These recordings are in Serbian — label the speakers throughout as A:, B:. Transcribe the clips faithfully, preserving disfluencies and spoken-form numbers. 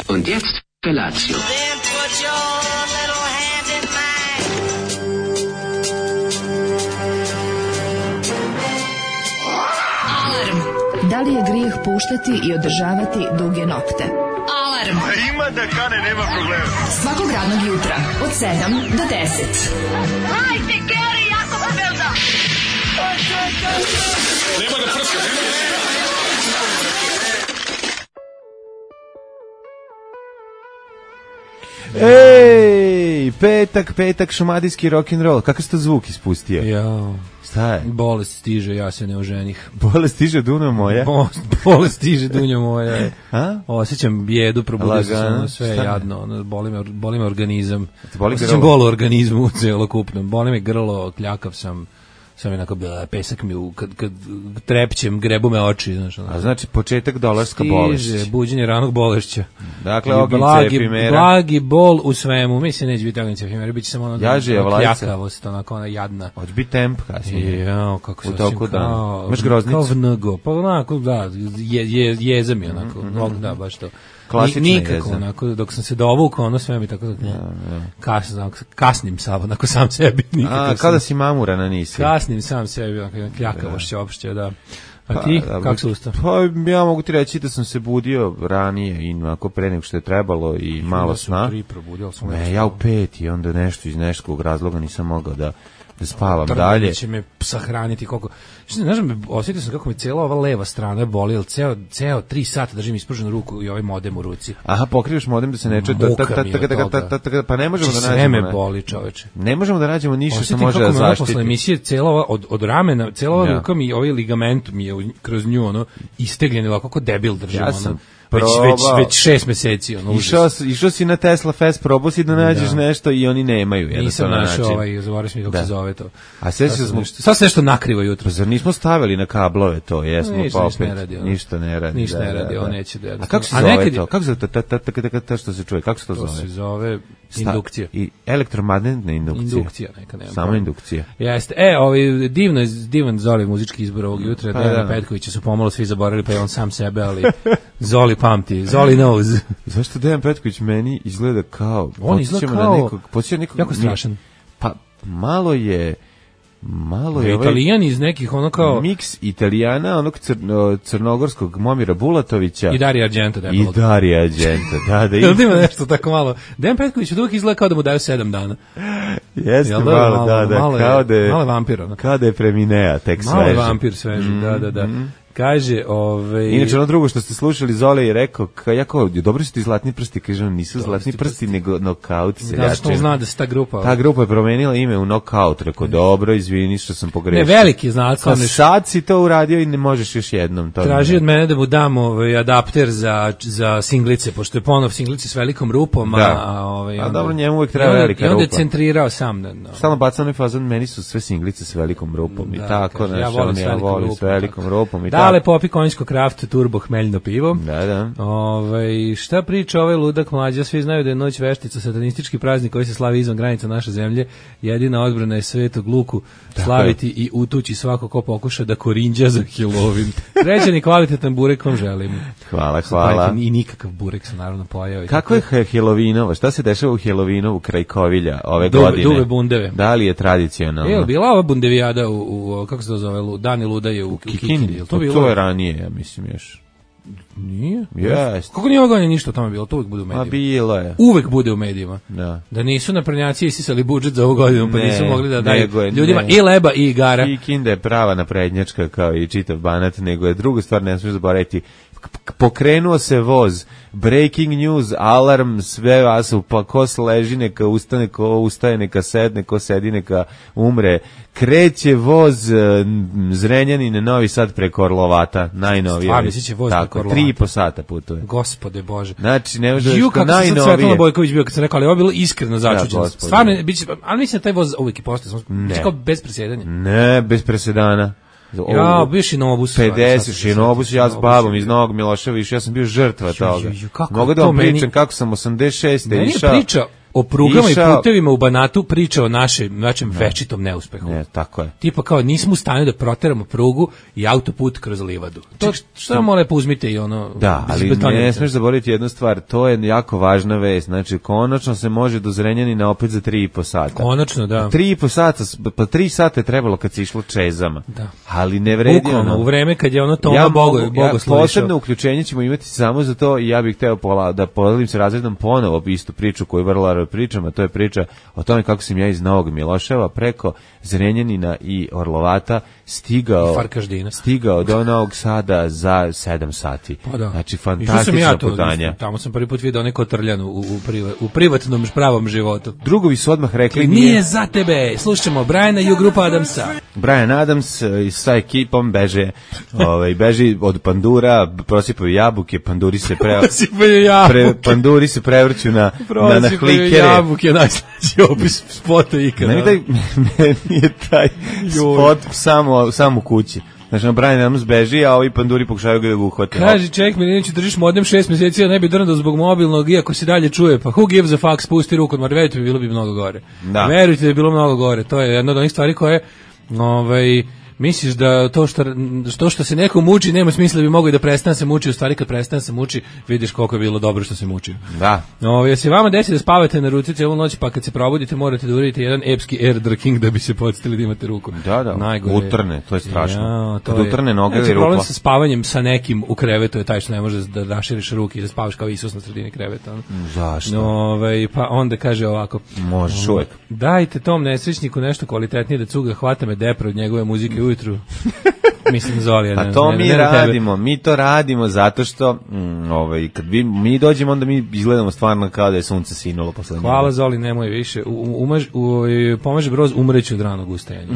A: Und jetzt Felatio.
B: Da li je grijeh puštati i održavati duge nokte? Alarm!
C: A ima da kane, nema problema.
B: Svakog radnog jutra, od sedam do deset.
D: Hajde, Geri, jako se velda!
C: Nema da prska, nema da
E: Ej, petak, petak, šumadijski rock'n'roll. Kakav si to zvuk ispustio?
F: Jao.
E: Šta je?
F: Bolest stiže, ja se ne oženih.
E: Bolest stiže, Duno moja?
F: Bo, bolest stiže, Dunjo moja.
E: A?
F: Osjećam bijedu, probudio se ono sve
E: Šta?
F: jadno. Ono, boli, me, boli me organizam.
E: Boli
F: Osjećam
E: grlo?
F: bol u organizmu celokupno. Boli me grlo, kljakav sam. Sam je onako, pesak mi u, kad, kad trepćem, grebu me oči. Znaš, ono.
E: A znači početak dolarska bolest.
F: Stiže, buđenje ranog bolešća.
E: Dakle,
F: I
E: ognjice,
F: blagi,
E: efimera.
F: Blagi bol u svemu. Mislim, neće biti ognjice, efimera. Biće samo ono
E: Jaže,
F: ono
E: vlajca.
F: kljakavost, onako ona jadna.
E: Hoće biti temp kasnije.
F: Jao, kako se
E: U toku
F: osjećam
E: dana.
F: kao...
E: Imaš groznicu?
F: Kao vnego. Pa onako, da, je, je, jeza mi onako. Mm-hmm. Da, baš to.
E: Klasična
F: Ni, nikako,
E: jeza.
F: Onako, dok sam se dovukao, ono sve mi tako... Da, ja. Kas, onako, kasnim sam, onako sam sebi.
E: A, kao da si mamurana nisi.
F: Kasnim sam sebi, onako, kljakavošće opšte, da. A ti,
E: Pa,
F: kako se ustao?
E: Pa ja mogu ti reći da sam se budio ranije i onako pre nego što je trebalo i malo
F: Ja sam
E: sna.
F: tri probudio, sam
E: Ne, ja u pet i onda nešto iz nekog razloga nisam mogao da, da spavam dalje.
F: Će me sahraniti koliko... Što ne znam, osjetio sam kako mi cijela ova leva strana boli, jer ceo, ceo tri sata držim ispruženu ruku i ovaj modem u ruci.
E: Aha, pokrivaš modem da se ne čuje.
F: Muka mi je od toga.
E: Pa ne možemo da
F: Sve
E: nađemo.
F: me
E: ne.
F: boli, čoveče.
E: Ne možemo da nađemo ništa što
F: Osjetim
E: može
F: kako
E: da
F: me ono
E: zaštiti.
F: posle emisije cijela ova, od, od ramena, cijela ova
E: Ja.
F: ruka mi, ovaj ligament mi je u- kroz nju, ono, istegljeni ovako kako debil držim,
E: Ja
F: ono.
E: sam
F: Već, već,
E: probao.
F: već šest meseci, ono,
E: Išao,
F: užas.
E: si- išao si na Tesla Fest, probao si da nađeš
F: Da.
E: nešto i oni nemaju.
F: Nisam
E: jednostavno
F: našao
E: način.
F: ovaj, zaboravio sam i kako
E: Da.
F: se zove to.
E: A sve
F: Sad
E: se
F: sam
E: smo...
F: nešto- Sad se nešto nakrivo jutro.
E: Pa zar nismo stavili na kablove to, jesmo,
F: Ništa,
E: pa
F: ništa
E: opet.
F: ne radi, ono.
E: Ništa ne radi.
F: Ništa
E: da,
F: ne
E: da,
F: radi,
E: da.
F: on neće da-
E: A kako se
F: A
E: zove
F: nekad je-
E: to? Kako se zove to? Ta- ta- ta- ta- ta- ta- što se čuje? Kako se to
F: To
E: zove?
F: se zove
E: Sta-
F: indukcija.
E: I elektromagnetna indukcija.
F: Indukcija neka, nema
E: Samo
F: pojma.
E: indukcija.
F: Jeste. E, ovaj divno je- divan Zoli muzički izbor ovog jutra.
E: Pa
F: Dejana
E: da.
F: Petkovića su pomalo svi zaboravili, pa je on sam sebe, ali Zoli pamti. Zoli knows.
E: Zašto Dejan Petković meni izgleda kao...
F: On izgleda
E: podsjeća me
F: kao-
E: na nekog, podsjeća nekog,
F: jako strašan.
E: Pa malo je... Malo je ovaj
F: Italijan iz nekih ono kao
E: miks Italijana, onog crno, crnogorskog Momira Bulatovića
F: i Dario Argento da je
E: i
F: bilo.
E: Dario Argento. Da, da,
F: Jel da
E: i,
F: ima nešto tako malo? Dejan Petković uvijek izgleda kao da mu daju sedam dana.
E: jeste
F: Jel da?
E: malo,
F: Malo-
E: da, da,
F: malo je-
E: kao da je,
F: malo je vampir, ono.
E: kao da je preminea, tek
F: Malo je
E: sveže.
F: vampir sveži, da, da, da. Kaže, ovaj...
E: Inače, ono drugo što ste slušali, Zole je rekao, ka, ja kao, dobro su ti zlatni prsti, kažem, nisu zlatni
F: su
E: prsti, nego nokaut
F: Zato što on
E: seljačin.
F: zna da se ta grupa...
E: Ta grupa je promenila ime u nokaut, rekao, dobro, izvini što sam
F: Ne,
E: pogrešio.
F: veliki znak,
E: Kao,
F: on je
E: sad si to uradio i ne možeš još jednom. To
F: traži
E: ne-
F: od mene da mu dam ovaj adapter za za singlice, pošto je ponov singlice s velikom rupom, a,
E: Da.
F: a ovaj
E: A
F: onda-
E: dobro, njemu uvek treba
F: i onda-
E: velika
F: I onda je
E: rupa.
F: centrirao sam na, na
E: Stalno bacam onaj fazon, meni su sve singlice s velikom rupom i
F: da,
E: tako,
F: kaže,
E: znaš,
F: ja volim
E: on
F: s
E: ja
F: velikom
E: volim s
F: rupom,
E: velikom
F: tako.
E: rupom i
F: Dale
E: tako.
F: popi konjsko kraft turbo hmeljno pivo.
E: Da, da.
F: Ovaj šta priča ovaj ludak mlađa, svi znaju da je noć veštica satanistički praznik koji se slavi izvan granica naše zemlje. Jedina odbrana je svetog Luku slaviti i utući svako ko pokuša da korinđa za Halloween. Srećan i kvalitetan burek vam želim.
E: Hvala, hvala.
F: I nikakav burek sam naravno pojao. i
E: Kako je Helovinova? Šta se dešava u Helovinovu kraj Kovilja ove
F: Duve-
E: godine?
F: duve bundeve.
E: Da li je tradicionalno?
F: E, jel bila ova bundevijada u, u kako se to zove, Lu- Dani Ludaje u, u Kikindi?
E: Kikindi?
F: Jel
E: To,
F: to bilo?
E: to je ranije, ja mislim još.
F: Nije?
E: Jeste.
F: Kako nije ovoga ništa o tome bilo? To uvijek bude u
E: Ma
F: medijima.
E: bilo je.
F: Uvek bude u medijima.
E: Da.
F: Da nisu naprednjaci isisali budžet za ovu godinu, pa
E: Ne,
F: nisu mogli da daju
E: nego je-
F: ljudima
E: ne.
F: i leba i igara.
E: Kikinda je prava naprednjačka kao i čitav Banat, nego je druga stvar, ne smiješ zaboraviti. K- Pokrenuo se voz, breaking news, alarm, sve vas, pa ko leži neka ustane, ko ustaje neka sedne, ko sedi neka umre. Kreće voz e, m, Zrenjanin, Novi Sad preko Orlovata, najnovije.
F: Stvarno, misliće voz
E: Tako,
F: preko Orlovata?
E: tri i po sata putuje.
F: Gospode Bože.
E: Znači, ne može
F: Ju,
E: da
F: kako sam sad Svetlana
E: najnovije.
F: Bojković bio kad sam rekao, ali ovo je bilo iskreno začuđeno.
E: gospode.
F: Stvarno, biće, ali mislim da taj voz uvijek i postoje, samo
E: Ne.
F: biće kao bez predsjedanja.
E: Ne, bez presedana.
F: Ja, bio Šinobus.
E: pedeset Šinobus, ja s babom iz
F: Šinobus.
E: Novog Miloševića, ja sam bio žrtva
F: Ju,
E: toga.
F: ju, ju, kako
E: Mogu da
F: to
E: vam
F: meni-
E: pričam kako sam osamdeset šeste
F: Meni je
E: išao
F: priča o prugama
E: Išao...
F: i putevima u Banatu priča o našem, našem ne. večitom neuspehu.
E: Ne, tako je.
F: Tipa kao nismo u stanju da proteramo prugu i autoput kroz livadu. To što mu lepo uzmite i ono...
E: Da, ali ne smiješ zaboraviti jednu stvar, to je jako važna vest. Znači, konačno se može do Zrenjanina opet za tri i po sata.
F: Konačno, da.
E: Tri i po sata, pa tri sata je trebalo kad se išlo čezama.
F: Da.
E: Ali ne vredi
F: Bukvalno,
E: ono.
F: u vreme kad je ono Toma
E: ja
F: Bogo,
E: mogu,
F: Bogo
E: ja, posebno uključenje ćemo imati samo za to i ja bih hteo pola, da podelim se razredom ponovo istu priču koju vrlo rado pričam, a to je priča o tome kako sam ja iz Novog Miloševa preko Zrenjanina i Orlovata stigao, stigao do Novog Sada za sedam sati.
F: Pa da.
E: Znači, fantastična ja putanja.
F: Tamo sam prvi put vidio neko trljanu u, u, priva, u privatnom pravom životu.
E: Drugovi su odmah rekli...
F: Nije, nije za tebe. Slušamo Briana i grupa Adamsa.
E: Brian Adams i sa ekipom beže, ovaj, beži od pandura, prosipaju jabuke, panduri se pre...
F: prosipaju jabuke.
E: Pre, panduri se prevrću na, na, na hlikere.
F: Jabuke, najslađi opis spota ikada.
E: Meni, taj, meni je taj spot samo, samo u kući. Znači, Brian Adams beži, a ovi panduri pokušaju ga da ga uhvate.
F: Kaži, ček, Milinović, držiš modem šest mjeseci, a ne bi drndao zbog mobilnog, iako se dalje čuje. Pa who gives a fuck, spusti ruku, mar verujte mi, bilo bi mnogo gore.
E: Da.
F: Verujte da je bilo mnogo gore. To je jedna od onih stvari koje, ovaj, misliš da to što, što što se neko muči nema smisla, bi mogao i da prestane se muči, u stvari kad prestane se muči, vidiš koliko je bilo dobro što se muči.
E: Da.
F: No, jesi vama desi da spavate na ruci cijelu noć, pa kad se probudite morate da uradite jedan epski air jerking da bi se podsjetili da imate ruku.
E: Da, da.
F: Najgore.
E: Utrne, to je strašno.
F: Ja, to
E: kad
F: je,
E: utrne noge
F: znači,
E: i rupa.
F: problem sa spavanjem sa nekim u krevetu je taj što ne može da raširiš ruke i da spavaš kao Isus na sredini kreveta. On.
E: Zašto?
F: No, ovaj, pa onda kaže ovako.
E: Možeš uvek.
F: Dajte tom nesrećniku nešto kvalitetnije da cuga, hvata me depre od njegove muzike ujutru. Mislim Zoli,
E: a to ne, mi ne radimo, tebe. mi to radimo zato što mm, ovaj kad vi, mi dođemo onda mi izgledamo stvarno kao da je sunce sinulo posle njega.
F: Hvala Zoli, nemoj više. U, umaž, u, pomaže broz umreću od ranog ustajanja.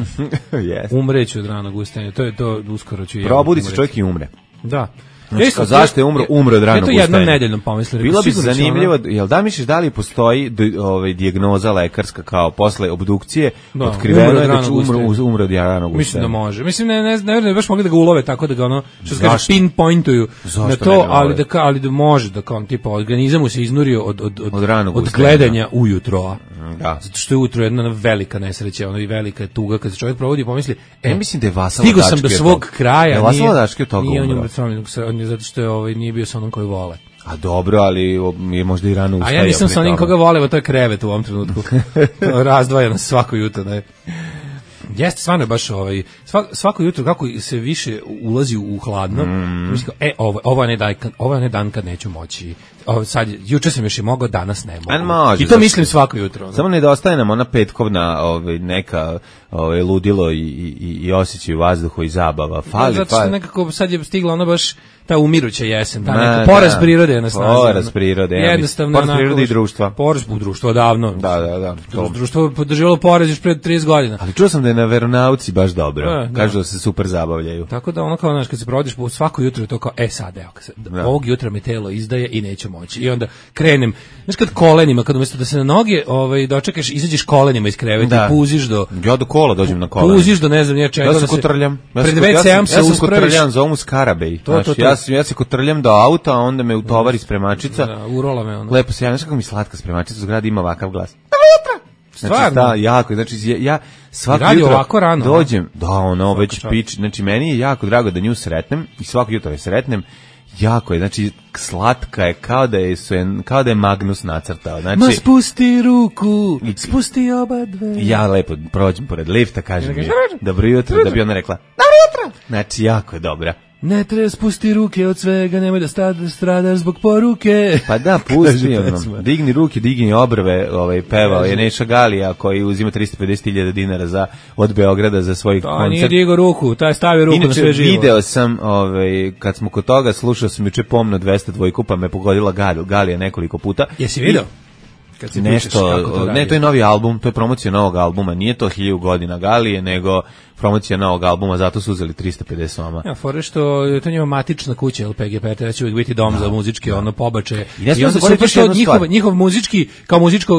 E: yes.
F: Umreću od ranog ustajanja. To je to uskoro ću ja.
E: Probudi se čovjek i umre.
F: Da.
E: Znači, kao zašto je umro, umro od ranog ustajanja.
F: To jednom nedeljnom pomislili.
E: Bilo bi zanimljivo, jel da misliš da li postoji ovaj, dijagnoza lekarska kao posle obdukcije, da, otkriveno je da će umro, umro od ranog ustajanja?
F: Mislim da može. Mislim, ne, ne, ne, ne baš mogli da ga ulove tako da ga ono, što se kaže, pinpointuju na to, ali da, ali da može, da kao tipa organizam mu se iznurio od, od, od, od, od gledanja ujutro.
E: Da.
F: Zato što je ujutro jedna velika nesreća, ono i velika tuga, kad se čovjek provodi i pomisli, e,
E: ja mislim da je Vasa
F: stigao sam do svog kraja.
E: Je Vasa Ladački od toga
F: umro? Nije zato što je ovaj, nije bio sa onom koji vole.
E: A dobro, ali je možda i rano ustajao.
F: A ja nisam sa onim koga vole, to je krevet u ovom trenutku. Razdvajano svako jutro. Ne? Jeste, stvarno je baš ovaj, svako, svako jutro kako se više ulazi u hladno, mm. mislim, e, ovo, ovo, je ne dan, ovo je ne dan kad neću moći. Ovo, sad, juče sam još i mogao, danas ne mogu.
E: Može,
F: I to mislim svako jutro. Ne?
E: Samo nedostaje nam ona petkovna ovaj, neka ovaj, ludilo i, i, i osjećaj u vazduhu i zabava. Fali,
F: zato što
E: fali.
F: nekako sad je stigla ono baš ta umiruća jesen, ta
E: Na,
F: neka poraz
E: da,
F: prirode je na snazi.
E: Poraz prirode, ja
F: jednostavno.
E: Poraz prirode i društva.
F: Poraz u društvo davno.
E: Da, da, da.
F: To. Društvo je podržavalo poraz još pred trideset godina.
E: Ali čuo sam da je na veronauci baš dobro.
F: E,
E: Kažu da se super zabavljaju.
F: Tako da ono kao, znaš, kad se provodiš svako jutro je to kao, e sad, evo, da. ovog jutra mi telo izdaje i neću moći. I onda krenem, znaš, kad kolenima, kad umjesto da se na noge ovaj, dočekaš, izađeš kolenima iz kreveta i puziš do...
E: Ja do kola dođem na kolena.
F: Puziš do ne znam nije čega.
E: Ja se kotrljam. Ja
F: pred ve ce-om se uspraviš.
E: Ja sam kotrljam, zovu Skarabej.
F: To, to, to.
E: Ja, ja se kotrljam do auta, a onda me utovari spremačica.
F: Da, urola me ono.
E: Lepo se javim, kako mi slatka spremačica u zgradi ima ovakav glas.
F: Stvarno?
E: Znači, da, jako, znači ja svako
F: jutro
E: ovako
F: rano,
E: dođem, da, ono već pič, znači meni je jako drago da nju sretnem i svako jutro je sretnem. Jako je, znači slatka je kao da je kao da je Magnus nacrtao. Znači,
F: ma spusti ruku, spusti oba dve.
E: Ja lepo prođem pored lifta, kažem mi dobro jutro, da bi ona rekla dobro jutro. Znači jako je dobra.
F: Ne treba spusti ruke od svega, nemoj da stradaš zbog poruke.
E: Pa da, pusti ono, digni ruke, digni obrve, ovaj, pevao je Neša Galija koji uzima tristo pedeset hiljada dinara za, od Beograda za svoj koncert.
F: To nije digo ruku, taj stavio ruku. Inače, na sve živo.
E: Video sam, ovaj, kad smo kod toga, slušao sam juče pomno dvesta dvojku, pa me pogodila Gal, Galija nekoliko puta.
F: Jesi video?
E: Kad si nešto, to ne, to je novi album, to je promocija novog albuma, nije to hiljadu godina Galije, nego promocija novog albuma, zato su uzeli tristo pedeset soma.
F: Ja, fore što je to njima matična kuća, L P G P, da će uvijek biti dom da, za muzičke, da. ono, pobače. I, I onda se što njihov, njihov muzički, kao muzičko,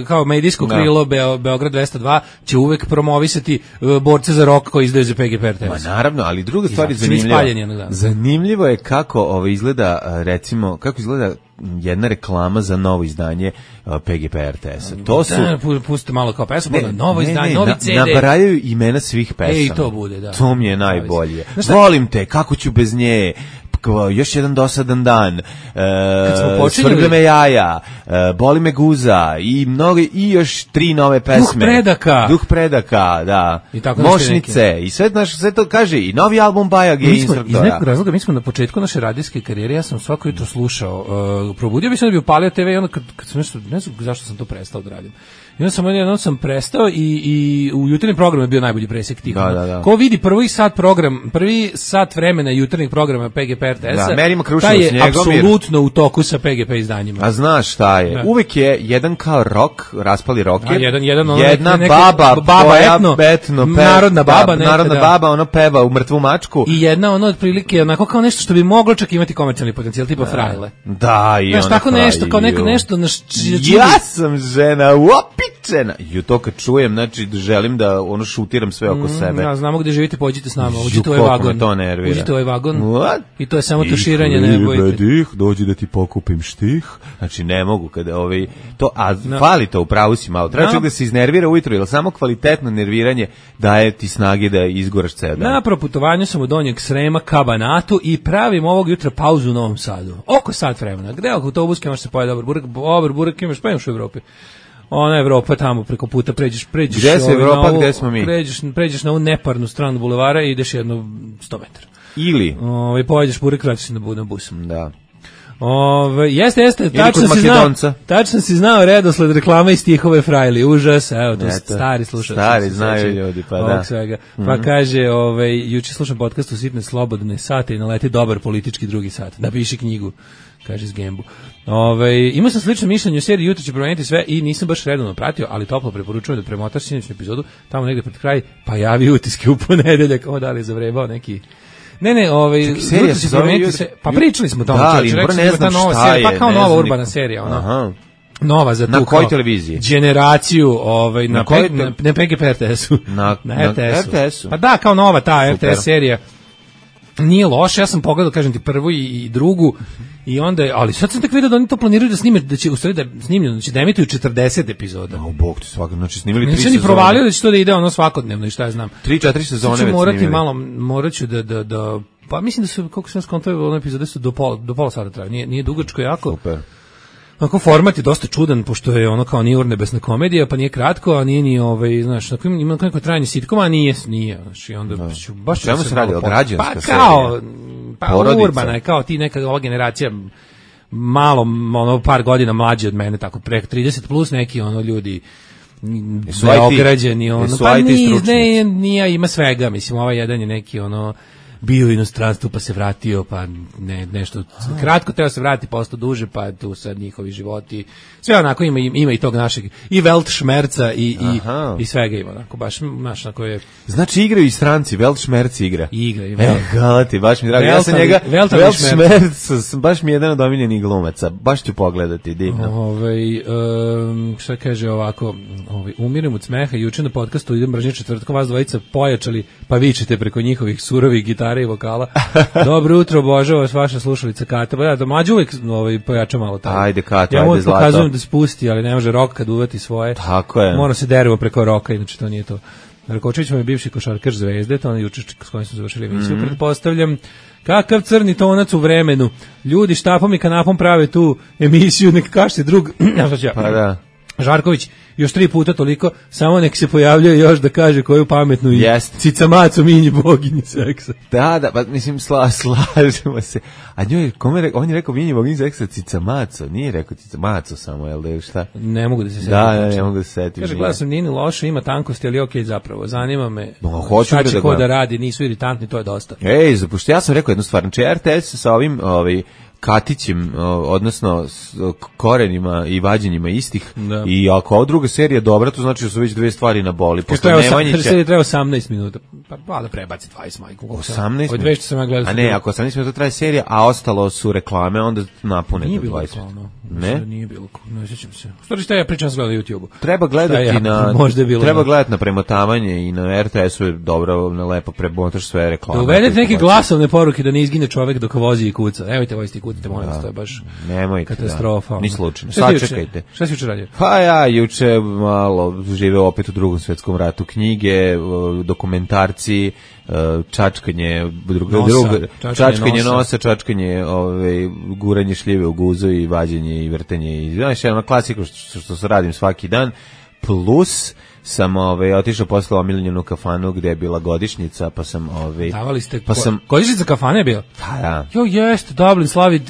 F: kao medijsko da. krilo Beo, Beograd dvesta dva, će uvijek promovisati uh, borce za rock koji izdaju za P G P R T V.
E: Ma naravno, ali druga stvar je zanimljiva. Zanimljivo je kako ovo izgleda, recimo, kako izgleda jedna reklama za novo izdanje uh, P G P R T S-a. To su...
F: Da, pustite malo kao pesmu, ne, novo izdanje, novi C D.
E: Nabrajaju imena svih pesama.
F: Ej, to bude, da.
E: To mi je najbolje. Volim te, kako ću bez nje, još jedan dosadan dan, e, svrbe me jaja, e, boli me guza i mnogo, i još tri nove pesme.
F: Duh predaka.
E: Duh predaka, da.
F: I tako
E: Mošnice. I sve, naš, sve to kaže, i novi album Baja Gej instruktora.
F: Iz nekog razloga, mi smo na početku naše radijske karijere, ja sam svako jutro slušao, uh, probudio bi se da bi upalio te ve i onda kad, kad sam nešto, ne znam zašto sam to prestao da radim. I onda sam, jednom sam prestao i, i u jutarnjem programu je bio najbolji presek tih.
E: Da, da, da.
F: Ko vidi prvi sat program, prvi sat vremena jutarnjeg programa P G P R T S-a,
E: da,
F: taj je apsolutno u toku sa P G P izdanjima.
E: A znaš šta je? Da. Uvek je jedan kao rok, raspali roker,
F: a jedan, jedan ono
E: jedna
F: neke,
E: baba,
F: baba
E: koja
F: etno,
E: etno pe,
F: narodna baba,
E: da, narodna da. baba, ono peva u mrtvu mačku.
F: I jedna ono otprilike onako kao nešto što bi moglo čak imati komercijalni potencijal, tipa da. Frajle.
E: Da, i
F: znaš,
E: ona
F: tako nešto, kao neko nešto na
E: ja sam žena, uopičena. I to kad čujem, znači želim da ono šutiram sve oko mm, sebe.
F: Ja, znamo gde živite, pođite s nama, uđite u ovaj vagon.
E: To nervira.
F: Uđite u ovaj vagon.
E: What?
F: I to je samo tuširanje, ne bojite.
E: Dih, dođi da ti pokupim štih. Znači ne mogu kada ovaj to a no. fali to, upravo si malo. Treba no. da se iznervira ujutro, jer samo kvalitetno nerviranje daje ti snage da izgoraš ceo dan.
F: Na proputovanju sam od Donjeg Srema ka Banatu i pravim ovog jutra pauzu u Novom Sadu. Oko sat vremena. Gde oko autobuske može se pojeti dobar burek, dobar burek imaš pa imaš u Evropi. Ona Evropa tamo preko puta pređeš, pređeš.
E: Gde se Evropa, gde smo mi?
F: Pređeš, pređeš na ovu neparnu stranu bulevara i ideš jedno sto metara.
E: Ili?
F: Ovaj pojedeš burek, vraćaš se na bus.
E: Da.
F: Ove, jeste, jeste, tačno si znao, tačno si znao redosled reklama i stihove Frajli, užas, evo, to Eto, stari slušaš.
E: Stari znaju ljudi, pa da.
F: Svega. Pa mm-hmm. kaže, ovaj, juče slušam podcast u sitne slobodne sate i naleti dobar politički drugi sat, napiši knjigu, kaže s Gembu. Ove, imao sam slično mišljenje o seriji, jutro će promeniti sve i nisam baš redovno pratio, ali toplo preporučujem da premotaš sinoćnu epizodu, tamo negde pred kraj, pa javi utiske u ponedeljak, o da li je zavrebao neki... Ne, ne, ovaj serija se zove se, pa pričali smo o tome,
E: da, čovječ,
F: ne znam nova šta serija, je, pa kao nova urbana serija, ona. Aha. Nova za tu.
E: Na kojoj televiziji?
F: Generaciju, ovaj na, na, pe, na, na P G P R T S-u.
E: Na,
F: na R T S-u.
E: R T S-u.
F: Pa da, kao nova ta R T S serija. Nije loše, ja sam pogledao, kažem ti, prvu i, i drugu i onda, ali sad sam tek vidio da oni to planiraju da snime, da će u stvari da snimljeno, da će da emituju četrdeset epizoda.
E: O, bog ti svaka, znači snimili tri
F: sezone. Nisam ni provalio da će to da ide ono svakodnevno i šta ja znam.
E: tri četiri sezone već snimili.
F: Morati malo, morat ću da, da, da, pa mislim da su, koliko sam skontao, one epizode su do pola, do pola sata traju, nije, nije dugačko jako.
E: Super.
F: Onako format je dosta čudan, pošto je ono kao nije urnebesna komedija, pa nije kratko, a nije ni ovaj, znaš, onako ima neko trajanje sitkoma, a nije, nije, znači onda
E: no.
F: ću baš
E: čemu se radi, o građanska
F: pa kao, pa porodica. Urbana je kao ti neka ova generacija malo ono par godina mlađi od mene, tako preko trideset plus neki ono ljudi beograđeni ono, pa nije, ne, nije, ima svega, mislim, ovaj jedan je neki ono bio u inostranstvu pa se vratio, pa ne, nešto kratko teo se vratiti, pa ostao duže, pa tu sad njihovi životi, sve onako ima, ima i tog našeg, i Weltschmerza i, i, i svega ima, onako, baš naš, onako je...
E: Znači igraju i stranci, Weltschmerz igra.
F: Igra, i
E: Evo, galati, baš mi drago, ja sam njega, Weltschmerz, baš mi je jedan od omiljenih glumaca, baš ću pogledati, divno.
F: Ovaj, um, šta kaže ovako, ovaj, umirem od smeha, juče na podcastu idem mržnje četvrtkom, vas dvojica pojačali, pa vičete preko njihovih surovih gitara i vokala. Dobro jutro, obožava vas vaša slušalica Kata. Da, da mlađe uvek ovaj, pojača malo taj.
E: Ajde Kata,
F: ja
E: ajde zlato.
F: Ja pokazujem da spusti, ali ne može rok kad uvati svoje.
E: Tako je.
F: Mora se dervo preko roka, inače to nije to. Rakočević je bivši košarkaš Zvezde, to on je juče s kojim smo završili emisiju. Mm-hmm. Pretpostavljam, kakav crni tonac u vremenu. Ljudi štapom i kanapom prave tu emisiju, nek kašte drug.
E: Pa da.
F: Žarković, još tri puta toliko, samo nek se pojavljuje još da kaže koju pametnu i
E: yes.
F: cicamacu minji boginji seksa.
E: Da, da, pa mislim, sla, slažemo se. A njoj, kome re, on je rekao minji boginji seksa cicamaco, nije rekao cicamaco samo, jel da je šta?
F: Ne mogu da se setim.
E: Da, da, ne mogu da se setim.
F: Kaže, gledam sam, nije ni loše, ima tankosti, ali okej okay, zapravo, zanima me
E: no,
F: šta će
E: da
F: ko da radi, nisu iritantni, to je dosta.
E: Ej, zapušti, ja sam rekao jednu stvar, znači R T S sa ovim, ovaj, Katićem, odnosno s korenima i vađenjima istih da. I ako ova druga serija dobra, to znači da su već dve stvari na boli.
F: Posle Nemanjića... Serija treba osamnaest minuta. pa valjda prebaci dvadeset majku.
E: osamnaest
F: Od dvesta sam ja gledao.
E: A ne, ako osamnaest minuta traje serija, a ostalo su reklame, onda napune
F: nije
E: do
F: bilo
E: dvadeset.
F: reklama.
E: Ne?
F: Nije bilo, ne sjećam se. Stvari šta ja pričam sam gledao na YouTubeu.
E: Treba gledati
F: ja,
E: na
F: možda je bilo
E: treba
F: na...
E: gledati na premotavanje i na er te esu je dobro, na lepo premotaš sve reklame.
F: Da uvedete neke glasovne poruke da ne izgine čovjek dok vozi i kuca. Nemojte voziti i kucate, molim vas, to je baš
E: nemojte,
F: katastrofa.
E: Da. Ni slučajno.
F: Šta
E: Sačekajte.
F: Šta si juče radio?
E: Pa ja juče malo živeo opet u Drugom svjetskom ratu, knjige, dokumentarci, čačkanje druga
F: nosa,
E: druga
F: čačkanje,
E: čačkanje
F: nosa,
E: nosa čačkanje, ovaj guranje šljive u guzu i vađenje i vrtenje i znaš, jedna klasika što, što se radim svaki dan, plus sam ovaj otišao posle omiljenu kafanu gde je bila godišnjica, pa sam ovaj
F: davali ste
E: pa sam
F: godišnjica kafane je bila.
E: Pa da.
F: Jo jeste, Dublin slavi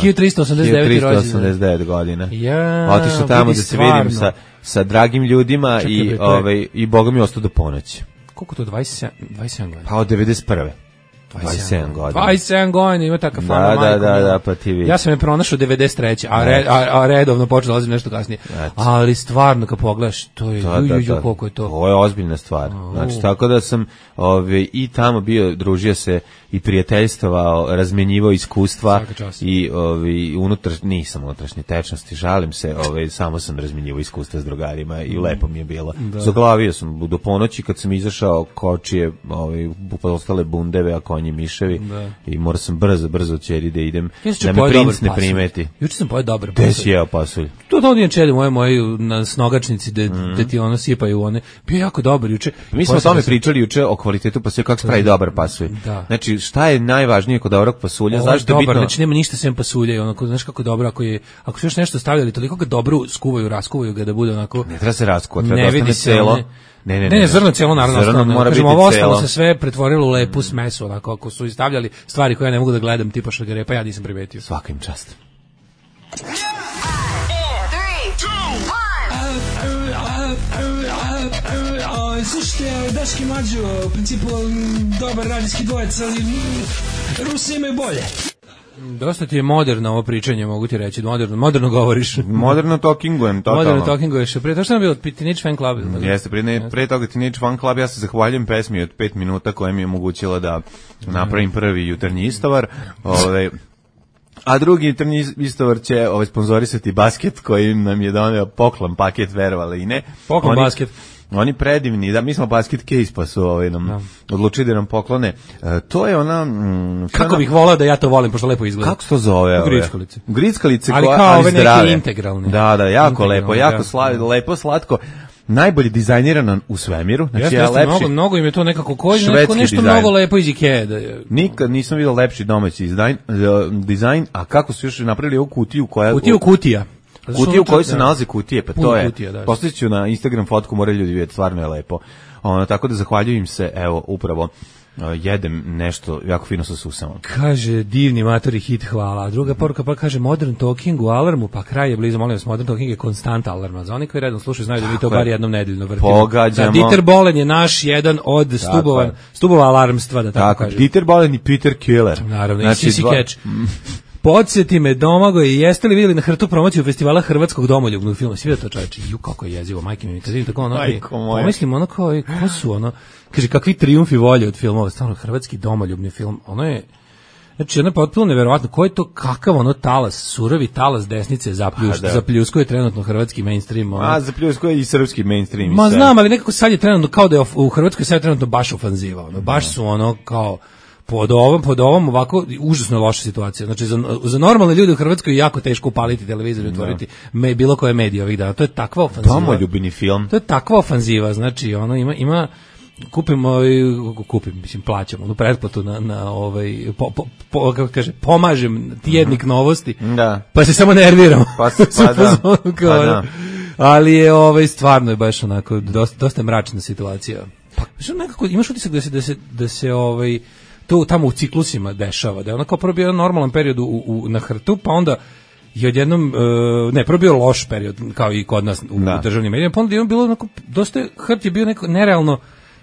F: hiljadu trista osamdeset deveti rođendan.
E: trista osamdeset devet godina.
F: Ja,
E: otišao tamo da se vidim sa sa dragim ljudima. Čekaj, i bre, ovaj i Boga mi ostao do ponoći.
F: Koliko to dvadeset sedam, dvadeset sedam godina?
E: Pa od devedeset prve dvadeset sedam godina.
F: dvadeset sedam godina ima ta kafana.
E: Da, da, da, da, pa ti vidi.
F: Ja sam je pronašao devedeset treće a, red, a, a redovno počeo dolazim nešto kasnije. Znači. Ali stvarno kad pogledaš, to je, da, ju, ju, da, koliko je to.
E: Ovo je ozbiljna stvar. Oh. Znači, tako da sam ove, i tamo bio, družio se i prijateljstvovao, razmenjivao iskustva i ove, unutar, nisam unutrašnje tečnosti, žalim se, ove, samo sam razmenjivao iskustva s drugarima i lepo mi je bilo. Da. Zaglavio sam do ponoći kad sam izašao kočije, ove, ostale bundeve, a konji miševi, da. I morao sam brzo, brzo ćeri da idem, da me princ ne primeti.
F: Juče sam pojeo dobar pasulj.
E: Gde si jeo pasulj?
F: To da odijem čeli moje, moje na snogačnici gde, mm. gde ti ono sipaju one. Bio jako dobar juče.
E: Mi smo o tome pričali juče o kvalitetu pasulja, kako se pravi dobar pasulj.
F: Da.
E: Znači, šta je najvažnije kod dobrog pasulja?
F: Zašto je dobar, bitno? Znači nema ništa sem pasulja i onako, znaš kako dobro, ako je, ako su još nešto stavljali, toliko ga dobro skuvaju, raskuvaju ga da bude onako.
E: Ne treba se raskuva, treba da ostane celo.
F: Ne, ne, ne, ne, ne zrno celo naravno. Zrno mora biti ovo ostalo se sve pretvorilo u lepu smesu, onako, ako su stavljali stvari koje ja ne mogu da gledam, tipa šargarepa, ja nisam primetio.
E: Svaka im čast.
A: Slušajte, Daški Mađo, u principu dobar radijski dvojec, ali Rusi imaju bolje.
F: Dosta ti je moderno ovo pričanje, mogu ti reći, moderno, moderno govoriš.
E: Moderno talkingujem, totalno.
F: Moderno talkinguješ. Prije to što nam je od Teenage Fan Club?
E: Jeste, prije, prije toga Teenage Fan Club, ja se zahvaljujem pesmi od pet minuta koja mi je omogućila da napravim prvi jutarnji istovar. Ove, a drugi jutarnji istovar će ovaj, sponzorisati basket koji nam je doneo poklon paket, verovali i ne.
F: Poklon
E: Oni,
F: basket.
E: Oni predivni, da, mi smo basket case pa su ovaj, nam no. odlučili da nam poklone. E, to je ona... Mm,
F: kako
E: ona,
F: bih volao da ja to volim, pošto lepo izgleda.
E: Kako se to zove?
F: Grickalice.
E: Grickalice,
F: ali
E: koja,
F: kao
E: ali
F: ove
E: zdrave.
F: neke integralne.
E: Da, da, jako integralne, lepo, jako
F: da.
E: sla, lepo, slatko. Najbolje dizajnirano u svemiru. Znači,
F: jeste,
E: ja
F: jeste,
E: lepši,
F: mnogo, mnogo im je to nekako koji, neko, nešto dizajn. Mnogo lepo iz Ikea. Da je.
E: Nikad nisam vidio lepši domaći dizajn, dizajn, a kako su još napravili ovu kutiju koja...
F: Kutiju kutija.
E: Kutiju u kojoj se nalaze kutije, pa to je.
F: Kutija,
E: postavit ću na Instagram fotku, moraju ljudi vidjeti, stvarno je lepo. Ono, tako da zahvaljujem se, evo, upravo uh, jedem nešto jako fino sa susama.
F: Kaže, divni matori hit, hvala. A druga poruka pa kaže, Modern Talking u alarmu, pa kraj je blizu, molim vas, Modern Talking je konstant alarma. Za oni koji redno slušaju, znaju da mi to bar jednom nedeljno vrtimo.
E: Pogađamo.
F: Da, Dieter Bohlen je naš jedan od stubova, stubova alarmstva, da tako, tako kažem.
E: Dieter Bohlen i Peter Killer.
F: Naravno, znači, i Sissy dva... Catch. Podsjeti me, Domagoj, jeste li vidjeli na Hrtu promociju festivala hrvatskog domoljubnog filma? Svi da to čovječe, ju kako je jezivo, majke mi, kad vidim tako ono, pomislim ono kao, ko su ono, kaže, kakvi trijumfi volje od filmova, stvarno, hrvatski domoljubni film, ono je, znači, ono je potpuno neverovatno, ko je to, kakav ono talas, surovi talas desnice zapljuš, da. Zapljuskuje trenutno hrvatski mainstream. Ono.
E: A, zapljuskuje i srpski mainstream.
F: Ma znam, ali nekako sad je trenutno, kao da je u Hrvatskoj sad je trenutno baš ofanziva, ono, baš su ono, kao, pod ovom, pod ovom ovako užasno loša situacija. Znači za, za normalne ljude u Hrvatskoj je jako teško upaliti televizor i otvoriti me, bilo koje medije ovih dana. To je takva ofanziva.
E: Domoljubni film.
F: To je takva ofanziva, znači ono ima ima kupim ovaj kupim, mislim plaćam onu pretplatu na na ovaj po, po, po, kako kaže, pomažem tjednik novosti.
E: Da.
F: Pa se samo nerviram.
E: Pa, pa, da. Pa da.
F: Ali je ovaj stvarno je baš onako dosta dosta mračna situacija. Pa što nekako imaš utisak da se da se da se ovaj to tamo u ciklusima dešava, da je onako prvo bio normalan period u, u, na Hrtu, pa onda je odjednom, uh, ne, prvo bio loš period, kao i kod nas u, u državnim medijima, pa onda je bilo onako, dosta, Hrt je bio neko nerealno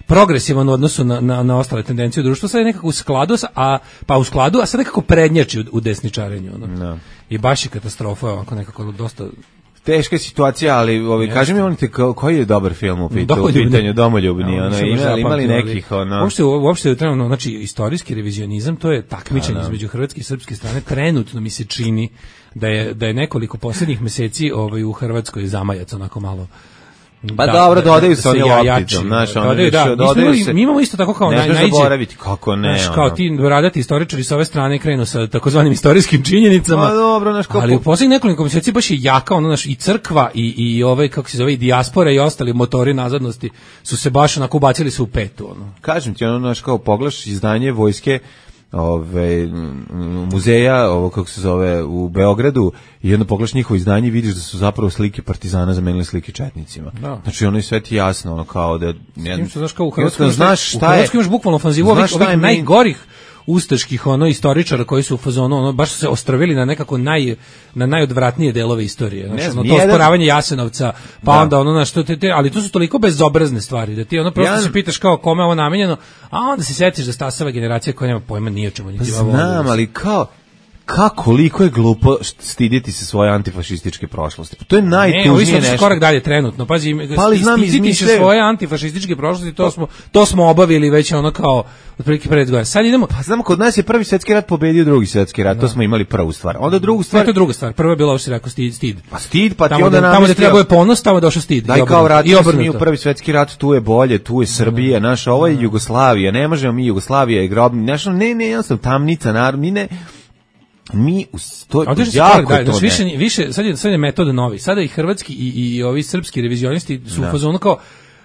F: progresivan u odnosu na, na, na ostale tendencije u društvu, sad je nekako u skladu, a, pa u skladu, a sad nekako prednjači u, u desničarenju. Ono.
E: No.
F: I baš je katastrofa, onako nekako dosta...
E: teška je situacija, ali ovaj kaži mi onite koji je dobar film u pitanju, u pitanju Domoljubni, ono imali imali nekih ono.
F: Uopšte uopšte trenutno, znači istorijski revizionizam, to je takmičenje između hrvatske i srpske strane. Trenutno mi se čini da je da je nekoliko poslednjih meseci ovaj u Hrvatskoj zamajac onako malo.
E: Pa da, dobro, da, dodaju se oni lopticom, znaš, ono
F: dodaju, da, dodaju se. Mi imamo isto tako kao
E: naj, najđe. Zaboraviti, kako ne,
F: znaš, kao ti radati istoričari sa ove strane krenu sa takozvanim istorijskim činjenicama.
E: Pa dobro, znaš, kako...
F: Ali u poslednjih nekoliko meseci baš je jaka, ono, znaš, i crkva i, i ove, kako se zove, i dijaspora i ostali motori nazadnosti su se baš onako ubacili su u petu, ono.
E: Kažem ti, ono, znaš, kao pogledaš izdanje vojske, ove muzeja, ovo kako se zove u Beogradu, i jedno pogledaš njihovo izdanje i vidiš da su zapravo slike partizana zamenili slike četnicima. Da. Znači ono je sve ti jasno, ono kao da
F: ne znaš kao u Hrvatskoj znaš šta je. U Hrvatskoj imaš bukvalno ofanzivu ovih, ovih najgorih ustaških ono istoričara koji su u fazonu ono baš su se ostrvili na nekako naj na najodvratnije delove istorije, znači ono to osporavanje Jasenovca, pa da. Onda ono na što te, te ali to su toliko bezobrazne stvari da ti ono prosto ja, se pitaš kao kome je ovo namenjeno, a onda se setiš da stasava generacija koja nema pojma ni o čemu niti ima.
E: Znam, ali kao kako koliko je glupo stiditi se svoje antifašističke prošlosti. Pa to je najtužnije
F: nešto. Ne, korak dalje trenutno. Pazi, pa stiditi se svoje antifašističke prošlosti, to smo to smo obavili već ono kao otprilike pred godina. Sad idemo.
E: Pa znamo, kod nas je prvi svjetski rat pobedio drugi svjetski rat, da. To smo imali prvu stvar. Onda drugu stvar.
F: To je druga stvar. Prva je bila uopšte rekao stid, stid.
E: Pa stid, pa
F: tamo
E: ti onda
F: da, tamo da treba je ponos, tamo došao stid.
E: Daj kao vratili smo mi u prvi svjetski rat, tu je bolje, tu je Srbija, naša, ovo je Jugoslavija, ne možemo mi, Jugoslavija je grob, naša, ne, ne, jednostavno tamnica, narod, mi ne. Mi to je jako
F: da, znači više više sad je sad je metod novi. Sada i hrvatski i i ovi srpski revizionisti su u fazonu kao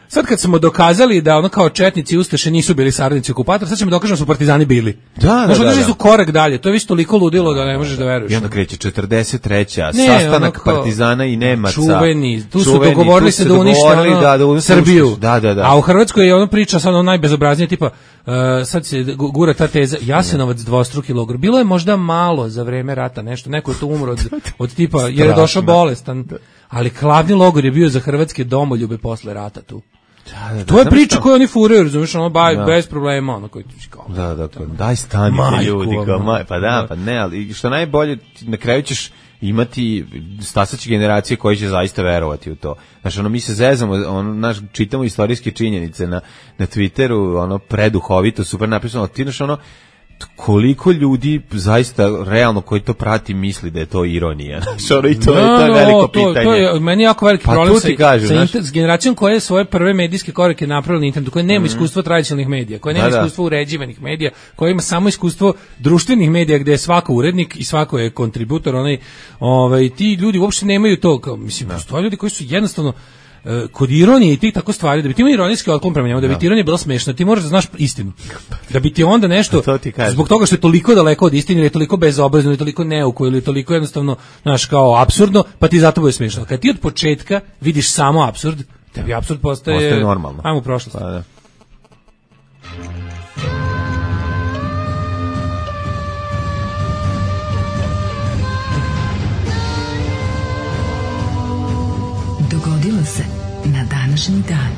F: sad kad smo dokazali da ono kao četnici i ustaše nisu bili saradnici okupatora, sad ćemo dokažemo da su partizani bili.
E: Da, da,
F: možda
E: da, da.
F: su korak dalje. To je već toliko ludilo da ne možeš da veruješ.
E: I onda kreće četrdeset treća ne, sastanak kao, partizana i Nemaca.
F: Čuveni, tu su čuveni, dogovorili tu se da unište ono, da, da Srbiju.
E: Da, da, da.
F: A u Hrvatskoj je ono priča sad ono najbezobraznije tipa uh, sad se gura ta teza Jasenovac dvostruki logor. Bilo je možda malo za vreme rata nešto, neko je tu umro od, od tipa jer je došao bolestan. Ali glavni logor je bio za hrvatske domoljube posle rata tu. Da, da, to je priča koju oni furaju, razumiješ, ono baj, da. Bez problema, ono koji kao.
E: Da, da, kao, daj stanite majku, ljudi, kao, maj, pa da, pa ne, ali što najbolje, na kraju ćeš imati stasaće generacije koji će zaista verovati u to. Znači, ono, mi se zezamo, ono, naš, čitamo istorijske činjenice na, na Twitteru, ono, preduhovito, super napisano, ti znaš, ono, koliko ljudi zaista realno koji to prati misli da je to ironija. Znači, i to, no, je, to je veliko
F: to,
E: pitanje.
F: To je meni jako veliki
E: pa
F: problem sa,
E: kažu,
F: sa inter, s generacijom koja je svoje prve medijske korake napravila na internetu, koja nema mm. iskustva tradicionalnih medija, koja nema da, iskustva da. uređivanih medija, koja ima samo iskustvo društvenih medija gde je svako urednik i svako je kontributor, onaj, ovaj, ti ljudi uopšte nemaju to, kao, mislim, da. Postoje ljudi koji su jednostavno kod ironije i ti tako stvari, da bi ti imao ironijski otklon prema njemu, da bi ti ironija bila smešna, ti moraš da znaš istinu. Da bi ti onda nešto, zbog toga što je toliko daleko od istine, ili je toliko bezobrazno, ili je toliko neuko, ili je toliko jednostavno, znaš, kao apsurdno, pa ti zato bude smešno. Kad ti od početka vidiš samo apsurd, tebi apsurd postaje,
E: postaje normalno.
F: Ajmo u prošlost.
E: Pa da.
B: Dogodilo se na današnji dan.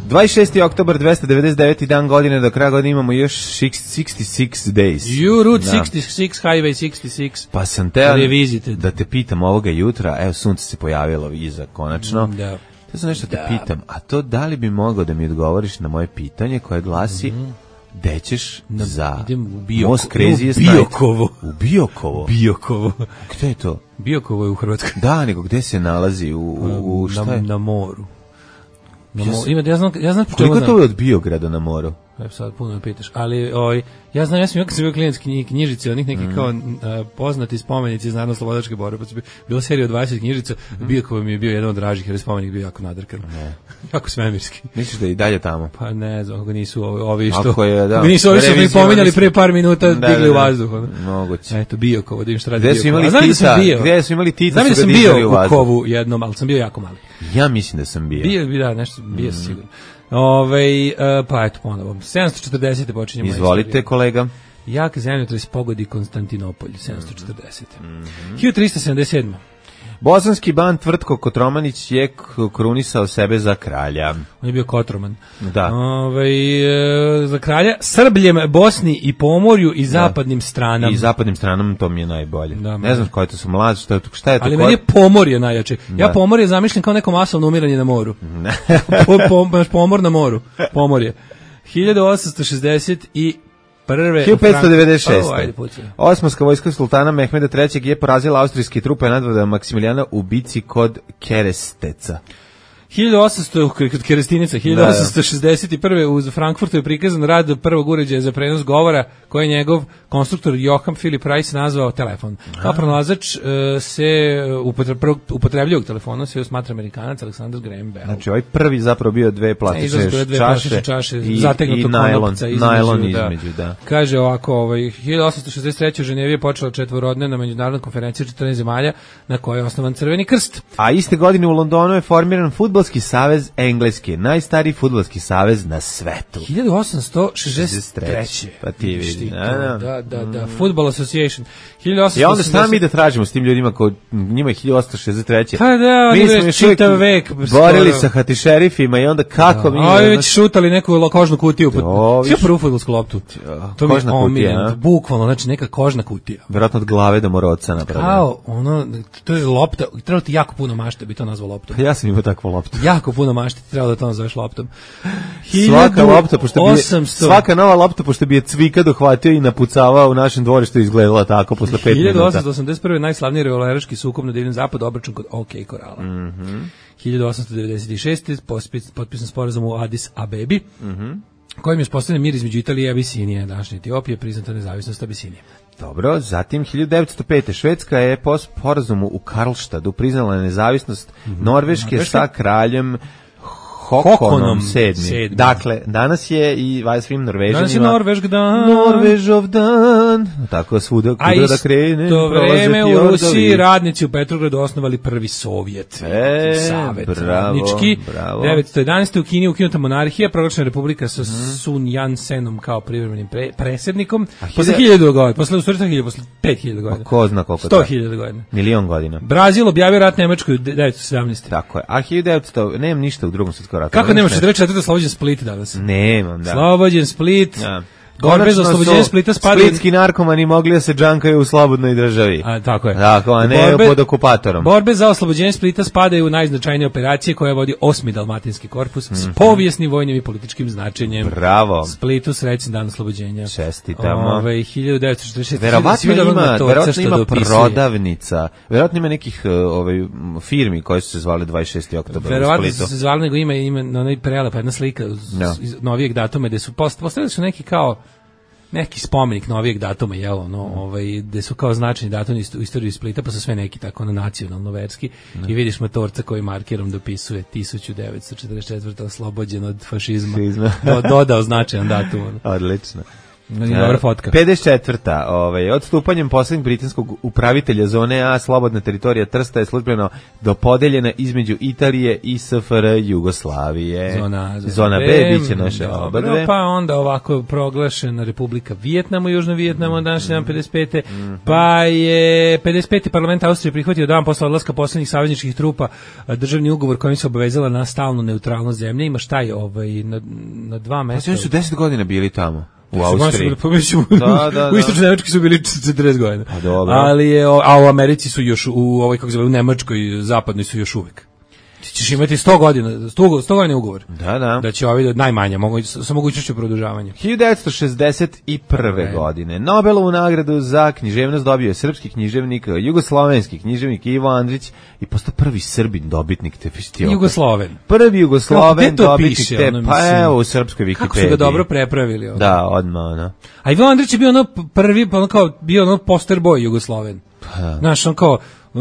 E: dvadeset šesti oktobar, dvesta devedeset deveti dan godine, do kraja godine imamo još šezdeset šest days.
F: You route da. šezdeset šest, highway šezdeset šest.
E: Pa sam te da te pitam ovoga jutra, evo sunce se pojavilo iza konačno.
F: Da.
E: Ja sam nešto
F: da.
E: te pitam, a to da li bi mogao da mi odgovoriš na moje pitanje koje glasi mm-hmm. gde ćeš
F: na,
E: za
F: Bio,
E: Most Craziest
F: Night? Biokovo.
E: U Biokovo?
F: Biokovo.
E: Gde je to?
F: Biokovo je u Hrvatskoj.
E: Da, nego gde se nalazi? U, u, u šta
F: na,
E: je?
F: Na moru. Na mo, ima, ja znam, ja znam
E: koliko to je od Biograda na moru?
F: Evo sad puno me pitaš, ali oj, ja znam, ja sam kad sam bio klijent knjig, knjižice, onih nekih mm. kao uh, poznati spomenici iz narodno-slobodačke borbe, pa su bila serija od dvadeset knjižica, mm. Biokovo mi je bio jedan od dražih, jer je spomenik bio jako nadrkan, jako svemirski.
E: Misliš da je i dalje tamo?
F: Pa ne znam, ako nisu ovi, ovi što,
E: ako je, da,
F: ako nisu ovi što mi pominjali prije par minuta,
E: da,
F: digli u vazduh.
E: Moguće.
F: Eto, Biokovo, da im šta radi
E: Biokovo. Gde su imali tita, gde su imali tita,
F: znam da sam bio u Kovu jednom, ali sam bio jako mali.
E: Ja mislim da sam bio.
F: Bio, da, nešto, bio sam sigurno. Ove, uh, pa eto ponovo, sedamsto četrdeset počinjemo.
E: Izvolite kolega.
F: Jak zemljotres pogodi Konstantinopolj, sedamsto četrdeset. Mm-hmm. hiljadu trista sedamdeset sedam.
E: Bosanski ban Tvrtko Kotromanić je k- krunisao sebe za kralja.
F: On je bio Kotroman.
E: Da.
F: Ove, e, za kralja Srbljem, Bosni i Pomorju i zapadnim stranama.
E: I zapadnim stranom to mi je najbolje.
F: Da,
E: ne znam koje to su mlađe, šta je to, šta je to?
F: Ali
E: koje...
F: meni je Pomorje najjače. Ja
E: Da.
F: Pomorje zamišljam kao neko masovno umiranje na moru. po, po, baš pomor na moru. Pomorje. hiljadu osamsto šezdeset i prve
E: hiljadu petsto devedeset šeste.
F: Oh, ajde, pucaj.
E: Osmanska vojska sultana Mehmeda trećeg je porazila austrijske trupe nadvoda Maksimilijana u bici kod Keresteca.
F: hiljadu osamsto kod Kerestinica, hiljadu osamsto šezdeset prve uz Frankfurtu je prikazan rad prvog uređaja za prenos govora koji je njegov konstruktor Johann Philipp Reis nazvao telefon. Kao pronalazač uh, se upotre, prvog upotrebljivog telefona se smatra Amerikanac Alexander Graham Bell.
E: Znači ovaj prvi zapravo bio dve
F: Ne,
E: plastične
F: izlazi dve
E: čaše,
F: plastične čaše
E: i,
F: zategnutog
E: i najlon,
F: konopca između,
E: najlon
F: da.
E: između, da.
F: Kaže ovako, ovaj, hiljadu osamsto šezdeset treće u Ženevi je počela četvorodnevna međunarodna konferencija četrnaest zemalja na kojoj je osnovan Crveni krst.
E: A iste godine u Londonu je formiran Fudbalski savez Engleske, najstariji fudbalski savez na svetu.
F: hiljadu osamsto šezdeset treće
E: Pa ti vidi.
F: Vidiš ti to,
E: Da,
F: Da, da, da. Football Association. hiljadu osamsto
E: I onda šta
F: osamdeset
E: mi da tražimo s tim ljudima ko njima je hiljadu osamsto šezdeset treće.
F: Pa da, oni
E: mi smo
F: već
E: još uvijek
F: čitav vek
E: borili
F: skoro.
E: sa hatišerifima i onda kako mi...
F: Ovi
E: ne
F: već
E: znaš-
F: šutali neku kožnu kutiju.
E: To,
F: Pod... Sve
E: viš-
F: prvu fudbalsku loptu. To mi je
E: kožna kutija,
F: omiljeno.
E: a?
F: Bukvalno, znači neka kožna kutija.
E: Verovatno od glave do moroca napravljeno.
F: Kao, ono, to je lopta, trebalo ti jako puno mašte, bi to nazvao loptom.
E: Ja sam imao takvu loptu.
F: Jako puno mašte, trebalo da to nazoveš loptom.
E: Svaka lopta, pošto bi je,
F: osamsto
E: svaka nova lopta, pošto bi je Cvika dohvatio i napucavao u našem dvorištu, izgledala tako posle pet
F: hiljadu
E: minuta.
F: osamsto osamdeset prve najslavniji revolveraški sukob na Divljem zapadu, obračun kod OK Korala.
E: Mm-hmm.
F: hiljadu osamsto devedeset šeste pospis- potpisan sporazum u Addis Abebi,
E: Mm-hmm.
F: kojim je uspostavljen mir između Italije i Abisinije, današnje Etiopije, priznata nezavisnost Abisinije.
E: Dobro, zatim hiljadu devetsto pete. Švedska je po sporazumu u Karlštadu priznala nezavisnost Norveške
F: Norveška?
E: sa kraljem Hokonom
F: Hokonom
E: sedmi.
F: sedmi.
E: Dakle, danas je i vaj svim Norvežanima
F: Danas je Norvešk dan.
E: Norvežov dan. Tako svuda
F: A
E: kuda da krene.
F: isto
E: prolaze
F: vreme u
E: fjordovi.
F: Rusiji radnici u Petrogradu osnovali prvi Sovjet.
E: E,
F: Savet
E: bravo,
F: radnički.
E: bravo.
F: devetsto jedanaeste. u Kini ukinuta monarhija, proglašena republika sa Sun Yat-senom kao privremenim pre, predsjednikom. Posle
E: hiljada-
F: hiljadu godina, posle u stvari sto hiljada, posle pet hiljada godina.
E: Ko zna koliko
F: sto
E: to?
F: hiljada godina.
E: Milion godina.
F: Brazil objavio rat Nemačkoj u devetsto sedamnaeste.
E: Tako je. A hiljadu devetsto. Nemam ništa u drugom svjetskom ratu.
F: Kako
E: Nemam
F: nemaš
E: ništa.
F: četrdeset četvrte. Slobođen Split danas?
E: Nemam, da.
F: Slobođen Split.
E: Da.
F: Borbe za
E: Konačno
F: oslobođenje
E: su
F: Splita spadaju...
E: Splitski narkomani mogli da se džankaju u slobodnoj državi.
F: A, tako je.
E: Tako, a ne
F: Borbe-
E: pod okupatorom.
F: Borbe za oslobođenje Splita spadaju u najznačajnije operacije koje vodi osmi Dalmatinski korpus s povijesnim vojnim i političkim značenjem.
E: Bravo.
F: Splitu srećan dan oslobođenja.
E: Čestitamo.
F: Ove, hiljadu devetsto četrdeset šeste.
E: Verovatno
F: Svi videli
E: ima,
F: onog motorca
E: verovatno
F: što
E: ima
F: dopisuje.
E: prodavnica. Verovatno ima nekih uh, ovaj, m, firmi koje su se zvale dvadeset šesti oktobar u
F: Verovatno
E: Splitu.
F: se zvali, nego ima, ima na onaj prelepa jedna slika iz,
E: Da.
F: iz novijeg datuma gde su post, postavili su neki kao neki spomenik novijeg datuma, jel, ono, ovaj, gde su kao značajni datumi u istoriji Splita, pa su sve neki tako na nacionalno verski i vidiš motorca koji markerom dopisuje tisuću devetsto četrdeset četvrte. oslobođen od fašizma.
E: Fašizma.
F: Do, dodao značajan datum. Ono.
E: Odlično.
F: Dobra fotka.
E: pedeset četvrta. Ovaj, odstupanjem posljednjeg britanskog upravitelja zone A, slobodna teritorija Trsta je službeno dopodeljena između Italije i S F R Jugoslavije.
F: Zona, zona,
E: Zona B biće naše
F: dobro,
E: oba dve.
F: Pa onda ovako proglašena Republika Vijetnam u Južnom Vijetnamu
E: Mhm.
F: današnji dan pedeset pete. Pa je pedeset peti parlament Austrije prihvatio dan posle odlaska poslednjih savezničkih trupa a, državni ugovor kojim se obavezala na stalnu neutralnost zemlje. Ima šta je ovaj, na, na dva
E: Pa
F: mesta.
E: oni su deset godina bili tamo. U
F: Su
E: Austriji.
F: baš- pa mislim, u-
E: Da, da,
F: U
E: da.
F: istočnoj Nemačkoj su bili četrdeset godina.
E: Pa dobro.
F: Ali je, o- a u Americi su još, u ovoj, kako se zove, u Nemačkoj, zapadnoj su još uvek. Ti ćeš imati sto godina, sto, sto godina ugovor.
E: Da, da.
F: Da će ovi najmanje, mogu, sa mogućnošću produžavanja.
E: hiljadu devetsto šezdeset prve.
F: Ok.
E: godine. Nobelovu nagradu za književnost dobio je srpski književnik, jugoslovenski književnik Ivo Andrić i postao prvi Srbin dobitnik te festivala.
F: Jugosloven.
E: Prvi
F: Kako,
E: Jugosloven
F: gde to
E: dobitnik
F: piše,
E: te,
F: ono,
E: pa
F: mislim?
E: evo u srpskoj Wikipediji.
F: Kako su ga dobro prepravili. Ono.
E: Da, odmah, ono.
F: A Ivo Andrić je bio ono prvi, ono kao, bio ono poster boy Jugosloven. Znaš, on kao, e,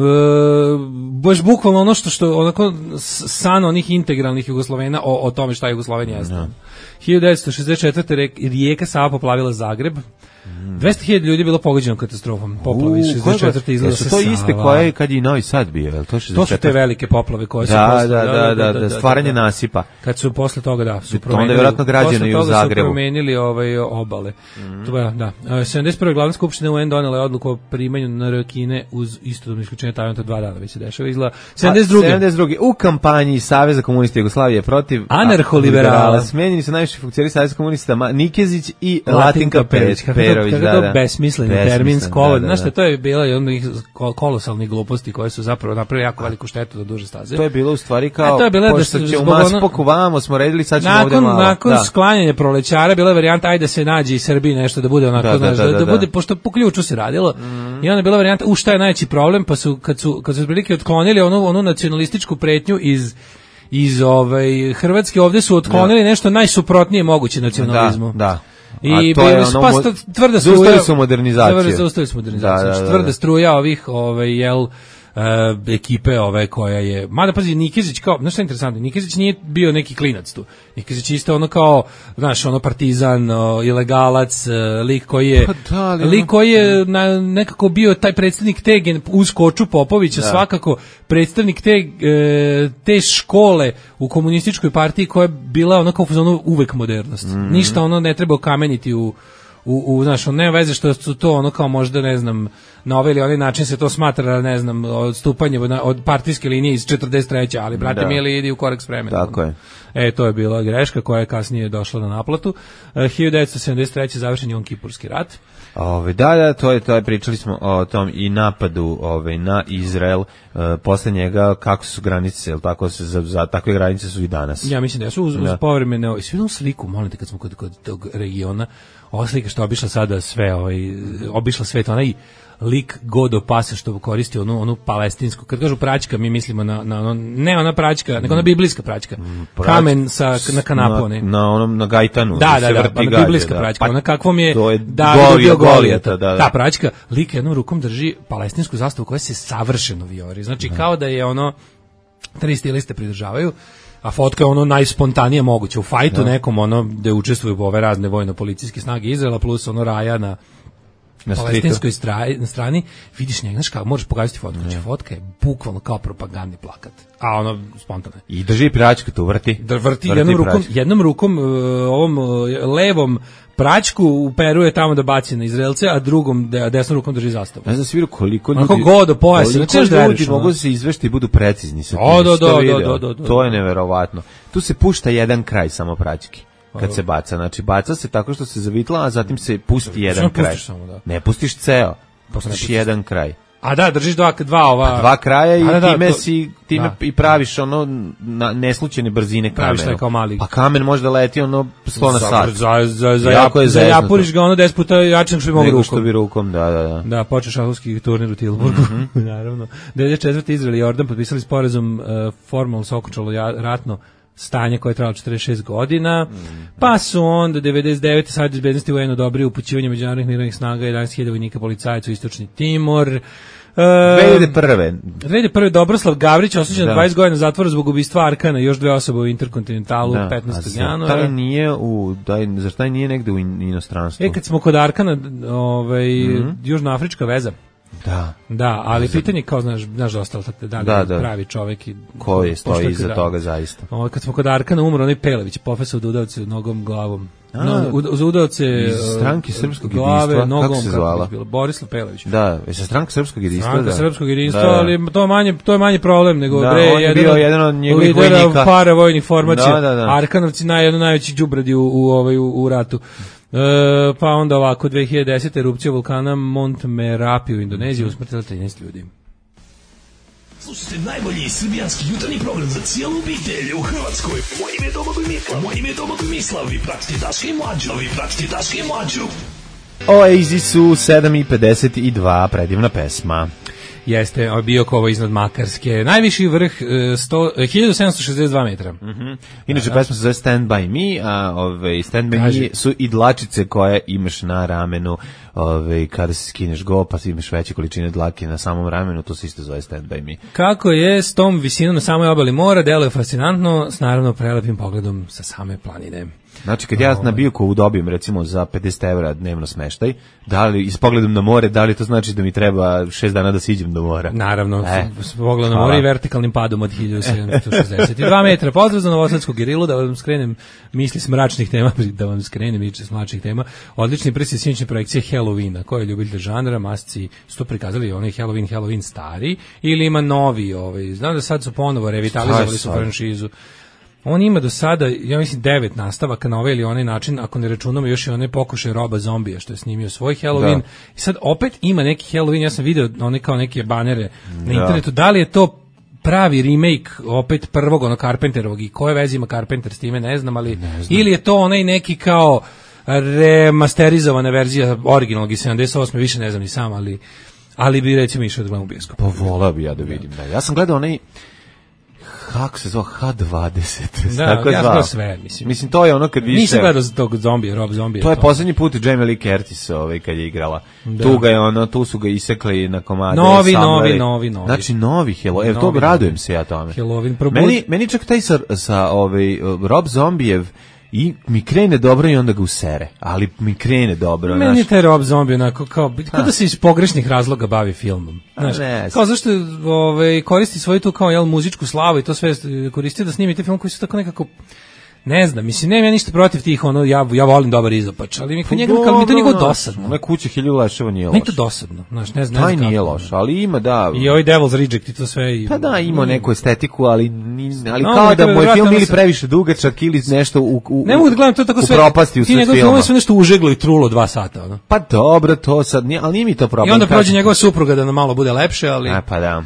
F: baš bukvalno ono što, što onako s- san onih integralnih Jugoslovena o, o tome šta Jugosloven jeste. hiljadu devetsto šezdeset četvrte. Rijeka Sava poplavila Zagreb. dvesta hiljada ljudi je bilo pogođeno katastrofom, poplavi šezdeset četvrte izgleda se
E: Su to iste koje kad i Novi Sad bio, je li to šezdeset četvrte?
F: To su te velike poplave koje su
E: da,
F: posle,
E: da, da, da, da, stvaranje nasipa.
F: Kad su posle toga, da, su
E: promenili, onda je vjerojatno građeno i u Zagrebu.
F: Posle toga su promenili ovaj, obale. Mm. To je, da. sedamdeset prve glavna skupština U N donela je odluku o primanju N R Kine uz istodobno isključenje Tajvana, dva dana već se dešava. Izgleda sedamdeset druge.
E: sedamdeset druge U kampanji Saveza komunista Jugoslavije protiv
F: anarholiberala
E: smenjeni su najviši funkcioneri Saveza komunista Nikezić i Latinka Perović. Perović,
F: da, da. Besmisleni termin skolo. Znaš šta, to je bila i onih kolosalnih gluposti koje su zapravo napravili jako veliku štetu do duže staze.
E: To je bilo u stvari kao,
F: to je bilo
E: pošto da će u Maspoku vamo smo redili, sad ćemo
F: nakon,
E: ovdje malo.
F: Nakon
E: da.
F: sklanjanja prolećara bila je varijanta ajde da se nađe i Srbiji nešto da bude onako,
E: da,
F: znaš,
E: da, da,
F: da, da bude,
E: da.
F: pošto po ključu se radilo, mm. i onda je bila varijanta, u šta je najveći problem, pa su, kad su, kad su otprilike otklonili onu, onu nacionalističku pretnju iz iz ovaj Hrvatske, ovdje su otklonili da. nešto najsuprotnije moguće nacionalizmu.
E: Da, da.
F: I bilo su pa tvrda struja.
E: Zaustavili su modernizaciju.
F: Zaustavili su modernizaciju. Da, da, da, tvrda struja ovih, ovaj, jel, Uh, ekipe ove koja je, mada pazi, Nikezić kao, znaš šta je interesantno, Nikezić nije bio neki klinac tu, Nikezić isto ono kao, znaš, ono partizan, o, ilegalac, uh, lik koji je
E: pa da,
F: lik koji je na, nekako bio taj predstavnik te uz Koču Popovića, da. svakako predstavnik te, e, te škole u komunističkoj partiji koja je bila ono kao ono uvek modernost, mm-hmm. ništa ono ne treba okameniti u u, u znaš, nema veze što su to ono kao možda, ne znam, na ovaj ili onaj način se to smatra, ne znam, odstupanje od, od partijske linije iz četrdeset treće ali brate da. Mili, idi u korak s vremenom.
E: Tako je.
F: E, to je bila greška koja je kasnije došla na naplatu. E, hiljadu devetsto sedamdeset treće završen je Jom-Kipurski rat.
E: Ove, da, da, to je, to je, pričali smo o tom i napadu ove, na Izrael, e, posle njega, kako su granice, jel tako, se, za, za takve granice su i danas.
F: Ja mislim da su uz, uz povremene, svi jednom sliku, molim te, kad smo kod, kod tog regiona, ova slika što obišla sada sve, ovaj, obišla svet, onaj lik Godo Pasa što koristi onu, onu palestinsku, kad kažu praćka, mi mislimo na, na ono, ne ona praćka, nego ona biblijska praćka, Prać, kamen sa, na kanapu.
E: Na, na onom, na gajtanu.
F: Da, da, da, da, biblijska praćka,
E: pa,
F: ona kakvom je,
E: je
F: da, bio Golijata, da, da. Ta praćka, lik jednom rukom drži palestinsku zastavu koja se savršeno vijori, znači da. Kao da je ono, tri stiliste pridržavaju, a fotka je ono najspontanije moguće, u fajtu da. Nekom ono, gde učestvuju ove razne vojno-policijske snage Izraela, plus ono Raja na na palestinskoj strani, na strani, vidiš njega, znaš kako, možeš pokazati fotku, znači fotka je bukvalno kao propagandni plakat, a ono spontano.
E: I drži praćku tu, vrti.
F: Da vrti, vrti jednom rukom, praćku. jednom rukom, uh, ovom uh, levom praćku uperuje tamo da baci na Izraelce, a drugom, de, desnom rukom drži zastavu.
E: Ne znam sviru koliko ljudi...
F: Onako godo pojase,
E: znači ljudi mogu da se izvešti i budu precizni. Sa
F: o, do, do, do, do, do,
E: to je neverovatno. Tu se pušta jedan kraj samo praćki. Kad se baca, znači baca se tako što se zavitla, a zatim se pusti jedan kraj. Samo, da. Ne pustiš ceo, pustiš jedan kraj.
F: A da, držiš dva, dva ova...
E: A dva kraja i
F: da, da,
E: time,
F: to,
E: si, time da. I praviš ono na neslučajne brzine kamenu.
F: Praviš kao mali.
E: Pa kamen može da leti ono sto na sat.
F: Za, za, za, jako je za japuriš ga ono deset puta jače što bi mogu rukom.
E: Što bi rukom, da, da, da.
F: Da, počeo šahovski turnir u Tilburgu, mm-hmm. naravno. devedeset četvrte Izrael i Jordan potpisali sporazum, uh, formalno se okončalo ratno stanje koje je trajalo četrdeset šest godina, mm. pa su onda devedeset devete Savjet bezbednosti U N odobrio upućivanje međunarodnih mirovnih snaga jedanaest hiljada vojnika policajaca u istočni Timor.
E: dve hiljade prve
F: dve hiljade prve Dobroslav Gavrić osuđen na dvadeset godina zatvora zbog ubistva Arkana, još dve osobe u Interkontinentalu da. petnaestog januara.
E: Taj nije u, daj, zar taj nije negde u inostranstvu?
F: E, kad smo kod Arkana, ovaj, mm-hmm. južnoafrička veza.
E: Da.
F: Da, ali pitanje kao, znaš, znaš da ostalo tako da, da, da pravi čovjek i
E: koji stoji iza da, toga zaista.
F: Ovo, kad smo kod Arkana umro onaj Pelević, profesor da udavce nogom glavom. No, za udavce
E: iz stranke srpskog
F: glave,
E: jedinstva,
F: nogom,
E: kako se zvala?
F: Kako Borislav Pelević.
E: Da, je sa stranka srpskog jedinstva.
F: Stranka
E: da.
F: srpskog jedinstva, da, da. Ali to je manje, to je manje problem nego
E: da,
F: bre,
E: on je
F: jedan,
E: bio jedan od njegovih vojnika.
F: Para vojnih formacija.
E: Da, da, da.
F: Arkanovci naj jedno najveći đubradi u u ovaj u, u ratu. E, pa onda ovako dve hiljade desete erupcija vulkana Mont Merapi u Indoneziji, usmrtila trinaest ljudi.
G: Slušajte najbolji srbijanski jutarnji program za cijelu obitelj u Hrvatskoj. Moje ime je Domagoj Mislav. Moje ime je Domagoj Mislav. Vi pratite Daška i Mlađu. Vi pratite Daška i Mlađu.
E: Oazy su sedam i pedeset dva, predivna pesma.
F: Jeste, Biokovo iznad Makarske. Najviši vrh sto, hiljadu sedamsto šezdeset dva metra.
E: Mm-hmm. Inače, da, pesma se zove Stand By Me, a ove, Stand By Kaži. Me su i dlačice koje imaš na ramenu, ove, kada se skineš go, pa imaš veće količine dlake na samom ramenu, to se isto zove Stand By Me.
F: Kako je s tom visinom na samoj obali mora, deluje fascinantno, s naravno prelepim pogledom sa same planine.
E: Znači, kad ja na Biokovu dobijem, recimo, za pedeset evra dnevno smeštaj, da li, s pogledom na more, da li to znači da mi treba šest dana da siđem do mora?
F: Naravno,
E: e,
F: s pogledom na more i vertikalnim padom od hiljadu sedamsto šezdeset dva metra. Pozdrav za Novosadsku gerilu, da vam skrenem misli s mračnih tema, da vam skrenem misli s mračnih tema. Odlični prsi sinoćne projekcije Halloweena. Ko je ljubitelj žanra, masci su to prikazali, onaj Halloween, Halloween stari, ili ima novi, ovaj, znam da sad su ponovo revitalizovali su franšizu. On ima do sada, ja mislim, devet nastavaka na ovaj ili onaj način, ako ne računamo još i one pokušaje Roba Zombija što je snimio svoj Halloween. Da. I sad opet ima neki Halloween, ja sam video one kao neke banere na internetu, da li je to pravi remake opet prvog ono Carpenterovog i koje veze ima Carpenter s time, ne znam, ali ne znam. Ili je to onaj neki kao remasterizovana verzija originalnog iz sedamdeset osme, više ne znam ni sam, ali ali bi recimo išao da gledam u bioskop.
E: Pa volao bi ja da vidim. Da. Ja sam gledao onaj kako se zove ha dvadeset.
F: Da, tako ja sam sve, mislim.
E: Mislim, to je ono kad više...
F: Nisam gledao za tog zombija, Rob Zombija.
E: To je poslednji put Jamie Lee Curtis ovaj, kad je igrala. Da. Tu ga je ono, tu su ga isekli na komade.
F: Novi, novi, novi, novi.
E: Znači, novi Halloween. Evo, to radujem se ja tome.
F: Halloween probud...
E: Meni, meni čak taj sa, sa ovaj, Rob Zombijev i mi krene dobro i onda ga usere, ali mi krene dobro.
F: Meni
E: naš...
F: taj Rob Zombie onako kao, kao da se iz pogrešnih razloga bavi filmom. Znaš, kao zašto ovaj, koristi svoju tu kao jel, muzičku slavu i to sve koristi da snimite film koji su tako nekako, ne znam, mislim, nemam ja ništa protiv tih, ono, ja, ja volim dobar izopač, ali mi, njega, kao, mi to njegov dosadno.
E: Ove kuće hiljadu leševa nije loš.
F: Meni to dosadno, znaš, ne znam.
E: Taj nije loš, ali ima, da.
F: I ovaj Devil's Reject i to sve. I,
E: pa da, ima neku estetiku, ali, ali no, kao da moj film ili previše dugačak ili nešto u, u,
F: ne mogu da gledam to tako sve.
E: Propasti u sve filma. Ti njegov
F: sve nešto užeglo i trulo dva sata, ono.
E: Pa dobro, to sad nije, ali nije mi to problem.
F: I onda prođe njegova supruga da nam malo bude lepše, ali...
E: A, pa da.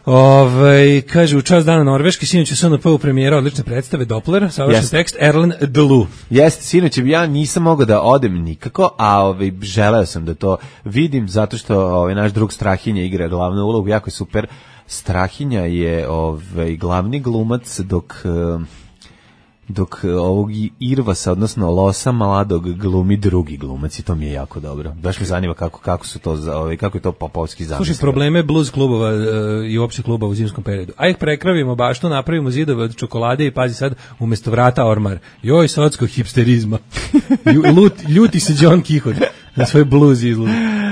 F: Ove, kaže, u čast dana Norveške, sinoć u S N P u premijera odlične predstave Doppler, savršen yes. tekst, Erlen Delu.
E: Jeste, sinoć, ja nisam mogao da odem nikako, a ove, želeo sam da to vidim, zato što ove, naš drug Strahinja igra glavnu ulogu, jako je super. Strahinja je ove, glavni glumac, dok... dok ovog Irvasa, odnosno Losa mladog glumi drugi glumac i to mi je jako dobro. Baš me zanima kako, kako su to, ovaj, kako je to popovski zamisli.
F: Slušaj, probleme blues klubova uh, i uopšte klubova u zimskom periodu. A ih prekravimo baštu, napravimo zidove od čokolade i pazi sad, umjesto vrata ormar. Joj, socko hipsterizma. Lut, ljuti se John Kihot na svoj blues izgled.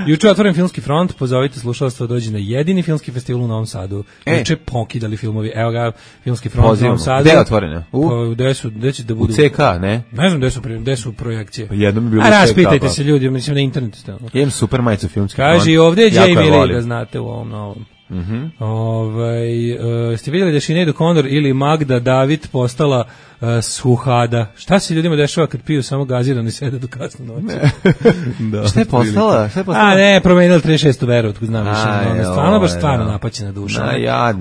F: Juče otvoren filmski front, pozovite slušalstvo da dođe na jedini filmski festival u Novom Sadu. E. Juče pokidali filmovi. Evo ga, filmski front Pozivamo. U Novom Sadu.
E: Gde je otvoreno? U?
F: Pa, gde su, gde će da budu?
E: U C K, ne?
F: Ne znam gde su, gde su projekcije.
E: Pa jednom je bilo
F: u C K. A raspitajte
E: pa.
F: se ljudi, mislim na internetu ste.
E: Jem super majicu filmski front.
F: Kaže, ovdje je Jamie Lee, da znate u ovom novom.
E: Mhm. Mm
F: Ovaj uh, ste vidjeli da je Sinead O'Connor ili Magda David postala uh, suhada. Šta se ljudima dešava kad piju samo gazirano i sede do kasno noći?
E: Da. Šta je postala? Šta je postala?
F: A ne, promenila trideset šestu veru, tko znam više. Ona je stvarno baš stvarno napaćena duša.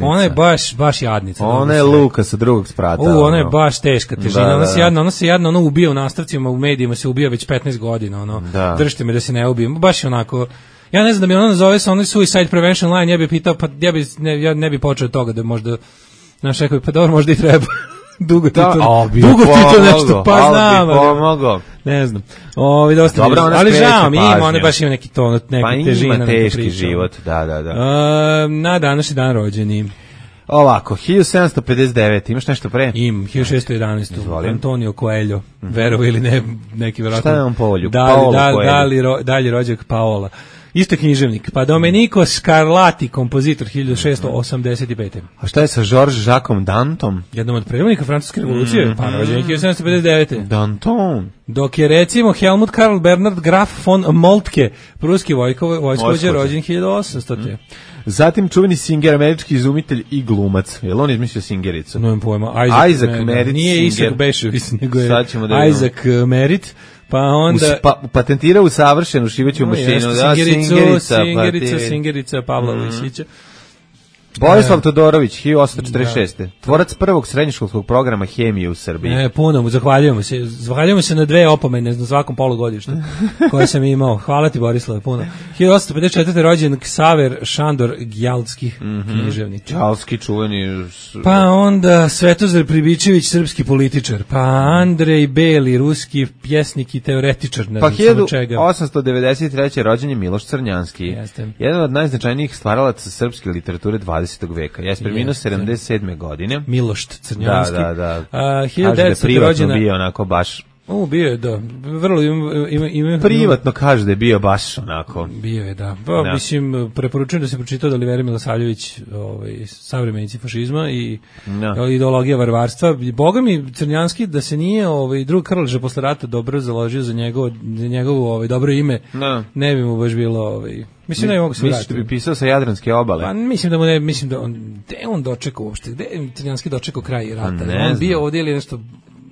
F: Ona je baš baš jadnica.
E: Ona je Luka sa drugog sprata.
F: U, ona je baš teška težina. Da, da, ona se jadna, ona se jadna, ona ubija u nastavcima, u medijima se ubija već petnaest godina, ono. Da. Držite me da se ne ubijem. Baš je onako. Ja ne znam da mi ona nazove se onaj Suicide Prevention Line, ja bih pitao, pa ja, bi, ne, ja ne bih počeo od toga da možda, znaš, rekao bi, pa dobro, možda i treba. dugo ti to, dugo ti to nešto, pa znam.
E: Pomogao.
F: Ne znam. Ovi dosta
E: dobro,
F: mi, ali žao mi ima, ona baš ima neki ton, neki
E: pa
F: težina.
E: Pa ima teški život, da, da, da.
F: Uh, na današnji dan rođeni.
E: Ovako, hiljadu sedamsto pedeset devet, imaš nešto pre?
F: Im, hiljadu šessto jedanaest. Antonio Coelho, mm -hmm. verovo ili ne, neki verovatno.
E: Šta je on Paolo?
F: Dali, dali, dali, ro, dalji rođak Paola. Isto književnik. Pa Domenico Scarlatti, kompozitor, hiljadu šessto osamdeset pete.
E: A šta je sa Georges Jacques Danton?
F: Jednom od predvodnika francuske revolucije, mm -hmm. pa rođen hiljadu sedamsto pedeset devete.
E: Danton.
F: Dok je recimo Helmut Karl Bernhard Graf von Moltke, pruski vojskovođa, rođen hiljadu osamstote. Mm.
E: Zatim čuveni Singer, američki izumitelj i glumac. Je li on izmislio Singericu?
F: Nemam pojma. Isaac,
E: Isaac
F: ne,
E: Merritt.
F: Nije Isaac Bešović, nego je da Isaac Merritt. Pa onda...
E: Us, pa, patentirao savršenu šiveću no, mašinu.
F: Jeste,
E: da,
F: Singericu,
E: Singerica,
F: Singerica, pa Singerica Pavla mm -hmm. Vojsića.
E: Borislav Todorović, hiljadu osamsto četrdeset šeste. Da. Tvorac prvog srednjoškolskog programa hemije u Srbiji.
F: E, puno mu, zahvaljujemo se. Zahvaljujemo se na dve opomene na svakom polugodištu koje sam imao. Hvala ti, Borislav, puno. hiljadu osamsto pedeset četvrte. rođen Ksaver Šandor Gjaldski, mm -hmm. književnik.
E: Gjaldski, čuveni...
F: Pa onda Svetozar Pribičević, srpski političar. Pa Andrej Beli, ruski pjesnik i teoretičar. Ne
E: pa
F: znam,
E: hiljadu osamsto devedeset treće. rođen je Miloš Crnjanski. Jeste. Jedan od najznačajnijih stvaralaca srpske literature dvadesetog veka. Ja sam preminuo sedamdeset sedme. godine.
F: Miloš Crnjanski.
E: Da, da, da.
F: Uh, hiljadu devetsto.
E: da privatno bio onako baš
F: U, bio je, da. Vrlo ima, ima, ima,
E: Privatno kaže da je bio baš onako.
F: Bio je, da. Pa,
E: Da.
F: mislim, preporučujem da se pročitao da Olivera Milosavljević, ovaj, savremenici fašizma i
E: Da.
F: ideologija varvarstva. Boga mi, Crnjanski, da se nije ovaj, drug Krleža posle rata dobro založio za njegovo, za njegovo ovaj, dobro ime,
E: Da.
F: ne bi mu baš bilo... Ovaj, mislim da je mogu se
E: Misliš da
F: vratiti.
E: bi pisao sa Jadranske obale?
F: Pa mislim da mu ne, mislim da on, gde je on dočekao uopšte, gde je Crnjanski dočekao kraj rata?
E: Ne
F: On
E: znam.
F: bio ovdje ili nešto...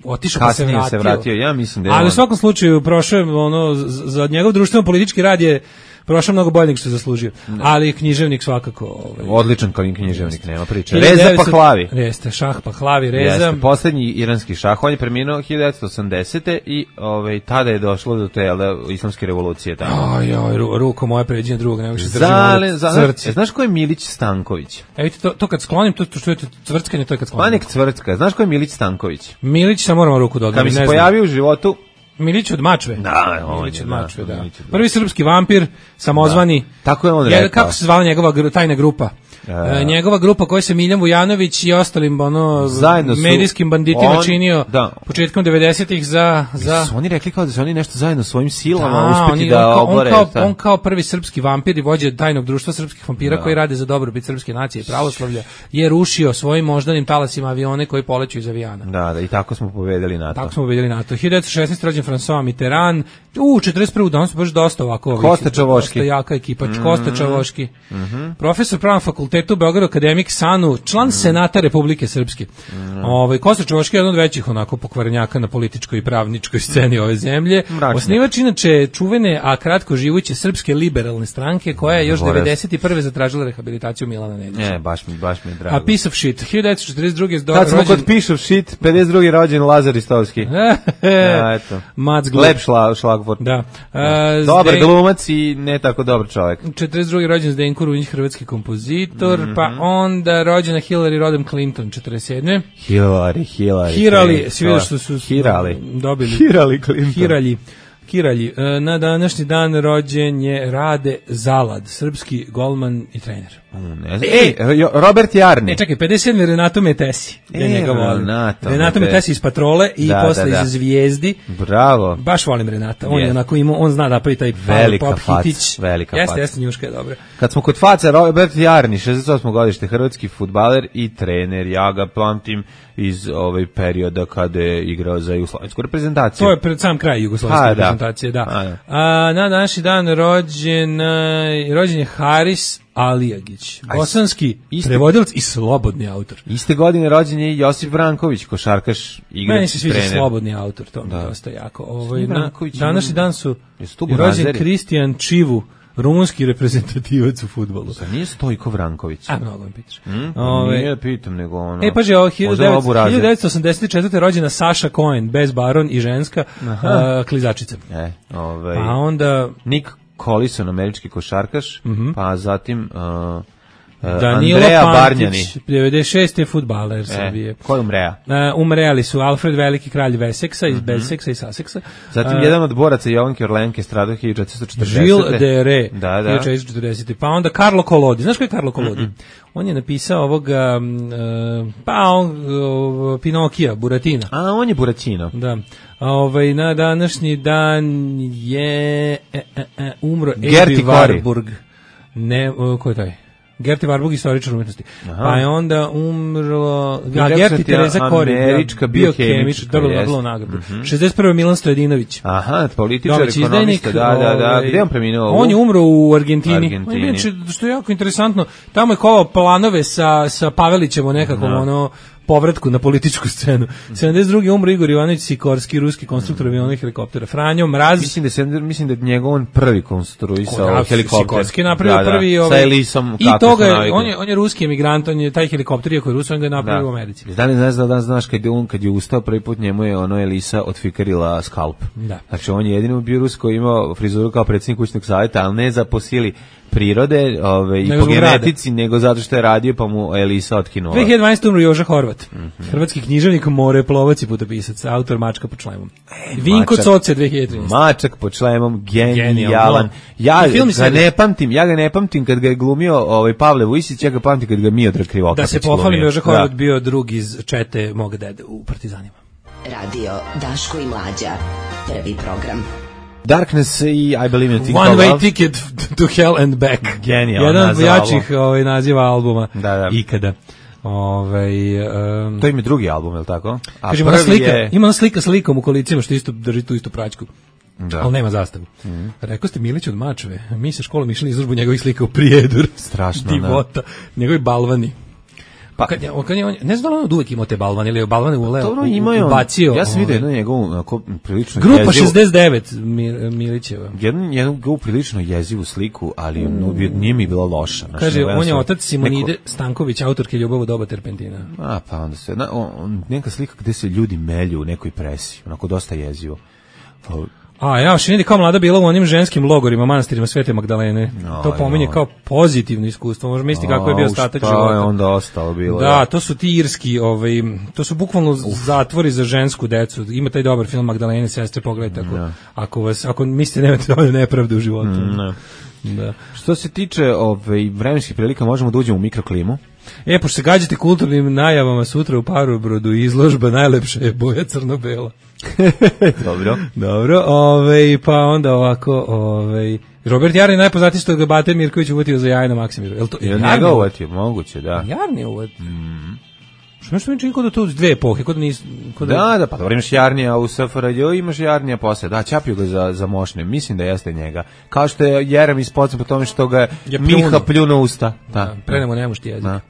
F: Otišao pa se
E: Kasnije
F: vratio.
E: se vratio, ja mislim da je
F: Ali u
E: on-
F: svakom slučaju prošao je, ono, z- za njegov društveno politički rad je prošao mnogo bolje nego što je zaslužio. Ali književnik svakako... Ovaj,
E: Odličan kao književnik, nema priče.
F: hiljadu
E: Reza
F: devetsto
E: Pahlavi.
F: Jeste, Šah Pahlavi, Reza.
E: Jeste, poslednji iranski šah, on je preminuo hiljadu devetsto osamdesete i ovaj, tada je došlo do te jel da, islamske revolucije tamo.
F: Aj, aj, ru, ruko moje pređenje drugog, nego što
E: Zale,
F: držimo
E: za,
F: crci.
E: e, znaš ko je Milić Stanković?
F: E, vidite, to, to kad sklonim, to, to što je to cvrckanje, to je kad sklonim.
E: Panik Cvrtka, znaš ko je Milić Stanković?
F: Milić, sam moramo ruku
E: Kad
F: dodati,
E: mi
F: ne
E: se
F: znam.
E: pojavio u životu,
F: Milić od Mačve.
E: Da, on
F: Milić
E: je,
F: od
E: da,
F: Mačve, da.
E: Milić od-
F: Prvi srpski vampir, samozvani.
E: tako je on
F: Njega-
E: rekao.
F: Kako se zvala njegova gru- tajna grupa? E, njegova grupa koja se Miljan Vujanović i ostalim ono
E: Zajedno su-
F: medijskim banditima
E: on-
F: činio
E: da.
F: početkom devedesetih za za
E: Su oni rekli kao da su oni nešto zajedno svojim silama
F: Da,
E: uspeti
F: oni-
E: da
F: on, kao, on,
E: obore.
F: kao,
E: šta?
F: on kao prvi srpski vampir i vođa tajnog društva srpskih vampira koji rade za dobrobit srpske nacije i pravoslavlja je rušio svojim moždanim talasima avione koji poleću iz avijana.
E: Da, da, i tako smo pobedili NATO.
F: Tako smo vidjeli NATO. hiljadu devetsto šesnaeste rođen François Mitterrand. U, četrdeset prve danas su baš dosta ovako. ovih-
E: Kosta Čavoški.
F: Dosta jaka ekipa. Mm -hmm. Kosta Čavoški. Mm -hmm. Profesor pravnog fakulteta u Beogradu, akademik Sanu, član Senata Republike Srpske. Mm -hmm. Ovaj, Kosta Čavoški je jedan od većih onako pokvarenjaka na političkoj i pravničkoj sceni ove zemlje.
E: Mračnjak.
F: Osnivač inače čuvene, a kratko živuće Srpske liberalne stranke, koja je još
E: Zaboravio.
F: devedeset prve zatražila rehabilitaciju Milana Nedića.
E: E, baš mi, baš mi je drago.
F: A piece of shit. hiljadu devetsto četrdeset druge do,
E: Kad smo
F: rođen-
E: kod piše shit, pedeset drugi rođen Lazar Istovski. Ja, eto.
F: Mac Glup.
E: Lep šla, šlagvort.
F: Da. A,
E: Dobar
F: Zden-
E: glumac i ne tako dobar čovjek.
F: četrdeset druge rođen Zdenko Runjić, hrvatski kompozitor,
E: Mhm.
F: pa onda rođena Hillary Rodham Clinton, četrdeset sedme
E: Hillary, Hillary.
F: Hirali,
E: Clinton.
F: svi vidio što su
E: Hirali.
F: dobili.
E: Hirali Clinton.
F: Hiralji. Hiralji. E, Na današnji dan rođen je Rade Zalad, srpski golman i trener.
E: Ne znam. Ej, Jo- Robert Jarni.
F: E, čekaj, pedeset sedme Renato Metesi. Ja
E: E,
F: njega volim.
E: Renato
F: Renato
E: Metesi.
F: Metesi iz Patrole i
E: Da,
F: posle
E: da, da.
F: iz Zvijezdi.
E: Bravo.
F: Baš volim Renata. On je
E: Jest.
F: onako imao, on zna da pravi taj
E: Velika
F: pop
E: faca,
F: hitić.
E: velika
F: jeste,
E: faca.
F: jeste, njuška je dobra.
E: Kad smo kod faca, Robert Jarni, šezdeset osmo godište, hrvatski fudbaler i trener. Ja ga pamtim iz ovaj perioda kada je igrao za jugoslovensku reprezentaciju.
F: To je pred sam kraj jugoslovenske
E: Pa, da.
F: reprezentacije, da.
E: Pa, da.
F: A, na današnji dan rođen, e, rođen je Haris Alijagić,
E: Aj,
F: bosanski
E: isti-
F: prevodilac i slobodni autor.
E: Iste godine rođen je i Josip Vranković, košarkaš, igrač,
F: Meni se sviđa
E: trener.
F: slobodni autor, to mi je
E: Da.
F: dosta jako. Ovaj,
E: Svi
F: na,
E: Vranković
F: današnji
E: imaju-
F: dan su
E: Jesu tu
F: rođen
E: Burazeri?
F: Kristijan Čivu, rumunski reprezentativac u fudbalu.
E: Zar nije Stojko Vranković?
F: A, mnogo mi pitaš.
E: Hmm?
F: Ovaj,
E: Nije pitam, nego ono...
F: E, paži, ovo
E: Možda ovo Burazir.
F: hiljadu devetsto osamdeset četvrte rođena Saša Cohen, bez baron i ženska, uh, klizačica.
E: E, ovaj...
F: A onda
E: Nick Collison, američki košarkaš, pa zatim uh, uh,
F: Danilo
E: Andreja Barnjani.
F: Pantić, devedeset šeste fudbaler Srbije.
E: E, ko je umrea?
F: Uh, umreli su Alfred Veliki, kralj Veseksa, iz Beseksa i Saseksa.
E: Zatim
F: Uh,
E: jedan od boraca Jovanke Orlenke stradao hiljadu četiristo četrdesete.
F: Žil de Re,
E: Da, da.
F: hiljadu četiristo četrdesete. Pa onda Karlo Kolodi. Znaš ko je Karlo Kolodi? Mm-mm. On je napisao ovoga, uh, pa on, uh, Pinokija, Buratina.
E: A, on je Buraćino.
F: Da. A ovaj, na današnji dan je e, e, e, umro
E: Gerti
F: Ebi
E: Kori.
F: Warburg. Ne, uh, ko je taj? Gerti Warburg, istoričar umetnosti. Pa je onda umrlo... A,
E: rekao
F: Gerti
E: sam ti,
F: Tereza Kori,
E: američka biokemička,
F: dobila
E: jest.
F: Nobelovu nagradu. šezdeset prve Milan Stojadinović.
E: Aha, političar,
F: Domaći
E: ekonomista, da, da, da.
F: ovaj,
E: Gde je on preminuo?
F: On je umro u Argentini.
E: Argentini.
F: On je inače, što je jako interesantno, tamo je kovao planove sa, sa Pavelićem o nekakvom ono, povratku na političku scenu. sedamdeset druge umro Igor Ivanović Sikorski, ruski konstruktor aviona i helikoptera. Franjo Mraz.
E: Mislim da se mislim da je njegov on prvi konstruisao
F: Da,
E: helikopter.
F: Sikorski je napravio
E: Da, da.
F: prvi
E: Sa
F: ovaj,
E: Elisom,
F: i
E: kako
F: toga
E: su
F: je,
E: navikli.
F: on je on je ruski emigrant, on je taj helikopter iako je Rus, on ga je napravio u Americi.
E: Da li ne znaš da znaš kad je on kad je ustao prvi put njemu je ono Elisa otfikarila skalp.
F: Da.
E: Znači on je jedini bio Rus koji imao frizuru kao predsjednik kućnog savjeta, ali ne za po sili prirode, ove, i
F: Nego
E: po
F: zbog
E: genetici, nego zato što je radio pa mu Elisa otkinula.
F: dve hiljade dvanaeste. umro Joža Horvat. Hrvatski književnik, moreplovac i putopisac, autor Mačka pod šlemom. Vinko
E: Mačak.
F: Coce dve hiljade trinaeste.
E: Mačak pod šlemom, genijalan.
F: Genijalno.
E: Ja
F: I film i
E: ga
F: serija.
E: ne pamtim, ja ga ne pamtim kad ga je glumio ovaj Pavle Vujsić, ja ga pamtim kad ga je Miodrag Krivokapić
F: Da se
E: glumio.
F: pohvalim, Joža Horvat
E: Da.
F: bio drug iz čete moga dede u Partizanima.
B: Radio Daško i Mlađa. Prvi program.
E: Darkness i I Believe in a Thing
F: One
E: Called
F: Way
E: Love.
F: Ticket to Hell and Back.
E: Genijalno.
F: Jedan od jačih ovaj, naziva albuma
E: da, da.
F: ikada. Ovaj um,
E: to im je drugi album, je li tako? A
F: kažem,
E: prvi
F: slika,
E: je...
F: ima ona slika s likom u kolicima što isto drži tu istu praćku.
E: Da.
F: Ali nema zastavu. Mm. Rekao ste Milić od Mačve, mi sa školom išli izložbu njegovih slika u Prijedur.
E: Strašno,
F: divota, njegovi balvani.
E: Pa
F: kad je, kad je on, ne znam da li on od uvek imao te balvane ili je balvane ule,
E: dobro,
F: u,
E: imaju,
F: ubacio.
E: Ja sam vidio jednu njegovu onako, prilično
F: Grupa
E: jezivu,
F: šezdeset devet Mir, Milićeva.
E: Jednu, jednu njegovu prilično jezivu sliku, ali mm. nije mi bila loša. Znači,
F: kaže, on je
E: sam,
F: otac Simonide
E: neko...
F: Stanković, autorke Ljubav u doba terpentina.
E: A, pa onda se, na, on, neka slika gde se ljudi melju u nekoj presi, onako dosta jezivo. Pa,
F: a ja, Šinidi kao mlada bila u onim ženskim logorima, manastirima Svete Magdalene. No, to pominje no. kao pozitivno iskustvo. Možda misliti kako je bio ostatak života.
E: Šta je onda ostalo bilo?
F: Da,
E: da,
F: to su ti irski, ovaj, to su bukvalno Uf. zatvori za žensku decu. Ima taj dobar film Magdalene sestre, pogledajte ako, no. ako vas, ako mislite nemate dovoljno nepravde u životu.
E: No.
F: Da.
E: Što se tiče ovaj, vremenskih prilika, možemo da uđemo u mikroklimu.
F: E, pošto se gađate kulturnim najavama sutra u Parobrodu, izložba najlepša je boja crno-bela.
E: Dobro.
F: Dobro, ovaj, pa onda ovako, ovaj, Robert Jarni najpoznatiji što ga Bate Mirković uvotio za jaje na Maksimiru. Je li to?
E: Je njega uvotio? Moguće, da.
F: Jarni je uvotio. Mm. Što nešto mi čini kod da to dve epohe, kod da nis... Kod
E: da, da, da, pa dobro, imaš Jarnija u S F R J, imaš Jarnija posle, da, čapio ga za, za mošne, mislim da jeste njega. Kao što je Jeremić poznat po tome što ga je Miha pljuno usta. Da,
F: da prenemo nemušti jezik. Da.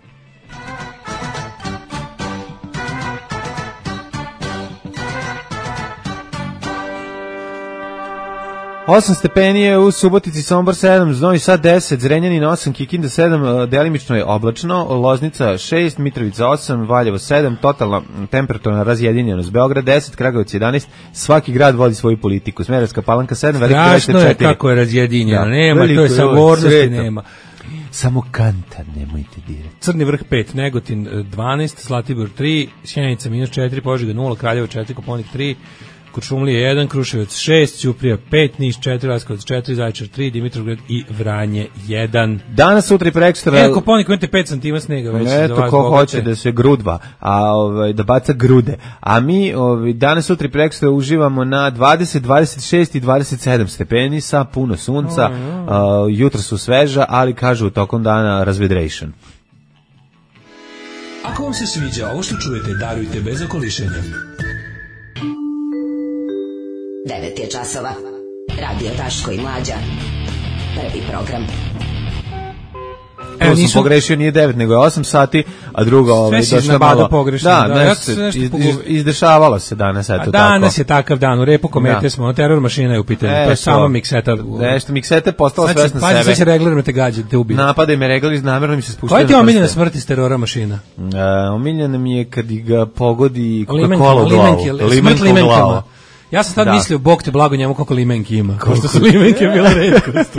E: osam stepenije u Subotici, Sombor sedam, Novi Sad deset, Zrenjanin osam, Kikinda sedam, delimično je oblačno, Loznica šest, Mitrovica osam, Valjevo sedam, totalna temperaturna razjedinjenost, Beograd deset, Kragujevac jedanaest, svaki grad vodi svoju politiku, Smederevska Palanka sedam, Veliki Gradište četiri.
F: Strašno je kako je razjedinjeno, da, nema, to je sabornosti nema.
E: Samo kantar nemojte dirati.
F: Crni vrh pet, Negotin dvanaest, Zlatibor tri, Sjenica minus četiri, Požega nula, Kraljevo četiri, Koponik tri, Kuršumlije jedan, Kruševac šest, Ćuprija pet, Niš četiri, Leskovac četiri, Zaječar tri, Dimitrovgrad i Vranje jedan.
E: Danas, sutra i prekstra...
F: E, Koponik imate pet santima snega već.
E: Eto, za vas ko bogate. Hoće da se grudva, a, ovaj, da baca grude. A mi ovaj, danas, sutra i prekstra uživamo na dvadeset, dvadeset šest i dvadeset sedam stepeni sa puno sunca. Oh, no. uh, jutro su sveža, ali kažu tokom dana razvedration.
G: Ako vam se sviđa ovo što čujete, darujte bez okolišenja.
B: devet je časova. Radio Daško i Mlađa. Prvi program.
E: Evo, nisam pogrešio, nije devet, nego je osam sati, a drugo ovaj došlo malo
F: pogrešno.
E: Da,
F: da,
E: ja se nešto iz, iz, izdešavalo se danas, eto tako.
F: Danas je takav dan, u repu komete da. smo, teror mašina je u pitanju, e, to je samo mikseta.
E: Nešto, mikseta je postala svesna sebe.
F: Sve će regler me te gađe, te ubije.
E: Napadaj me regler, namjerno mi se spuštaju.
F: Koja ti je omiljena smrt iz terora mašina?
E: E, omiljena mi je kad ga pogodi Coca-Cola u glavu.
F: Smrt limenkama. Ja sam tad da. mislio, Bog te blago njemu koliko limenki ima. Kao što su limenke bile retkost.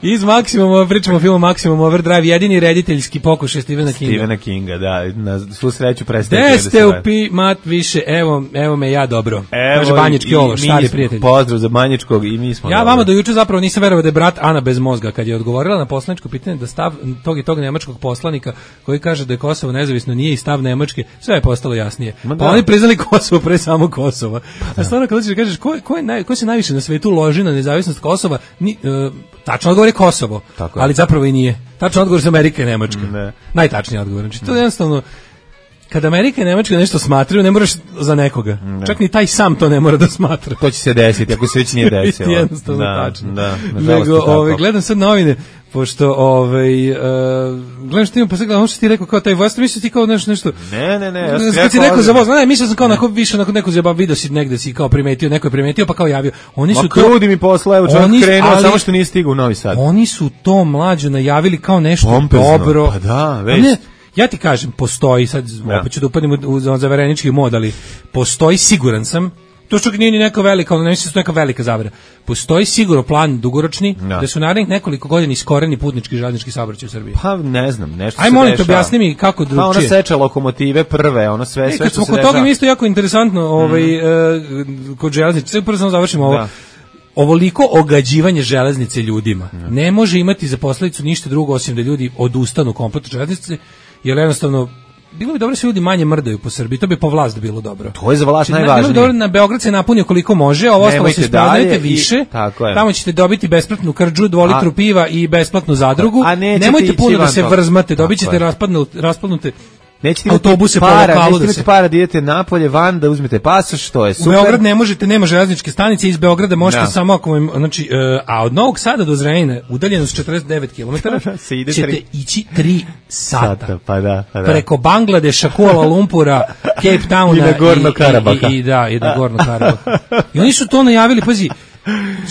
F: Iz Maksimum, pričamo o filmu Maximum Overdrive, jedini rediteljski pokušaj Stephena Kinga.
E: Stephena Kinga, da. Na svu sreću prestaje.
F: Gde ste u pi, mat više, evo, evo me ja dobro.
E: Evo,
F: kaže Banjički Ološ, stari prijatelj.
E: Pozdrav za Banjičkog i mi smo
F: Ja
E: dobro.
F: vama do juče zapravo nisam verovao da je brat Ana bez mozga, kad je odgovorila na poslaničko pitanje da stav tog i tog nemačkog poslanika koji kaže da je Kosovo nezavisno nije i stav Nemačke, sve je postalo jasnije. Pa da. Oni priznali Kosovo pre samo Kosova. Pa a stvarno kad kažeš ko, ko, je naj, ko se najviše na svetu loži na nezavisnost Kosova, ni, uh, tačno odgovor je Kosovo,
E: tako
F: ali
E: je.
F: Zapravo i nije. Tačno odgovor je Amerika i Nemačka.
E: Ne.
F: Najtačniji odgovor. Znači, to je jednostavno, kada Amerika i Nemačka nešto smatraju, ne moraš za nekoga. Ne. Čak ni taj sam to ne mora da smatra.
E: To će se desiti, ako se već nije desilo.
F: Jednostavno da, tačno.
E: Da,
F: Nego, ovaj, gledam sad novine, pošto ovaj uh, gledam što imam pa sad gledam što ti rekao kao taj voz, mislio ti kao nešto nešto.
E: Ne, ne, ne, ja
F: sam rekao, rekao za voz, ne, mislio sam kao onako više onako neko zjeba video si negde si kao primetio, neko je primetio pa kao javio. Oni su
E: Ma, to krudi mi posla, evo čovjek krenuo, ali, samo što nije stigao u Novi Sad.
F: Oni su to mlađo najavili kao nešto
E: Pompezno,
F: dobro.
E: Pa da, već.
F: Ne, ja ti kažem, postoji sad, ja. opet ću da upadnem u, u zaverenički mod, ali postoji, siguran sam, to što nije ni neka velika, ali ne mislim da je neka velika zavera. Postoji sigurno plan dugoročni ja. da su narednih nekoliko godina iskoreni putnički i železnički saobraćaj u Srbiji.
E: Pa ne znam, nešto
F: Aj,
E: se
F: molim te, objasni mi kako drugčije.
E: Pa ona seče lokomotive prve, ono sve, sve
F: e,
E: što se
F: dešava. Kod toga mi isto jako interesantno, ovaj, mm. uh, kod železnice, prvo samo završimo ovo. Da. Ovoliko ogađivanje železnice ljudima ja. ne može imati za posledicu ništa drugo osim da ljudi odustanu kompletno železnice, jer jednostavno bilo bi dobro da se ljudi manje mrdaju po Srbiji, to bi po vlast bilo dobro.
E: To je za vlast
F: znači,
E: najvažnije.
F: Bilo bi dobro na Beograd se napunio koliko može, a ovo ostalo se sprodajete više,
E: i, tako je.
F: Tamo ćete dobiti besplatnu krđu, dvolitru
E: a,
F: piva i besplatnu zadrugu, nemojte puno da se vrzmate, dobit ćete raspadnute
E: nećete
F: autobuse
E: para,
F: po lokalu
E: nećete
F: da se
E: para da idete napolje van da uzmete pasoš, to je super.
F: U Beograd ne možete, nema železničke stanice, iz Beograda možete no. samo ako vam, znači, uh, a od Novog Sada do Zrenjanina, udaljeno s četrdeset devet kilometara, ćete tri. ići tri sata.
E: Sata pa da, pa da.
F: Preko Bangladeša, Kuala Lumpura, Cape Towna
E: i na Gorno Karabaha.
F: I, i, i, da, i na Gorno Karabaha. I oni su to najavili, pazi,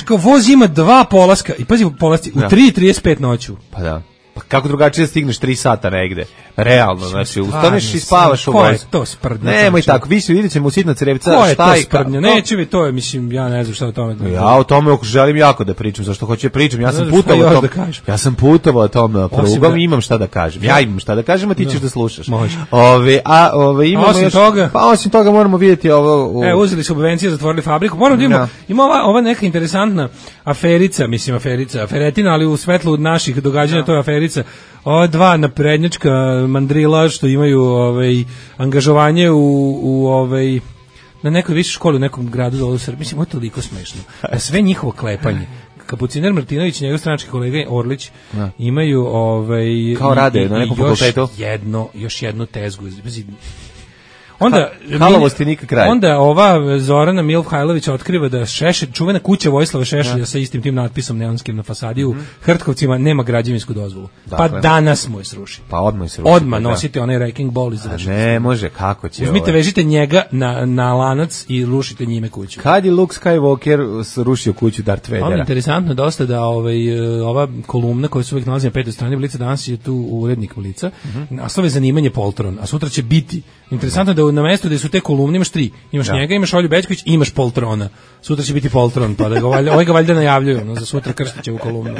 F: kao voz ima dva polaska, i pazi, polasci, u tri i trideset pet noću.
E: Pa da. Pa kako drugačije stigneš tri sata negde? Realno, znači, ustaneš i spavaš u vozu.
F: Ko je to sprdnja?
E: Nemoj tako, vi se vidjet ćemo u Sitna Crevca.
F: Ko je to sprdnja? Neće vi, to je, mislim, ja ne znam šta o tome.
E: Ja o tome želim jako da pričam, zašto hoću da pričam. Ja sam putovao o tome. Ja sam putovao o tome prugom i imam šta da kažem. Ja imam šta da kažem, a ti ćeš da slušaš. Ove, a ove imamo
F: osim
E: još,
F: toga,
E: pa osim toga moramo vidjeti ovo.
F: U... E, uzeli su subvencije, zatvorili fabriku. Moram da imamo, ima ova, ova neka interesantna aferica, mislim aferica, aferetina, ali u svetlu naših događanja to je aferica. Ova dva naprednjačka mandrila što imaju ovaj angažovanje u u ovaj na nekoj višoj školi u nekom gradu dole u Srbiji, mislim, ovo je toliko smešno. Da sve njihovo klepanje. Kapuciner Martinović i njegov stranački kolega Orlić ja. imaju ovaj
E: kao rade na nekom fakultetu
F: jedno još jednu tezgu. Onda
E: Halovosti nikak kraj.
F: Onda ova Zorana Milhajlović otkriva da Šešelj, čuvena kuća Vojislava Šešelja ja. sa istim tim natpisom neonskim na fasadi u mm -hmm. Hrtkovcima nema građevinsku dozvolu. Dakle. Pa danas mu je sruši.
E: Pa odmah je sruši.
F: Odmah nosite onaj wrecking ball i završite.
E: Ne može, kako će.
F: Uzmite, ovaj. vežite njega na, na lanac i rušite njime kuću.
E: Kad je Luke Skywalker rušio kuću Darth Vadera?
F: Ono je interesantno dosta da ovaj, ova kolumna koja se uvijek nalazi na petoj strani Blica, danas je tu urednik Blica, mm -hmm. naslov je zanimanje Poltron, a sutra će biti. Interesantno da na mestu da su te kolumne imaš tri. Imaš ja. njega, imaš Olju Bećković i imaš Poltrona. Sutra će biti Poltron, pa da ga valjda, ovaj ga valjda najavljuju, no, za sutra krstiće u kolumnu.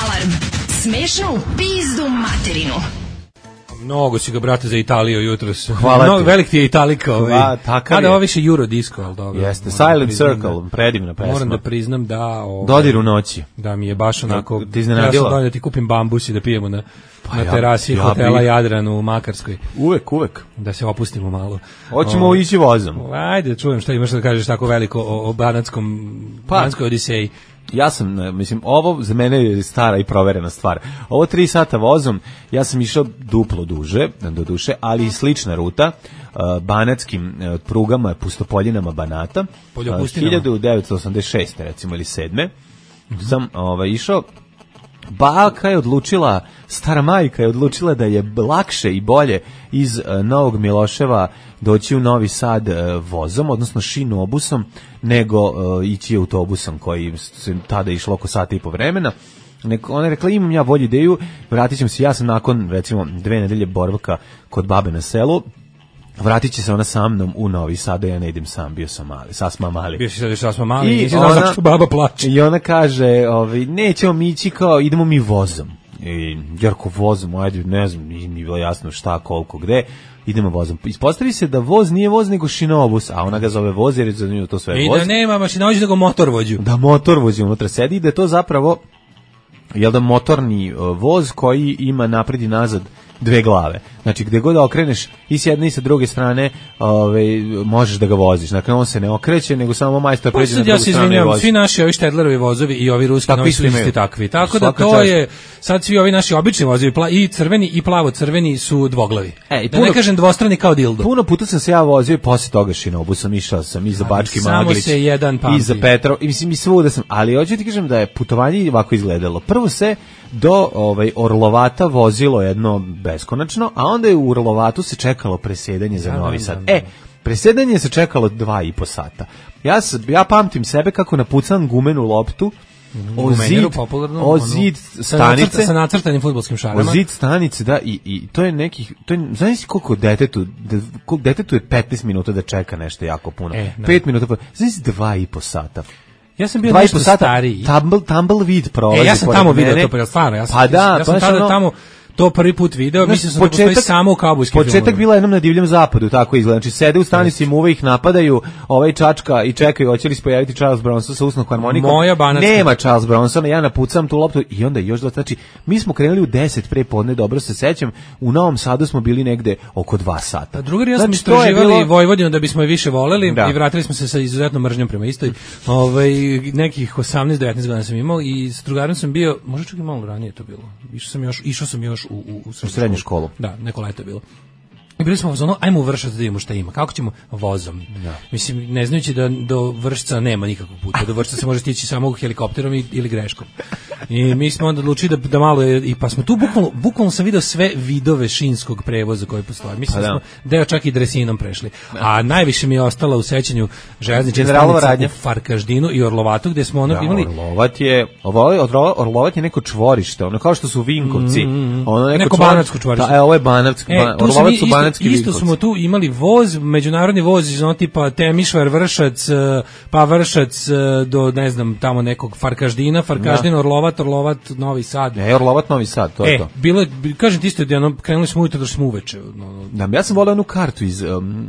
B: Alarm. Smešno u pizdu materinu.
F: Mnogo si ga, brate, za Italiju jutros.
E: Hvala
F: Mnogo,
E: ti.
F: velik ti je Italika. Ovaj.
E: A, takav
F: Kada
E: je.
F: ovo više Eurodisco, ali dobro.
E: Jeste, Silent Circle, predivna pesma.
F: Moram da priznam da... Ovaj,
E: Dodir u noći.
F: Da mi je baš onako...
E: Ti iznenadilo?
F: Ja sam da ti kupim bambus i da pijemo na,
E: pa
F: na
E: ja,
F: terasi
E: ja
F: hotela
E: bi...
F: Jadran u Makarskoj.
E: Uvek, uvek.
F: Da se opustimo malo.
E: Hoćemo o, ići vozom.
F: Ajde, da čujem šta imaš da kažeš tako veliko o, o Banatskom, pa, Banatskoj Odiseji.
E: Ja sam, mislim, ovo za mene je stara i proverena stvar. Ovo tri sata vozom, ja sam išao duplo duže, do duše, ali i slična ruta, uh, banatskim uh, prugama, pustopoljinama Banata, uh, hiljadu devetsto osamdeset šeste recimo ili sedme Mm-hmm. sam ovaj, išao. Baka je odlučila, stara majka je odlučila da je lakše i bolje iz uh, Novog Miloševa doći u Novi Sad uh, vozom, odnosno šinobusom, nego uh, ići autobusom koji se tada išlo oko sata i po vremena. Neko, ona je rekla, imam ja bolju ideju, vratit ćemo se, ja sam nakon recimo dve nedelje boravka kod babe na selu, vratit će se ona sa mnom u Novi Sad, ja ne idem sam, bio sam mali, sasma mali.
F: Bio si sad sasma mali, nisi znao zašto baba plače.
E: I ona kaže, ovaj, nećemo mi ići kao, idemo mi vozom. I Jarko vozom, ajde, ne znam, nije mi bilo jasno šta, koliko, gde, idemo vozom. Ispostavi se da voz nije voz, nego šinobus, a ona ga zove voz, jer je zanimljivo to sve
F: I
E: voz.
F: I da nema mašinovođu, nego motorvođu.
E: Da motorvođu unutra sedi i da je to zapravo, jel da motorni voz koji ima napred i nazad dve glave. Znači, gde god da okreneš i s jedne i sa druge strane, ove, možeš da ga voziš. Dakle, on se ne okreće, nego samo majstor pređe na drugu
F: ja se
E: stranu i vozi.
F: Svi naši ovi Štedlerovi vozovi i ovi ruski novi su isti takvi. Tako da to čast. je, sad svi ovi naši obični vozovi, pla, i crveni i plavo-crveni su dvoglavi. E, da puno, ne kažem dvostrani kao dildo.
E: Puno puta sam se ja vozio i posle toga šinobusom, išao sam i za Bački Maglić,
F: se jedan
E: i za Petrov, i mislim i svuda sam, ali hoću ti kažem da je putovanje ovako izgledalo. Prvo se do ovaj Orlovata vozilo jedno beskonačno, a onda je u Orlovatu se čekalo presedanje za Novi Sad. E, presedanje se čekalo dva i po sata. Ja, ja pamtim sebe kako napucam gumenu loptu o zid, o zid stanice
F: sa nacrtanim fudbalskim šarama.
E: O zid stanice, da, i, i to je nekih, to je, znaš koliko detetu, koliko detetu je petnaest minuta da čeka nešto jako puno. E, pet minuta, znaš dva i po sata.
F: Ja sam bio nešto stariji.
E: Tumble, tumbleweed prolazi.
F: E, ja sam tamo vidio to, pa stvarno, ja sam,
E: pa da,
F: ja sam
E: pa
F: tada
E: ono,
F: tamo to prvi put video,
E: Znaš,
F: mislim da postoji samo u kaubojskim filmovima.
E: Početak bila jednom na divljem zapadu, tako izgleda. Znači sede u stanici, muve ih napadaju, ovaj čačka i čekaju hoće li se pojaviti Charles Bronson sa usnom harmonikom.
F: Moja banatska.
E: Nema Charles Bronsona, ja napucam tu loptu i onda još dva, znači mi smo krenuli u deset pre podne, dobro se sećam, u Novom Sadu smo bili negde oko dva sata.
F: A drugi ja smo
E: znači,
F: istraživali
E: bilo...
F: Vojvodinu da bismo je više voleli
E: da.
F: I vratili smo se sa izuzetnom mržnjom prema istoj. Ovaj nekih osamnaest devetnaest godina sam imao i s drugarom sam bio, možda čak i malo ranije to bilo. Išao sam još, išao sam još u u, u
E: srednju školu.
F: Da, neko leto je bilo. I bili smo u zonu, ajmo u Vršac da vidimo šta ima. Kako ćemo? Vozom.
E: Da.
F: Mislim, ne znajući da do Vršca nema nikakvog puta. Do Vršca se može stići samo helikopterom i, ili greškom. I mi smo onda odlučili da, da malo je, i pa smo tu bukvalno, bukvalno sam video sve vidove šinskog prevoza koji postoje. Mislim da smo deo čak i dresinom prešli. A najviše mi je ostala u sećanju železnička stanica u Farkaždinu i Orlovatu, gde smo ono
E: da,
F: imali...
E: Orlovat je, Orlovat je neko čvorište, ono kao što su Vinkovci.
F: Mm,
E: ono neko,
F: neko banatsko čvorište.
E: Da, e, ovo je banatsko.
F: E,
E: Orlovat su banatski
F: Isto
E: Vinkovci.
F: smo tu imali voz, međunarodni voz iz ono tipa Temišvar, Vršac, pa Vršac do, ne znam, tamo nekog Farkaždina, Farkaždin, Orlovat, Orlovat, Novi Sad.
E: E, Orlovat, Novi Sad, to
F: e,
E: je to.
F: Bilo, kažem ti isto, da ono, krenuli smo ujutro, došli smo uveče. No,
E: da, ja sam volio onu kartu iz um,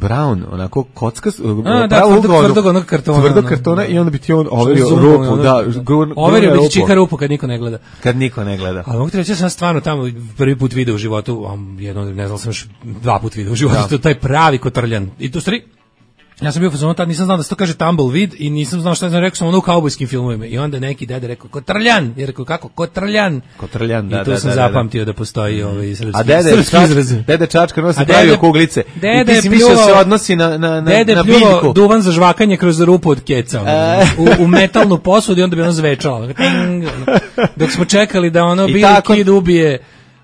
E: Brown, onako kocka,
F: a, da, tvrdog, tvrdog onog kartona.
E: Tvrdog kartona i onda bi ti on overio rupu, da.
F: Overio bi ti čika rupu kad niko ne gleda.
E: Kad niko ne gleda.
F: Ali mogu ti reći, ja sam stvarno tamo prvi put video u životu, jedno, ne znam, sam još dva put video u životu, da. To taj pravi kotrljan. I tu stvari, ja sam bio u fazonu, tad nisam znao da se to kaže tumbleweed i nisam znao šta sam rekao, sam ono u kaubojskim filmovima. I onda neki dede rekao, kotrljan. I rekao, kako? Kotrljan.
E: Kotrljan, da,
F: I tu
E: da,
F: sam
E: da,
F: zapamtio da, da postoji ovaj srpski,
E: a dede,
F: srpski izraz.
E: Dede Čačka nosi pravio kuglice.
F: Dede
E: I ti si mislio se odnosi na, na, na,
F: dede
E: na
F: pljuo
E: biljku.
F: duvan za žvakanje kroz rupu od keca. u, u metalnu posudu i onda bi ono zvečalo. Dok smo čekali da ono Billy Kid ubije...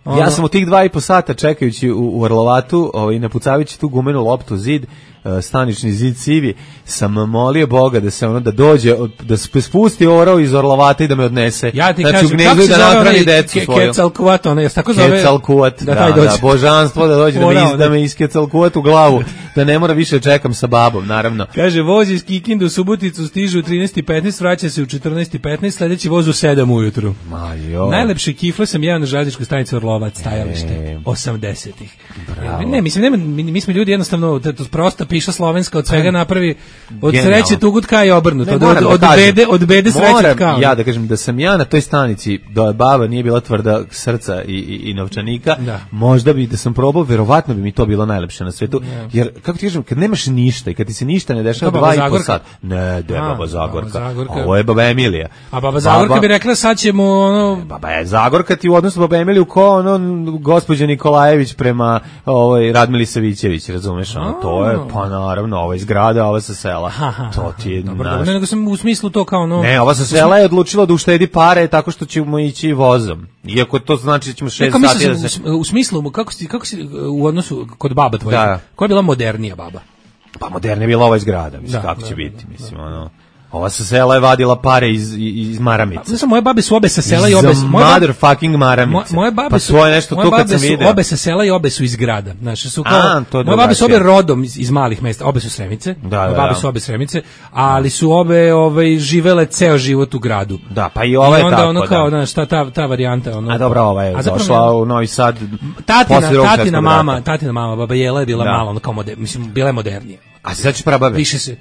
F: Ono.
E: Ja sam u tih dva i po sata čekajući u, u Orlovatu, ovaj, napucavajući tu gumenu loptu zid, uh, stanični zid sivi, sam molio Boga da se ono da dođe, da spusti orao iz Orlovata i da me odnese.
F: Ja ti
E: znači,
F: kažem, kako se
E: da
F: zove
E: napravi decu
F: ke,
E: svoju.
F: Kecalkuvat, ono, jes tako zove?
E: Kecalkuvat, da,
F: da,
E: da, da, božanstvo da dođe da me, iz, da me iskecalkuvat u glavu, da ne mora više čekam sa babom, naravno.
F: Kaže, voz iz Kikinde u Suboticu stiže u trinaest i petnaest, vraća se u četrnaest i petnaest, sledeći voz u sedam ujutru.
E: Ma jo.
F: Najlepše kifle sam jedan na železničkoj stanici Orlovac, stajalište. osamdesetih. Ne, mislim, nema, mi, mi smo ljudi jednostavno, to prosta piša slovenska, od svega napravi, od
E: Genijalno.
F: Sreće tugut ka i obrnuto,
E: Ne,
F: od,
E: moram
F: od,
E: da
F: od
E: kažem,
F: bede, od bede sreće ka.
E: Ja da kažem da sam ja na toj stanici, da baba nije bila tvrda srca i, i, i novčanika,
F: da.
E: Možda bi da sam probao, verovatno bi mi to bilo najlepše na svetu, ja. Jer, kako ti kažem, kad nemaš ništa i kad ti se ništa ne dešava dva i po sat, ne, de, baba Zagorka, Zagorka. Ovo je baba Emilija.
F: A baba Zagorka baba, bi rekla, sad ćemo ono...
E: Baba je Zagorka ti u odnosu baba Emiliju ko ono gospođa Nikolajević prema ovaj Radmili Savićević, razumeš, ono, to je, pa naravno, ova iz grada, ova sa sela. To ti je
F: dobro, naš... ne, nego sam u smislu to kao no...
E: Ne, ova sa sela je odlučila da uštedi pare tako što ćemo ići vozom. Iako to znači da ćemo šest sati da se...
F: U, u smislu, kako si, kako si u odnosu kod baba tvoje, da. Koja je bila modernija baba?
E: Pa modernija je bila ova iz grada, mislim, da, kako da, će da, biti, mislim, da. Ono... Ova sa sela je vadila pare iz, iz maramice.
F: Znači, moje babe su obe sa sela i obe...
E: Moje motherfucking maramice.
F: Moje babe
E: pa
F: su,
E: svoje nešto tu kad sam
F: vidio.
E: video.
F: Obe sa sela i obe su iz grada. Znači, su kao...
E: A, to je
F: moje babe su obe rodom iz, iz malih mesta. Obe su Sremice.
E: Da, da,
F: moje babe
E: da.
F: su obe Sremice. Ali su obe ovaj, živele ceo život u gradu.
E: Da, pa i ova je tako,
F: I onda ono kao,
E: da.
F: znaš, ta, ta, ta varijanta. Ono,
E: a dobra, ova je došla u Novi Sad.
F: Tatina, tatina mama, tatina mama, baba Jela je bila malo, ono kao moder, mislim, bila je modernija.
E: A se znači prababe?
F: Više se...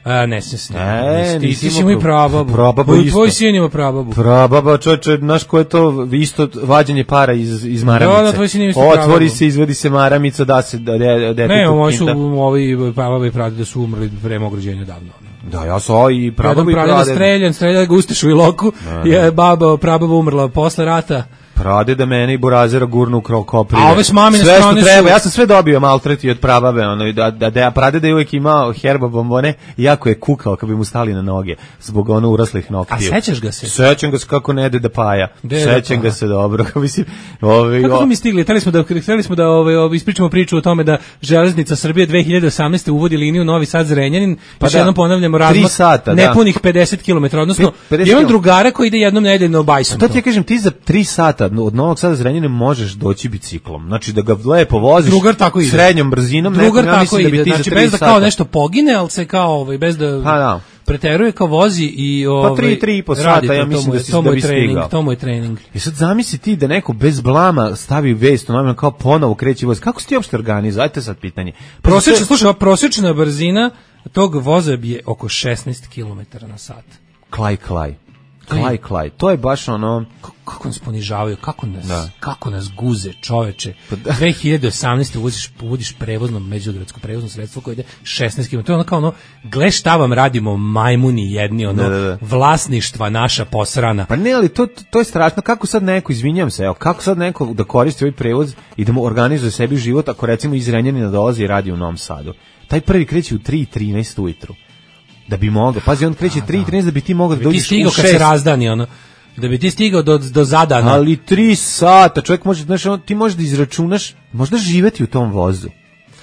F: A, ne se se.
E: Ne,
F: ti si imao i prababu.
E: Prababu isto.
F: Tvoj sin ima prababu.
E: Prababa, čoče, znaš ko je to isto vađenje para iz, iz maramice.
F: Da, da, tvoj sin ima isto prababu.
E: Otvori se, izvedi se maramica, da se da dete.
F: Ne, ovi su, ovi prababe i pradede su umrli pre mog rođenja davno.
E: Da, ja sam ovo i prababa i pradede.
F: Streljan, streljan ga Ustešu i Loku, je baba, prababa umrla posle rata.
E: Prade da mene i Burazera gurnu u krov koprive.
F: A ove s mamine
E: sve
F: strane
E: što treba,
F: su...
E: ja sam sve dobio maltreti od prababe, ono, da, da, da prade da je uvijek imao herba bombone, jako je kukao kad bi mu stali na noge, zbog ono uraslih noktiju.
F: A sećaš ga se?
E: Sećam ga se kako ne Deda Paja. Sećam ga se dobro. Mislim,
F: ovaj, kako smo mi stigli? Hteli smo da, hteli smo da ovaj, ispričamo priču o tome da Železnica Srbije dve hiljade osamnaeste uvodi liniju Novi Sad Zrenjanin, pa da, jednom ponavljamo razmak
E: sata,
F: nepunih pedeset kilometara, odnosno jedan drugara koji ide jednom nedeljno bajsom.
E: To ti ja kažem, ti za tri sata od Novog Sada Zrenjanina možeš doći biciklom. Znači da ga lepo voziš
F: drugar tako ide.
E: Srednjom brzinom.
F: Drugar
E: nekom, ja
F: tako
E: ide. Da bi ti
F: znači
E: za
F: bez da
E: sata...
F: kao nešto pogine, ali se kao ovaj, bez da...
E: Pa da.
F: preteruje kao vozi i ovaj
E: pa tri, tri i po
F: radi
E: sata,
F: to,
E: ja
F: to
E: mislim
F: mu je-
E: da si
F: to mu
E: da
F: je
E: bi
F: trening,
E: stigao.
F: to mu je trening.
E: I sad zamisli ti da neko bez blama stavi vest, ono kao ponovo kreće voz. Kako si ti uopšte organizuje? Ajde sad pitanje. Pa
F: Prosječna,
E: to je-
F: slušaj, ova prosječna brzina tog voza je oko šesnaest kilometara na sat.
E: Klaj, klaj. Klaj, klaj. To je baš ono...
F: Kako, kako nas ponižavaju, kako nas,
E: Da.
F: kako nas guze, čoveče. dve hiljade osamnaeste voziš, vodiš prevozno međugradsko prevozno sredstvo koje ide šesnaest kilometara. To je ono kao ono, gle šta vam radimo majmuni jedni, ono,
E: Da, da, da.
F: vlasništva naša posrana.
E: Pa ne, ali to, to je strašno. Kako sad neko, izvinjam se, evo, kako sad neko da koristi ovaj prevoz i da mu organizuje sebi život ako recimo iz Renjanina dolazi i radi u Novom Sadu? Taj prvi kreće u tri i trinaest ujutru. Da bi mogao. Pazi, on kreće tri i trinaest da bi ti mogao da
F: Ti
E: dođeš u
F: stigao kad se
E: šest.
F: razdani, ono, da bi ti stigao do, do zadana.
E: Ali tri sata, čovjek može, znaš, on- ti možeš da izračunaš, možda živeti u tom vozu.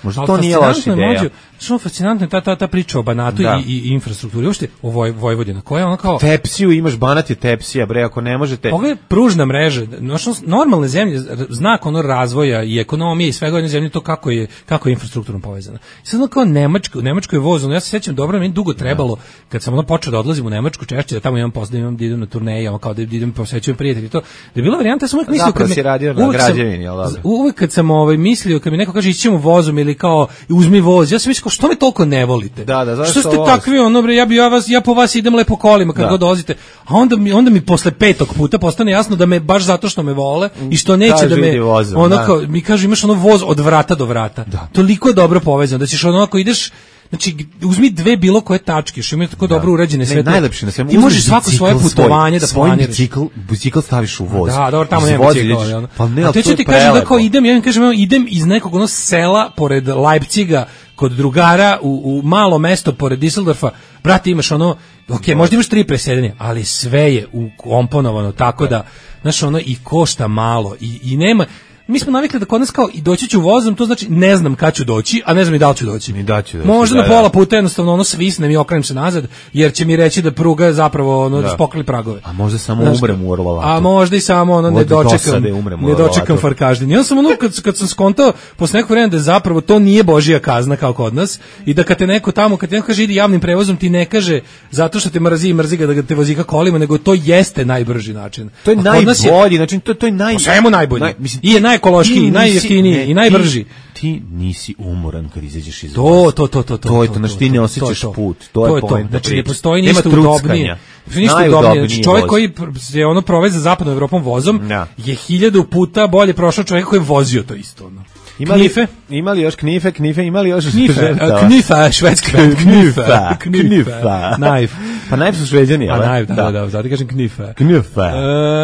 E: Možda
F: Ali
E: to nije
F: fascinantno
E: loša
F: je,
E: ideja.
F: mlađo, znaš, ono, fascinantno je ta, ta, ta priča o Banatu
E: Da.
F: i, i, i infrastrukturi. Uopšte o Voj, Vojvodina, koja je ono kao...
E: Tepsiju imaš, Banat je tepsija, bre, ako ne možete...
F: Pogledaj pružna mreža, znači normalne zemlje, r- znak ono razvoja i ekonomije i svega u jednoj zemlji to kako je kako je infrastrukturno povezana. I sad ono kao Nemačka, u Nemačkoj je voz, ono, ja se sećam dobro, meni dugo trebalo kad sam ono počeo da odlazim u Nemačku češće, da tamo imam posle, da imam da idem na turneje, ono kao da idem posećujem prijatelje i to. Da je bila varijanta, ja sam uvek mislio
E: Zapravo
F: kad me
E: si radio na
F: uvek sam-
E: građevini, jel dobro?
F: Uvek kad sam ovaj mislio kad mi neko kaže ićemo vozom ili kao uzmi voz, ja sam mislio kao, što me toliko ne volite?
E: Da, da, zašto
F: što ste
E: voz?
F: takvi ono bre, ja bi ja vas ja po vas idem lepo kolima kad
E: Da.
F: god dolazite. A onda mi onda mi posle petog puta postane jasno da me baš zato što me vole i što neće
E: Kažu,
F: da me
E: idi vozom,
F: ono
E: da.
F: kao mi kaže imaš ono voz od vrata do vrata. Toliko je dobro povezano da ćeš ono ako ideš znači uzmi dve bilo koje tačke, što imaju tako dobro urađene
E: Ne,
F: sve. to.
E: najlepše na svemu.
F: Ti
E: uzmeš
F: možeš svako
E: bicikl
F: svoje putovanje da
E: svoj
F: planiraš.
E: Bicikl, bicikl staviš u voz.
F: Da, dobro, tamo nema
E: Izvozi,
F: bicikla,
E: ideš-
F: ali ono.
E: Pa ne,
F: a
E: ali
F: te
E: to
F: ću
E: je
F: ti kažem da
E: prelepo.
F: kao idem, ja im kažem, evo, idem iz nekog ono sela pored Leipciga, kod drugara, u, u malo mesto pored Düsseldorfa, brate, imaš ono, ok, možda imaš tri presedanja, ali sve je ukomponovano tako da, znaš, ono, i košta malo, i, i nema, mi smo navikli da kod nas kao i doći ću vozom, to znači ne znam kad ću doći, a ne znam i da li ću doći.
E: Ni da ću doći,
F: Možda
E: da,
F: na
E: da.
F: pola puta jednostavno ono svisnem i okrenem se nazad, jer će mi reći da pruga zapravo ono da. spokli pragove.
E: A možda samo
F: Znaš,
E: umrem u Orlovatu.
F: A možda i samo ono ne
E: Od
F: dočekam,
E: dosade umrem u
F: ne dočekam
E: Orlovatu.
F: farkaždin. Ja sam ono kad, kad sam skontao posle nekog vremena da zapravo to nije božija kazna kao kod nas i da kad te neko tamo, kad te neko kaže idi javnim prevozom, ti ne kaže zato što te mrzi i mrzi ga da ga te vozi ka kolima, nego to jeste najbrži način.
E: To je
F: A kod nas
E: najbolji, znači to, to je naj...
F: Po svemu najbolji.
E: naj- mislim,
F: I je najekološkiji,
E: ti
F: i najjeftiniji,
E: nisi-
F: i najbrži.
E: Ti, ti nisi umoran kad izađeš iz
F: To,
E: voza.
F: to, to, to, to.
E: To je to, znači ti ne osjećaš
F: to, to.
E: put. To je poenta
F: Znači
E: priče.
F: ne postoji
E: Nema
F: ništa
E: truckanja.
F: udobnije. Ništa
E: Najudobniji
F: udobnije. Znači čovjek
E: voz.
F: koji pr- je ono provez za zapadnom Evropom vozom
E: Da.
F: je hiljadu puta bolje prošao čovjek koji je vozio to isto. Ono.
E: Imali,
F: Knife?
E: Imali još knife, knife, imali još
F: Knife,
E: žrtava.
F: a, knifa, švedska.
E: Knifa,
F: Knifa.
E: knifa.
F: Knife.
E: Pa najprej su šveđani,
F: A
E: ali?
F: naj, da, da, da, zato kažem knifa.
E: Knifa.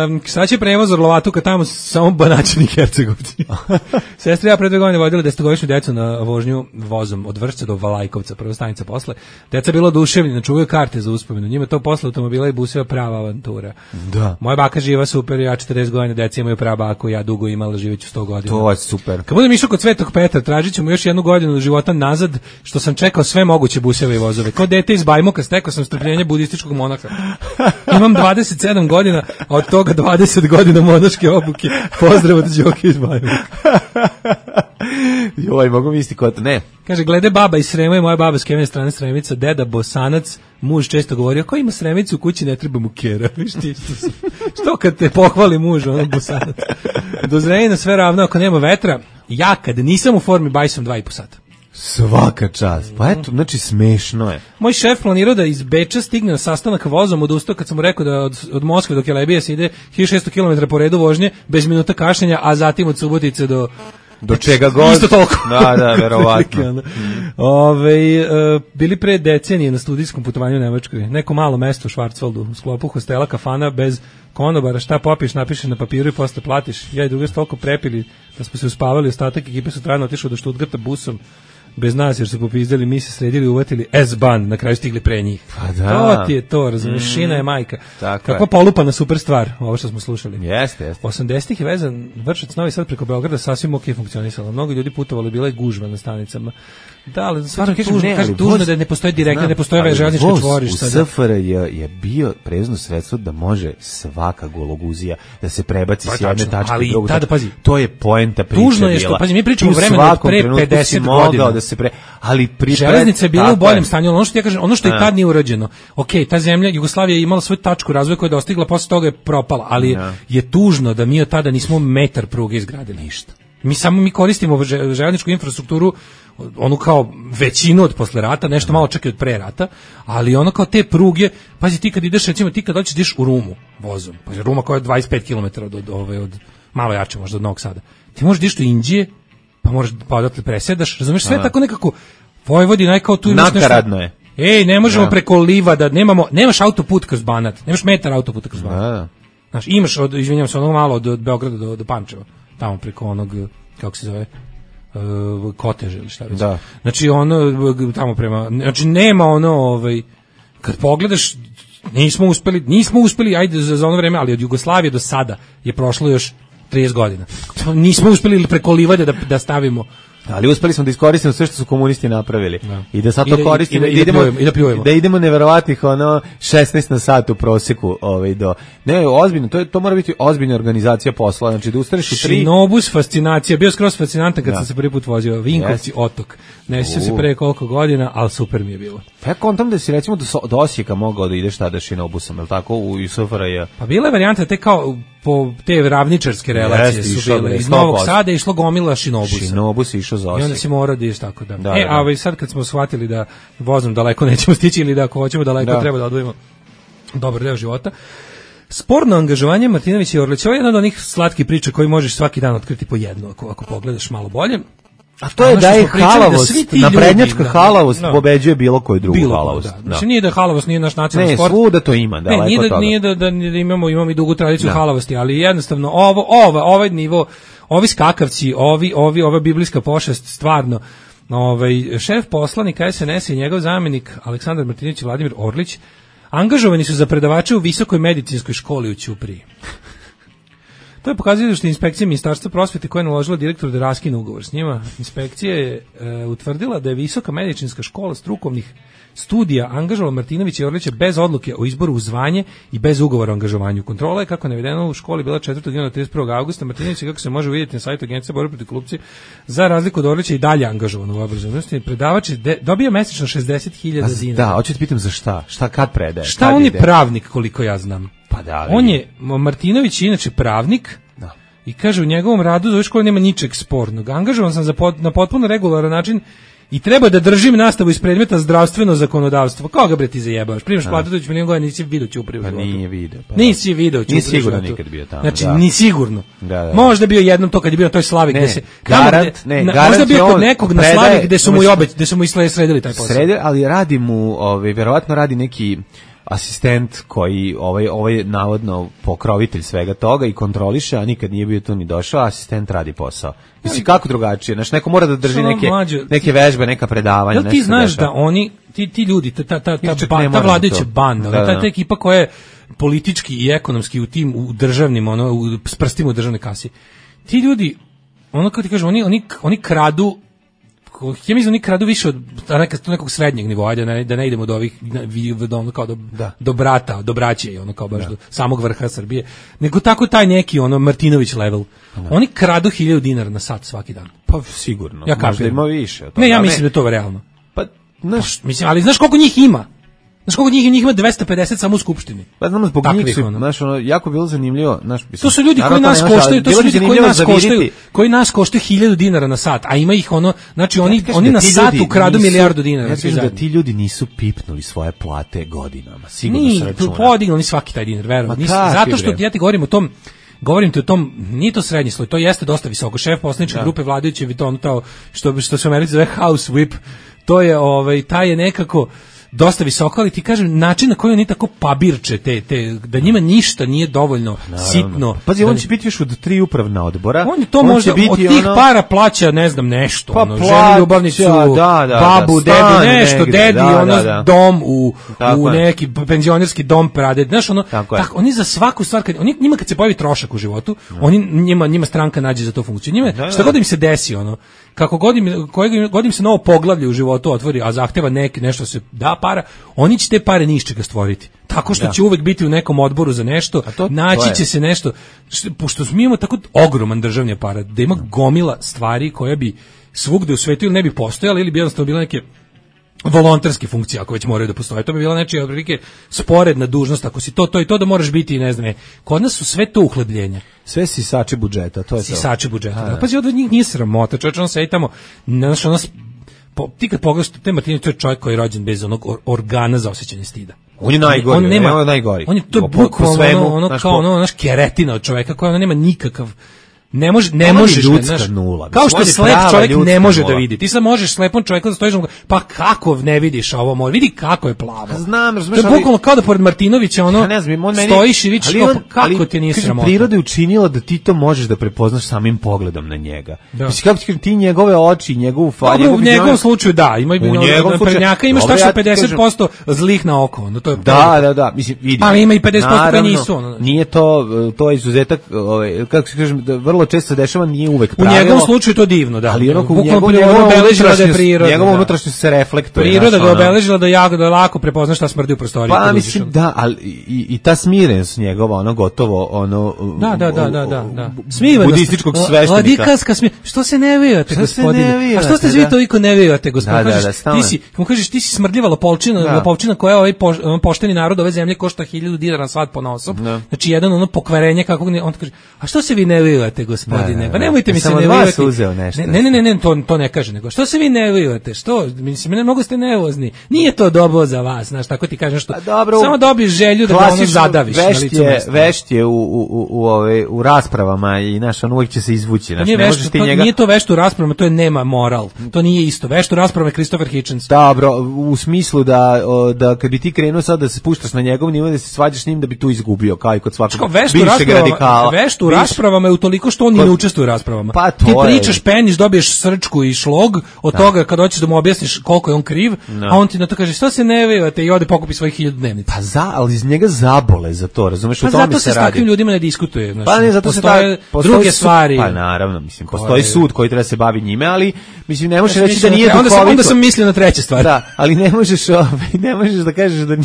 F: Um, sad će prevoz Orlovatu kad tamo samo Banaćani i Hercegovci. Sestra ja pre dve godine vodila desetogodišnju decu na vožnju vozom od Vršca do Valajkovca, prva stanica posle. Deca bila oduševljena, čuvaju karte za uspomenu. Njima to posle automobila i buseva prava avantura.
E: Da.
F: Moja baka živa super, ja četrdeset godina, deca imaju prava baku, ja dugo imala, živeću sto godina.
E: To je super.
F: Kad budem išao kod Svetog Petra, tražit ćemo još jednu godinu života nazad, što sam čekao sve moguće buseve i vozove. Kao dete iz Bajmoka stekao sam strpljenje budističkog monaha. Imam dvadeset sedam godina, a od toga dvadeset godina monaške obuke. Pozdrav od Đoke iz Bajmoka.
E: Joj, mogu misliti ko to, ne.
F: Kaže, glede baba iz Srema i moja baba s kemene strane Sremica, deda Bosanac, muž često govorio, ko ima Sremicu u kući, ne treba mu kera. Viš ti, što, sam- što kad te pohvali muž, ono Bosanac. Do Zrenjanina sve ravno, ako nema vetra, ja kad nisam u formi, bajsom dva i po sata.
E: Svaka čast. Pa eto, znači smešno je.
F: Moj šef planirao da iz Beča stigne na sastanak vozom, odustao kad sam mu rekao da od, od Moskve do Kelebija se ide hiljadu šesto kilometara po redu vožnje, bez minuta kašnjenja, a zatim od Subotice do...
E: Do čega god.
F: Isto toliko.
E: Da, da, verovatno.
F: Ono. Ove, e, bili pre decenije na studijskom putovanju u Nemačkoj. Neko malo mesto u Švarcvaldu, u sklopu hostela, kafana, bez konobara, šta popiš, napišeš na papiru i posle platiš. Ja i druga su toliko prepili da smo se uspavali, ostatak ekipe su trajno otišao do Stuttgarta busom bez nas, jer su popizdali, mi se sredili, uvatili S-ban, na kraju stigli pre njih.
E: Pa da.
F: To ti je to, razumiješ, mm. šina je majka.
E: Tako
F: Kakva
E: je.
F: polupana super stvar, ovo što smo slušali.
E: Jeste, jeste.
F: osamdesetih je vezan Vršac Novi Sad preko Beograda sasvim ok funkcionisalo. Mnogo ljudi putovali, bila je gužva na stanicama. Da, ali stvarno
E: Kažem,
F: tužno,
E: ne,
F: kažem,
E: ali
F: tužno
E: voz-
F: da ne postoji direktno,
E: Znam,
F: ne postoji
E: ali
F: železnički
E: voz
F: čvorište.
E: U
F: sada.
E: S F R J je bio prevozno sredstvo da može svaka gologuzija da se prebaci
F: Pa
E: s jedne
F: tačno,
E: tačke
F: ali
E: u drugu.
F: tada,
E: tačku.
F: pazi,
E: To je poenta priče
F: tužno je što,
E: bila.
F: pazi, mi pričamo
E: Ti u
F: o vremenu od
E: svakom
F: pre
E: trenutku si
F: pedeset
E: mogao
F: godina.
E: da se pre, ali pri
F: železnica je bila u boljem stanju, ono što ja kažem, ono što i tad nije urađeno. Okej, ta zemlja Jugoslavija je imala svoju tačku razvoja koja je dostigla, posle toga je propala, ali je, je tužno da mi od tada nismo metar pruge izgradili ništa. Mi samo mi koristimo željezničku infrastrukturu, onu kao većinu od posle rata, nešto malo čak i od pre rata, ali ono kao te pruge, pazi ti kad ideš, recimo ti kad hoćeš ideš u Rumu vozom, pa Ruma koja je dvadeset pet kilometara od, od, od, od malo jače možda od Novog Sada, ti možeš da ideš do Indije, pa možeš pa odatle presedaš, razumeš, sve tako nekako Vojvodina je kao tu imaš nešto.
E: Nakaradno je.
F: Ej, ne možemo ja. preko Livada, nemamo, nemaš autoput kroz Banat, nemaš metar autoputa kroz Banat. Ja. Znaš, imaš, od, izvinjam se, ono malo od, od Beograda do, do Pančeva, tamo preko onog, kako se zove, uh, Koteže ili šta već.
E: Da.
F: Znači, ono, tamo prema, znači, nema ono, ovaj, kad pogledaš, nismo uspeli, nismo uspeli, ajde za, za ono vreme, ali od Jugoslavije do sada je prošlo još trideset godina. Nismo uspeli preko Livade da, da stavimo.
E: Ali uspeli smo da iskoristimo sve što su komunisti napravili. Da. I da sad to
F: I da,
E: koristimo
F: i da,
E: i da idemo
F: i da, pljujemo.
E: da idemo neverovatnih ono šesnaest na sat u proseku, ovaj do. Ne, ozbiljno, to je to mora biti ozbiljna organizacija posla, znači da ustaneš u tri.
F: Šinobus fascinacija, bio skroz fascinantan kad da. sam se prvi put vozio Vinkovci yes. otok. Ne sjećam se pre koliko godina, al super mi je bilo.
E: Pa ja kontam da si recimo do, do Osijeka mogao da ideš tada šinobusom, je l' tako, u S F R J?
F: Pa bila je varijanta te kao po te ravničarske relacije
E: yes,
F: su bile. Iz Novog Sada išlo gomila šinobusa.
E: Šinobus išao za Osijek.
F: I onda si morao da ideš tako da.
E: da
F: e,
E: da,
F: a ovaj sad kad smo shvatili da vozom daleko nećemo stići ili da ako hoćemo daleko da. treba da odvojimo dobar deo života. Sporno angažovanje Martinovića i Orlića, ovo je jedna od onih slatkih priča koji možeš svaki dan otkriti po jednu, ako, ako pogledaš malo bolje.
E: A to je da je halavost, naprednjačka da, halavost da, pobeđuje bilo koju drugu bilo halavost. Da.
F: Znači nije da halavost nije naš nacionalni
E: ne,
F: sport.
E: Ne, svuda to ima, daleko
F: ne, nije da,
E: toga.
F: Nije da, da, da imamo, imamo i dugu tradiciju da. halavosti, ali jednostavno ovo, ovo, ovaj nivo, ovi skakavci, ovi, ovi, ova biblijska pošast, stvarno, ovaj, šef poslanika S N S i njegov zamjenik Aleksandar Martinović i Vladimir Orlić angažovani su za predavače u Visokoj medicinskoj školi u Ćupriji. To je pokazuje što je inspekcija Ministarstva prosvete koja je naložila direktoru da raskine ugovor s njima. Inspekcija je e, utvrdila da je Visoka medicinska škola strukovnih studija angažovala Martinovića i Orlića bez odluke o izboru u zvanje i bez ugovora o angažovanju. Kontrola je, kako je navedeno, u školi bila četvrtog juna do trideset prvog avgusta. Martinović, kako se može vidjeti na sajtu Agencije borbe protiv korupcije, za razliku od Orlića i dalje angažovan u obrazovnosti. Predavač dobija mesečno šezdeset hiljada dinara.
E: Da, hoću te pitam za šta? Šta kad predaje?
F: Šta
E: kad
F: on
E: ide?
F: Je pravnik, koliko ja znam.
E: Pa da, ali...
F: On je, Martinović je inače pravnik, da. I kaže u njegovom radu za ovu školu nema ničeg spornog. Angažovan sam za pot, na potpuno regularan način i treba da držim nastavu iz predmeta zdravstveno zakonodavstvo. Koga bre ti zajebavaš? Primaš platu doći milijon godina, nisi vidio Ćupriju.
E: Pa nije vidio. Pa
F: nisi vidio Ćupriju.
E: Nisi sigurno nikad bio tamo.
F: Znači,
E: da.
F: ni sigurno.
E: Da, da.
F: Možda bio jednom to kad je bio na toj slavi
E: ne,
F: gde se...
E: Garant,
F: gde,
E: ne,
F: na,
E: garant
F: možda bio kod
E: on
F: nekog
E: predaje,
F: na slavi gde su mu i obeć, gde su mu i sredili taj posao.
E: Sredili, ali radi mu, ovaj, verovatno radi neki asistent koji ovaj ovaj navodno pokrovitelj svega toga i kontroliše, a nikad nije bio tu ni došao, asistent radi posao. Mislim kako drugačije, znači neko mora da drži neke mlađe, neke vežbe, neka predavanja,
F: nešto. Ti znaš da oni ti ti ljudi ta ta ta ta, ta, ta vladajuća banda, da, da. ta, ta ekipa koja je politički i ekonomski u tim u državnim ono u, s prstima u državnoj kasi. Ti ljudi ono kako ti kažem, oni oni oni kradu. Ja mislim da oni kradu više od nekog srednjeg nivoa, da ne, da ne idemo do ovih do, kao do, da. do brata, do braće i ono kao baš da. do samog vrha Srbije, nego tako taj neki ono Martinović level. Da. Oni kradu hiljadu dinara na sat svaki dan.
E: Pa sigurno.
F: Ja
E: možda ima više.
F: To ne, ja mislim da je to realno.
E: Pa, znaš,
F: mislim, ali znaš koliko njih ima? Znaš koliko njih, njih ima dvesta pedeset samo u skupštini.
E: Pa znamo zbog njih su, znaš, ono, jako bilo zanimljivo. Znaš, mislim,
F: to su ljudi koji nas koštaju, to su ljudi koji nas koštaju, koji nas koštaju hiljadu dinara na sat, a ima ih ono, znači oni, ja oni na sat ukradu milijardu dinara.
E: Ja kažem da ti ljudi nisu pipnuli svoje plate godinama, sigurno
F: ni,
E: se računa.
F: Ni, podignuli svaki taj dinar, verujem. Zato što ja ti govorim o tom, govorim ti o tom, nije to srednji sloj, to jeste dosta visoko. Šef poslaničke grupe vladajuće Vitontao, što, što se u Americi zove house whip, to je, ovaj, taj je nekako dosta visoko, ali ti kažem, način na koji oni tako pabirče te, te, da njima ništa nije dovoljno naravno sitno.
E: Pazi,
F: da
E: on će biti još od tri upravna odbora.
F: On je to
E: on
F: možda,
E: biti
F: od tih
E: ono...
F: para plaća, ne znam, nešto.
E: Pa
F: ono,
E: plaća,
F: ženu ljubavnicu,
E: da, da,
F: babu,
E: da,
F: dedi, nešto,
E: negde,
F: dedi,
E: da,
F: ono,
E: da, da.
F: dom u, u
E: je.
F: neki penzionerski dom prade. Znaš, ono,
E: tako
F: tako, oni za svaku stvar, kad, oni, njima kad se pojavi trošak u životu, no. oni, njima, njima stranka nađe za to funkciju. Njima, da, da. Šta god im se desi, ono, kako god im, kojeg, god im se novo poglavlje u životu otvori, a zahteva neki, nešto se da para, oni će te pare ni iz čega stvoriti. Tako što da. će uvek biti u nekom odboru za nešto, to, naći to će se nešto, što, pošto mi imamo tako ogroman državni aparat, da ima gomila stvari koje bi svugde u svetu ili ne bi postojali ili bi jednostavno bile neke volonterske funkcije, ako već moraju da postoje. To bi bila nečija otprilike sporedna dužnost, ako si to, to i to da moraš biti, ne znam, ne. Kod nas su sve to uhlebljenja.
E: Sve sisači budžeta, to je to.
F: Sisači budžeta. Da. Pazi, od njih nije sramota, čovječ, on sedi tamo, znaš, ono, po, ti kad pogledaš, te Martinović, to je čovjek koji je rođen bez onog or, organa za osjećanje stida.
E: On je najgori, on, on nema, on je najgori.
F: On je to bukvalno ono, ono kao ono, naš keretina od čoveka koja ono nema nikakav. Ne može, ne možeš,
E: ljudska nula.
F: Kao što slep čovjek ne može nula. Da vidi. Ti sad možeš slepom čovjeku da stojiš, pa kako ne vidiš ovo moj? Vidi kako je plavo.
E: Znam, razumeš,
F: to je bukvalno kao da pored Martinovića ono, ja ne znam, on meni, stojiš i vidiš on, kako ali, ti nije sramota.
E: Priroda je učinila da ti to možeš da prepoznaš samim pogledom na njega. Da. Mislim, kako ti, ti njegove oči, njegovu fa,
F: njegov, u njegovom slučaju da, ima u njegovom prednjaka imaš tačno ja pedeset posto zlih na oko, onda to je.
E: Da, da, da, mislim, vidi.
F: Ali ima i pedeset posto koji nisu, ono.
E: Nije to, to je izuzetak, ovaj, kako se kažem, vrlo često se dešava, nije uvek
F: pravilo. U njegovom slučaju to divno, da.
E: Ali onako njegovo obeležila da je priroda. Njegovo unutrašnjost se reflektuje.
F: Priroda ga obeležila da jako da lako prepozna šta smrdi u prostoriji.
E: Pa mislim da, ali i, i ta smirenost njegova, ono gotovo, ono
F: da, da, da, da, da, da. Smirenost
E: budističkog sveštenika.
F: Ladikarska smi. Što se ne vijate, gospodine? A što ste vi toliko ne vijate, gospodine? Ti si, kako kažeš, ti si smrdljiva lopovčina, lopovčina koja ovaj pošteni narod ove zemlje košta hiljadu dinara svat ponaosob. Znači jedan ono pokvarenje kako on kaže, a što se vi ne vijate, gospodine? Pa nemojte mi se ne vijati. Ne, ne, ne, ne, to, to ne kaže, nego što se vi ne vijate, što, mislim, ne mnogo ste nervozni, nije to dobro za vas, znaš, tako ti kažem što, dobro, samo dobiješ želju da ga ono zadaviš na licu mesta.
E: Vešt je u, u, u, u, ove, u raspravama i, znaš, on uvijek će se izvući, znaš, ne
F: vešt,
E: možeš ti
F: to,
E: njega...
F: Nije to vešt u raspravama, to je nema moral, to nije isto, vešt u raspravama je Christopher Hitchens.
E: Dobro, u smislu da, da kad bi ti krenuo sad da se spuštaš na njegov nivo, da se svađaš s njim da bi tu izgubio, kao i kod svakog bivšeg radikala.
F: Vešt u raspravama je utoliko što on ne učestvuje u raspravama.
E: Pa
F: ti pričaš, peniš, dobiješ srčku i šlog od da. Toga kad hoćeš da mu objasniš koliko je on kriv, no. A on ti na to kaže što se ne vejate i ode pokupi svojih hiljadu dnevnica.
E: Pa za, ali iz njega zabole za to, razumeš,
F: pa
E: u tome se radi.
F: Pa zato se s takvim ljudima ne diskutuje, znači.
E: Pa ne, zato se ta,
F: druge stvari.
E: Pa naravno, mislim, postoji sud koji treba se bavi njime, ali mislim ne možeš ja reći da nije duhovito.
F: Onda sam, onda sam mislio na treće stvari.
E: Da, ali ne možeš, ovaj, ne možeš da kažeš da,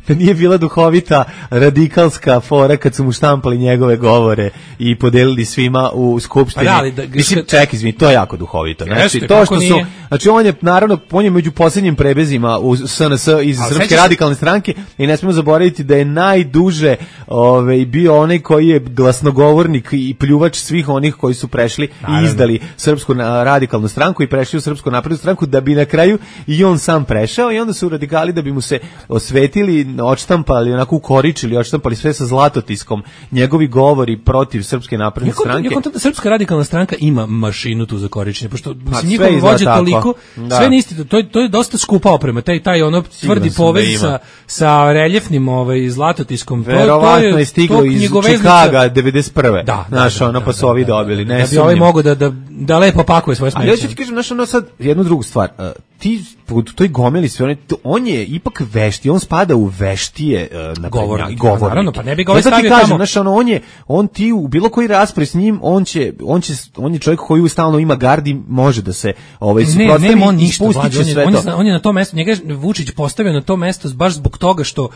E: da nije bila duhovita radikalska fora kad su mu štampali njegove govore i podelili svima u skupštini. Pa da, da, mislim, ček, izvini, to je jako duhovito. Znači,
F: jeste,
E: to što su, znači on je naravno on je među posljednjim prebezima u S N S iz ali Srpske radikalne stranke i ne smijemo zaboraviti da je najduže ovaj bio onaj koji je glasnogovornik i pljuvač svih onih koji su prešli naravno. I izdali Srpsku radikalnu stranku i prešli u Srpsku naprednu stranku da bi na kraju i on sam prešao i onda su radikali da bi mu se osvetili, odštampali, onako ukoričili, odštampali sve sa zlatotiskom njegovi govori protiv Srpske napredne
F: Njako,
E: stranke.
F: Njako, Srpska radikalna stranka ima mašinu tu za koričenje, pošto mislim njihov vođa toliko, da. Sve niste, to je to je dosta skupa oprema, taj taj ono tvrdi povez sa sa reljefnim ovaj zlatotiskom.
E: Verovatno je, je stiglo iz Čikaga devedeset prve.
F: Da,
E: znaš,
F: da,
E: ono
F: da,
E: pa su ovi dobili, ne.
F: Da bi ovaj mogao da da da lepo pakuje svoje smeće.
E: Ali ja ću ti kažem, znaš, ono sad jednu drugu stvar. Uh, ti u toj gomeli sve one, on je ipak vešti, on spada u veštije uh, na
F: govornik.
E: Govornik.
F: Naravno, pa ne bi ga ovaj stavio tamo.
E: Znaš, ono, on je, on ti u bilo koji raspravi s njim, on će, on će, on je čovjek koji stalno ima gardi, može da se ovaj suprotstavi i spusti će sve
F: on
E: to.
F: Je, on je na to mesto, njega Vučić postavio na to mesto baš zbog toga što uh,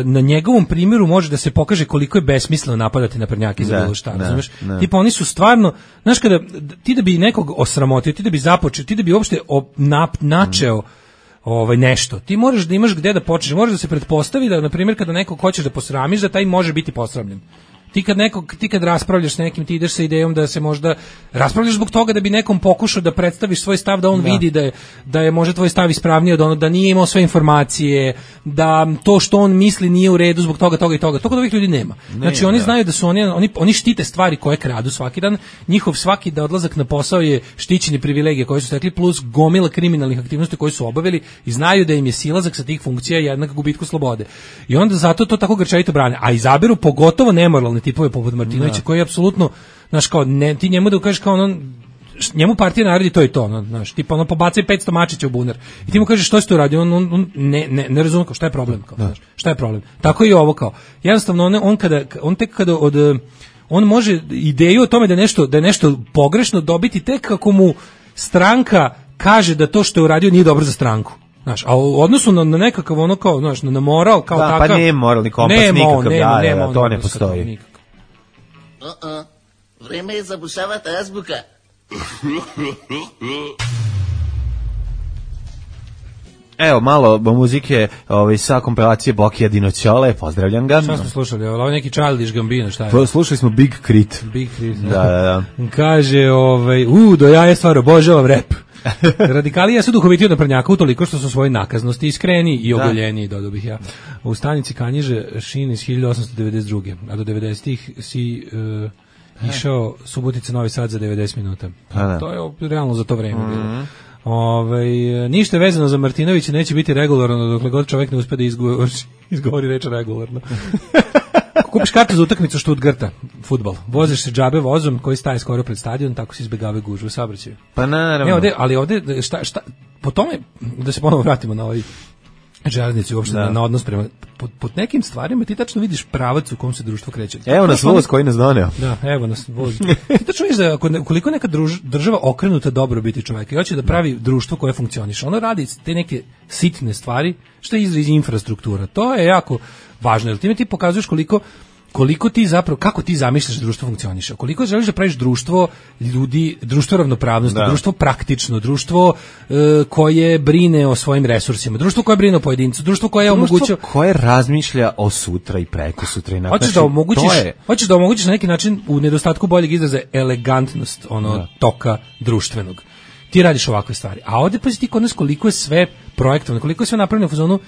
F: na njegovom primjeru može da se pokaže koliko je besmisleno napadati naprednjake za bilo šta, razumeš? Tipa oni su stvarno, znaš, kada ti da bi nekog osramotio, ti da bi započeo, ti da bi uopšte nap, načeo ovaj nešto. Ti moraš da imaš gde da počneš, moraš da se pretpostavi da na primjer kada nekog hoćeš da posramiš, da taj može biti posramljen. Ti kad nekog, ti kad raspravljaš s nekim, ti ideš sa idejom da se možda raspravljaš zbog toga da bi nekom pokušao da predstaviš svoj stav, da on da. vidi da je, da je možda tvoj stav ispravniji od ono, da nije imao sve informacije, da to što on misli nije u redu zbog toga, toga i toga. To kod ovih ljudi nema. Ne, znači oni da. znaju da su oni, oni, oni štite stvari koje kradu svaki dan, njihov svaki da odlazak na posao je štićeni privilegije koje su stekli plus gomila kriminalnih aktivnosti koje su obavili i znaju da im je silazak sa tih funkcija jednak gubitku slobode. I onda zato to tako grčevito brane, a izaberu pogotovo nemoralne tipove poput Martinovića koji je apsolutno, znaš, kao ne, ti njemu da kažeš kao ono, njemu partija naredi to i to, ono, znaš, tipa ono pobacaj petsto mačića u bunar i ti mu kažeš što si tu radi, on, on, on ne, ne, ne razume kao šta je problem, kao, znaš, šta je problem, tako i ovo kao, jednostavno on, on, kada, on tek kada od, on može ideju o tome da nešto, da je nešto pogrešno dobiti tek kako mu stranka kaže da to što je uradio nije dobro za stranku. Znaš, a u odnosu na, na nekakav ono kao, znaš, na moral kao
E: da,
F: takav.
E: Pa nije moralni kompas
F: nema
E: nikakav,
F: on, nema,
E: da,
F: nema
E: da,
F: on,
E: to ne postoji.
H: Uh-uh. Vreme je zabušavati azbuka.
E: Evo, malo muzike ovaj, sa kompilacije Bokija Dinoćole, pozdravljam ga.
F: Šta smo slušali? Ovo neki Childish Gambino, šta je?
E: Slušali smo Big Crit.
F: Big Crit,
E: da, da, da.
F: Kaže, ovaj, u, do ja je stvar obožavam rap. Radikalija su duhoviti od naprednjaka utoliko što su svoje nakaznosti iskreni i ogoljeni, dodao bih ja. U stanici Kanjiže Šin iz hiljadu osamsto devedeset druge. A do devedesetih si uh, išao Subotica Novi Sad za devedeset minuta.
E: Da.
F: To je realno za to vreme mm-hmm. bilo. Ove, ništa je vezano za Martinovića, neće biti regularno dokle god čovjek ne uspe da izgovori, izgovori reč regularno. Kupiš kartu za utakmicu Stuttgarta, fudbal. Voziš se džabe vozom koji staje skoro pred stadion, tako se izbegave gužve u saobraćaju.
E: Pa naravno.
F: Ne, ovde, ali ovde, šta, šta, po tome, da se ponovo vratimo na ovaj železnici uopšte, na, na odnos prema, pod, pod nekim stvarima ti tačno vidiš pravac u kom se društvo kreće.
E: Evo nas voz koji nas doneo.
F: Da, evo nas voz. Ti tačno vidiš da ako, koliko neka druž, država okrenuta dobrobiti čoveka i hoće da pravi društvo koje funkcioniše, ono radi te neke sitne stvari, što je izraz infrastruktura. To je jako važno, jer time ti pokazuješ koliko koliko ti zapravo, kako ti zamišljaš da društvo funkcioniše, koliko želiš da praviš društvo ljudi, društvo ravnopravnosti, da. društvo praktično, društvo e, koje brine o svojim resursima, društvo koje brine o pojedincu, društvo koje
E: društvo
F: omogućuje,
E: koje razmišlja o sutra i preko sutra i
F: hoćeš da omogućiš, je... hoćeš da omogućiš na neki način u nedostatku boljeg izraza elegantnost ono da. toka društvenog. Ti radiš ovakve stvari. A ovde pa ti kod nas koliko je sve projektovano, koliko je sve napravljeno u fazonu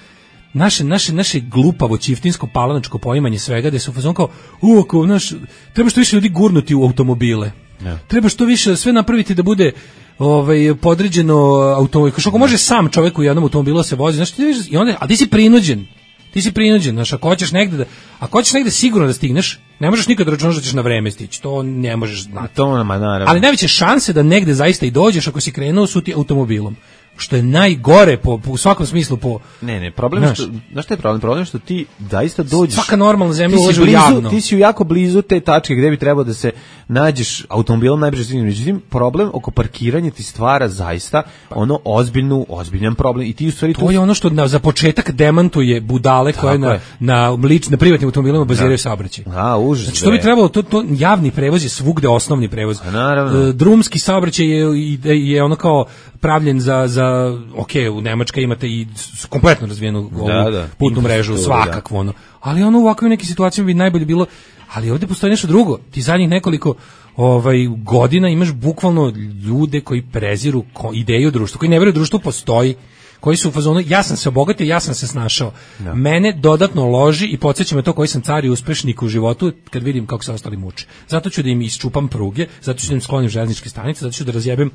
F: naše naše naše glupavo čiftinsko palanačko poimanje svega, da su u fazonu kao u ako naš treba što više ljudi gurnuti u automobile. Ja. Treba što više sve napraviti da bude ovaj podređeno automobil. Kako može sam čovjek u jednom automobilu se vozi, znači ti vidiš i onda a ti si prinuđen. Ti si prinuđen, znači ako hoćeš negde da ako hoćeš negde sigurno da stigneš, ne možeš nikad računati da ćeš na vreme stići. To ne možeš znati.
E: To nama naravno.
F: Ali najveće šanse da negde zaista i dođeš ako si krenuo su ti automobilom. Što je najgore po, po u svakom smislu po
E: ne ne problem je što znaš šta je problem problem što ti zaista dođeš
F: svaka normalna zemlja
E: ulaže
F: u javno
E: ti si jako blizu te tačke gde bi trebao da se nađeš automobilom najbrže stigneš. Međutim problem oko parkiranja ti stvara zaista ono ozbiljnu ozbiljan problem i ti u stvari
F: to tu... je ono što na, za početak demantuje budale koje na na lič na privatnim automobilima baziraju saobraćaj.
E: A užas.
F: Znači to bi trebalo to, to javni prevoz je svugde osnovni prevoz.
E: A, naravno.
F: Drumski saobraćaj je je ono kao pravljen za za ok, u Nemačkoj imate i kompletno razvijenu ovu da, da, putnu mrežu, svakakvo ono. Ali ono u ovakvim nekim situacijama bi najbolje bilo, ali ovdje postoji nešto drugo. Ti zadnjih nekoliko ovaj godina imaš bukvalno ljude koji preziru ideju društva, koji ne veruju društvo postoji, koji su u fazonu ja sam se obogatio, ja sam se snašao. No. Mene dodatno loži i podsjeća me to koji sam car i uspešnik u životu kad vidim kako se ostali muče. Zato ću da im isčupam pruge, zato ću da im sklonim železničke stanice, zato ću da razjebem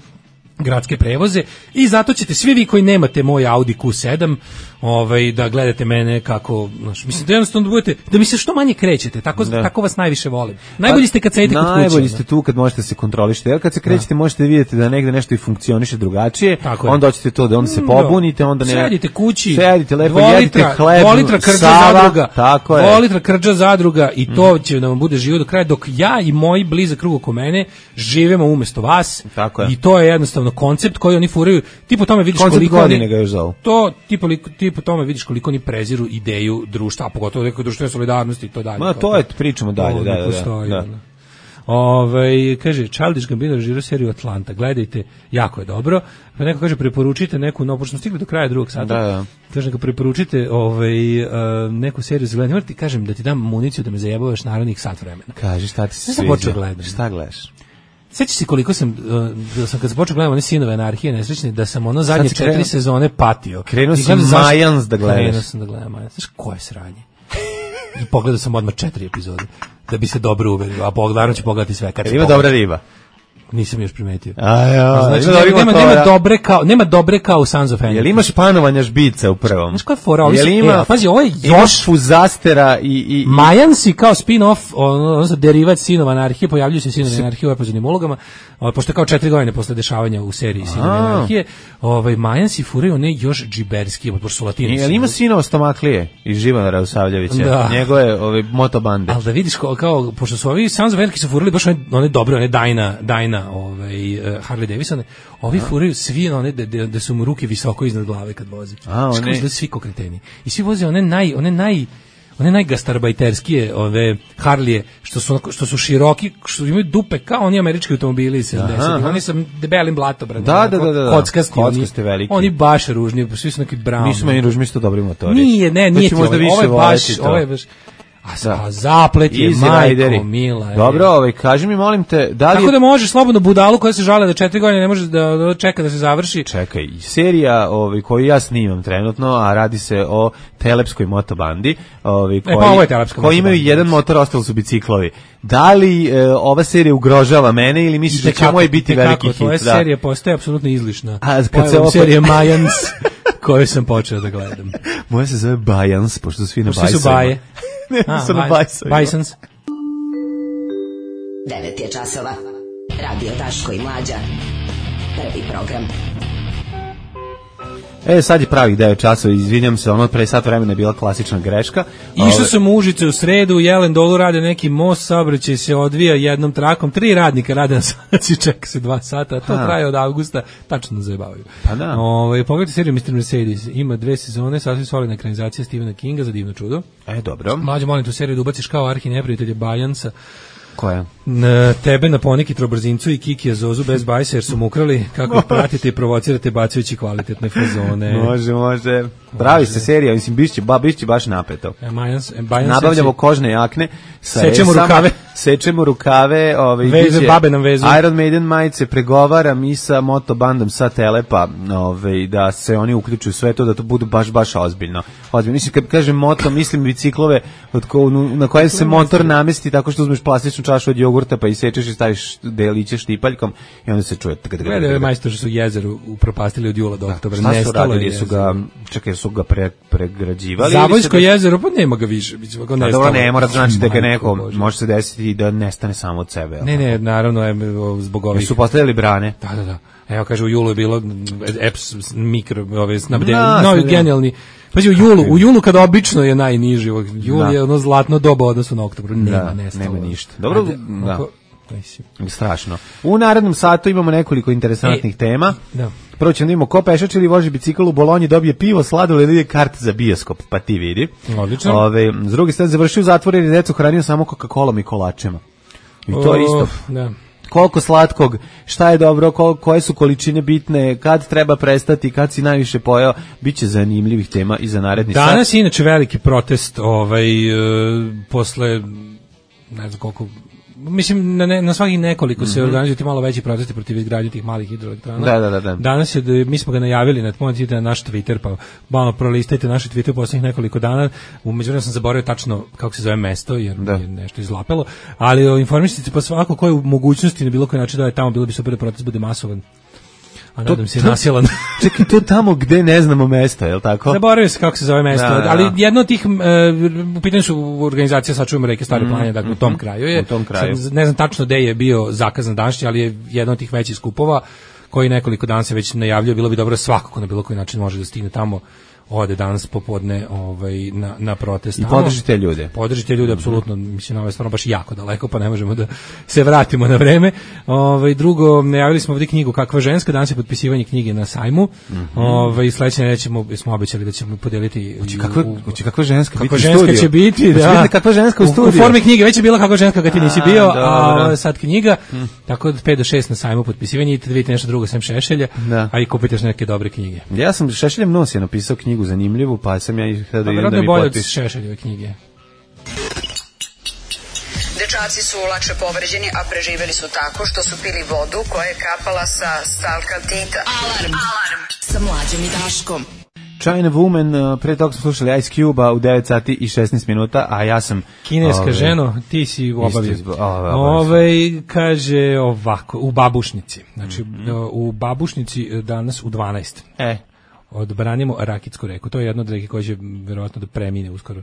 F: gradske prevoze i zato ćete svi vi koji nemate moj Audi Q sedam ovaj, da gledate mene kako, znaš, mislim da jednostavno da budete, da mi se što manje krećete, tako, da. tako vas najviše volim. Najbolji ste kad sedite kod kuće.
E: Najbolji ste tu kad možete se kontrolišete, jer kad se krećete da. možete vidjeti da negde nešto i funkcioniše drugačije, tako onda hoćete to da onda se pobunite, onda ne...
F: Sedite kući,
E: sedite lepo, jedite hleb,
F: dva litra krđa
E: Sava,
F: zadruga,
E: tako je.
F: dva litra krđa zadruga i to mm. će da vam bude živo do kraja, dok ja i moji blizak krug oko mene živimo umesto vas i to je jednostavno koncept koji oni furaju, ti po tome vidiš
E: koncept
F: koliko
E: godine ga još zovu.
F: To ti po, ti po tome vidiš koliko oni preziru ideju društva, a pogotovo neke društvene solidarnosti i to dalje.
E: Ma to je pričamo dalje, da, da,
F: postoji,
E: da.
F: da. Ove, kaže, Childish Gambino režirao seriju Atlanta, gledajte, jako je dobro. Pa neko kaže, preporučite neku, no, pošto smo stigli do kraja drugog sata,
E: da, da.
F: kaže, neko preporučite ovaj, uh, neku seriju za gledanje, moram ti kažem da ti dam municiju da me zajebavaš narednih sat vremena.
E: Kaži, šta ti se sviđa? Šta gledaš?
F: Sjećaš se koliko sam, da sam kad sam počeo gledam one Sinove anarhije nesrećne, da sam ono zadnje četiri krenuo, sezone patio.
E: Krenuo sam Mayans da gledaš.
F: Krenuo sam da gledam Mayans. Znaš koje sranje? I pogledao sam odmah četiri epizode, da bi se dobro uverio, a pogledano ću pogledati sve. Kad
E: ima dobra riba.
F: Nisam još primetio.
E: A ja,
F: znači, nema, nema, nema, dobre kao, nema dobre kao Sons of Anarchy.
E: Jel imaš panovanja žbica u prvom?
F: Znaš koja je fora?
E: Jel ima,
F: e, pazi, ovo je još
E: Fuzastera i... i, i...
F: Mayans kao spin-off, odnosno derivat Sinova anarhije, pojavljuju se Sinovi anarhije u epizodnim ulogama, pošto je kao četiri godine posle dešavanja u seriji Sinove anarhije, ovaj, Mayans i furaju one još džiberski, pošto su latinici.
E: Jel ima Sinova Stomaklije iz Živana Usavljevića? Da. Njegove ove, motobande.
F: Ali da vidiš, kao, kao, pošto su ovi Sons of Anarchy su furali baš one, one dobre, one Dajna, Dajna, ovaj, Harley Davidsone, ovi furaju svi one da, da su mu ruke visoko iznad glave kad vozi.
E: A, one...
F: da svi ko kreteni. I svi voze one naj, one naj, one najgastarbajterskije, ove Harlije, što su, što su široki, što imaju dupe kao oni američki automobili iz sedamdesetih. Oni sa debelim blatobradom.
E: Da, da, da, da.
F: Kockasti.
E: Kockasti veliki.
F: Oni baš ružni, svi su neki brown.
E: Nisu meni ružni, isto dobri motori.
F: Nije, ne, nije ti
E: možda
F: ovo. Ovo je baš, ovo je baš... A sa zaplet je,
E: Easy
F: majko
E: rideri.
F: mila. Je.
E: Dobro, ovaj, kaži mi, molim te, da li
F: Tako
E: je...
F: da možeš slobodno budalu koja se žale da četiri godine ne može da, da čeka da se završi.
E: Čekaj, serija ovaj, koju ja snimam trenutno, a radi se o telepskoj motobandi, ovaj, koji,
F: e, pa ovo je telepska
E: koji imaju
F: motobanda.
E: jedan motor, ostalo su biciklovi. Da li e, ova serija ugrožava mene ili misliš da će moj biti veliki hit?
F: Tvoja
E: Da.
F: serija postaje apsolutno izlišna.
E: A, kad
F: Moja
E: se opet-
F: serija Mayans koju sam počeo da gledam.
E: Moja se zove Bajans, pošto su svi na
F: Svi
E: bajsovima.
F: su baje.
E: Ne,
F: A,
E: su na
F: baj-
E: bajsovima.
F: Bajsons.
H: devet je časova. Radio Daško i Mlađa. Prvi program.
E: E, sad je pravih devet časova, izvinjam se, ono pre sat vremena je bila klasična greška.
F: Išao
E: Ove-
F: sam u Užice u sredu, u Jelen dolu rade neki most, saobraćaj se odvija jednom trakom, tri radnika rade na sanaciji, čeka se dva sata, a to
E: Ha.
F: traje od avgusta, tačno zajebavaju.
E: Pa da.
F: Ove, pogledajte seriju mister Mercedes, ima dve sezone, sasvim solidna ekranizacija Stephena Kinga za divno čudo.
E: E, dobro.
F: Mlađe, molim tu seriju da ubaciš kao arhi neprijatelje Bajansa,
E: Koja?
F: na tebe na Poniki Trobrzincu i Kikija Zozu bez bajsa jer su mu ukrali kako ih pratite i provocirate bacajući kvalitetne fazone.
E: Može, može. Pravi se serija, mislim, bišće, ba, bišće baš napeto.
F: E, Majans, e, Bajans
E: Nabavljamo
F: seći-
E: kožne jakne sa
F: Sečemo
E: esama,
F: rukave.
E: sečemo rukave, ovaj
F: Veze,
E: biće
F: babe nam vezu.
E: Iron Maiden majice, pregovaram i sa motobandom sa Telepa, ovaj da se oni uključuju u sve to, da to bude baš baš ozbiljno. Ozbiljno. Mislim, kad kažem moto, mislim biciklove od ko, na koje se motor namesti tako što uzmeš plastičnu čašu od jogurta pa isečeš i staviš deliće štipaljkom i onda se čuje.
F: Gledaj ove majstor što su jezeru upropastili od jula do oktobra.
E: Šta su
F: Nestalo
E: radili?
F: je
E: Su
F: jezero.
E: ga, čekaj, su ga pre, pregrađivali? ili
F: Zavojsko
E: se-
F: jezero, pa nema ga više. Biće ga
E: A
F: nestalo.
E: dobro, ne mora znači da ga
F: Majko
E: neko,
F: Bože.
E: može se desiti i da nestane samo od sebe.
F: Ne, ne, naravno, je, zbog
E: Jer
F: ovih...
E: su postavili brane.
F: Da, da, da. Evo, kaže, u julu je bilo eps mikro, ove, snabdeni,
E: Da,
F: novi
E: snabdeni.
F: genijalni. Pazi, u julu, u julu kada obično je najniži, jul
E: Da.
F: je ono zlatno doba u odnosu na oktobru, nema,
E: Da,
F: nestalo.
E: nema ništa. Dobro,
F: Ajde,
E: da.
F: ako- mislim.
E: Strašno. U narednom satu imamo nekoliko interesantnih
F: E,
E: tema.
F: da.
E: Prvo ćemo da vidimo ko pešač ili voži bicikl u Bolonji, dobije pivo, sladoled ili kart za bioskop, pa ti vidi.
F: Odlično.
E: Ove, s druge strane, završio u zatvoru jer je decu hranio samo Coca-Colom i kolačima. I to je isto.
F: Of, da.
E: Koliko slatkog, šta je dobro, ko, koje su količine bitne, kad treba prestati, kad si najviše pojeo, bit će zanimljivih tema i za naredni sat.
F: Danas je inače veliki protest ovaj, e, posle, ne znam koliko, mislim, na, ne, na svakih nekoliko se organizuju ti malo veći protesti protiv izgradnje tih malih hidroelektrana.
E: Da, da, da, da.
F: Danas je, da- mi smo ga najavili, na, možete na naš Twitter, pa malo prolistajte naš Twitter u poslednjih nekoliko dana. U međuvremenu sam zaboravio tačno kako se zove mesto, jer
E: Da.
F: je nešto izlapelo, ali o, informišite se pa svako ko je u mogućnosti na bilo koji način da je tamo, bilo bi super da protest bude masovan. A nadam se
E: to-
F: nasilan.
E: Čekaj, to tamo gde ne znamo mesta, je li tako?
F: Zaboravio se kako se zove mesto,
E: Da, da,
F: ali
E: da.
F: jedno od tih, e, u pitanju su organizacija Sačuvamo reke Stare planine, dakle u tom kraju je.
E: U tom kraju.
F: Sad, ne znam tačno gde je bio zakazan današnji, ali je jedan od tih većih skupova koji nekoliko dana se već najavljuje, bilo bi dobro da svakako na bilo koji način može da stigne tamo, ode danas popodne ovaj, na, na protest.
E: I
F: tamo.
E: podržite ljude.
F: Podržite ljude, apsolutno, mislim, ovo je stvarno baš jako daleko, pa ne možemo da se vratimo na vreme. Ovaj, drugo, najavili smo ovdje knjigu Kakva ženska, danas je potpisivanje knjige na sajmu. Ovaj, sledeće nedelje ćemo, smo obećali da ćemo podeliti...
E: Hoće
F: i
E: kakva,
F: u-
E: hoće kakva ženska biti
F: Kakva
E: u
F: ženska
E: studiju?
F: će biti,
E: Hoće
F: da.
E: biti kakva ženska u
F: U, u
E: studiju?
F: formi knjige, već je bila kakva ženska kad ti nisi
E: A,
F: bio,
E: dobro.
F: a ovo je sad knjiga, tako da pet do šest na sajmu potpisivanje, idite da vidite nešto drugo sem Šešelja,
E: Da.
F: a i kupite još neke dobre knjige.
E: Ja sam Šešeljem nos je napisao knjigu zanimljivu, pa sam ja ih htio da
F: Pa
E: idem
F: vjerojatno
E: da
F: je
E: mi
F: bolje od
E: potpiš.
F: Šešeljeve knjige.
I: Dečaci su lakše povređeni, a preživeli su tako što su pili vodu koja je kapala sa stalkaltita.
H: Alarm. Alarm. Sa Mlađom i Daškom.
E: China Woman, uh, pre toga smo slušali Ice Cube-a u devet sati i šesnaest minuta, a ja sam...
F: Kineska
E: ove,
F: ženo, ti si obavio.
E: Isto izbo- ove,
F: Ove, kaže ovako, u Babušnici. Znači, u Babušnici danas u dvanaest.
E: E,
F: Odbranimo Rakitsku reku. To je jedna od reke koja će verovatno da premine uskoro.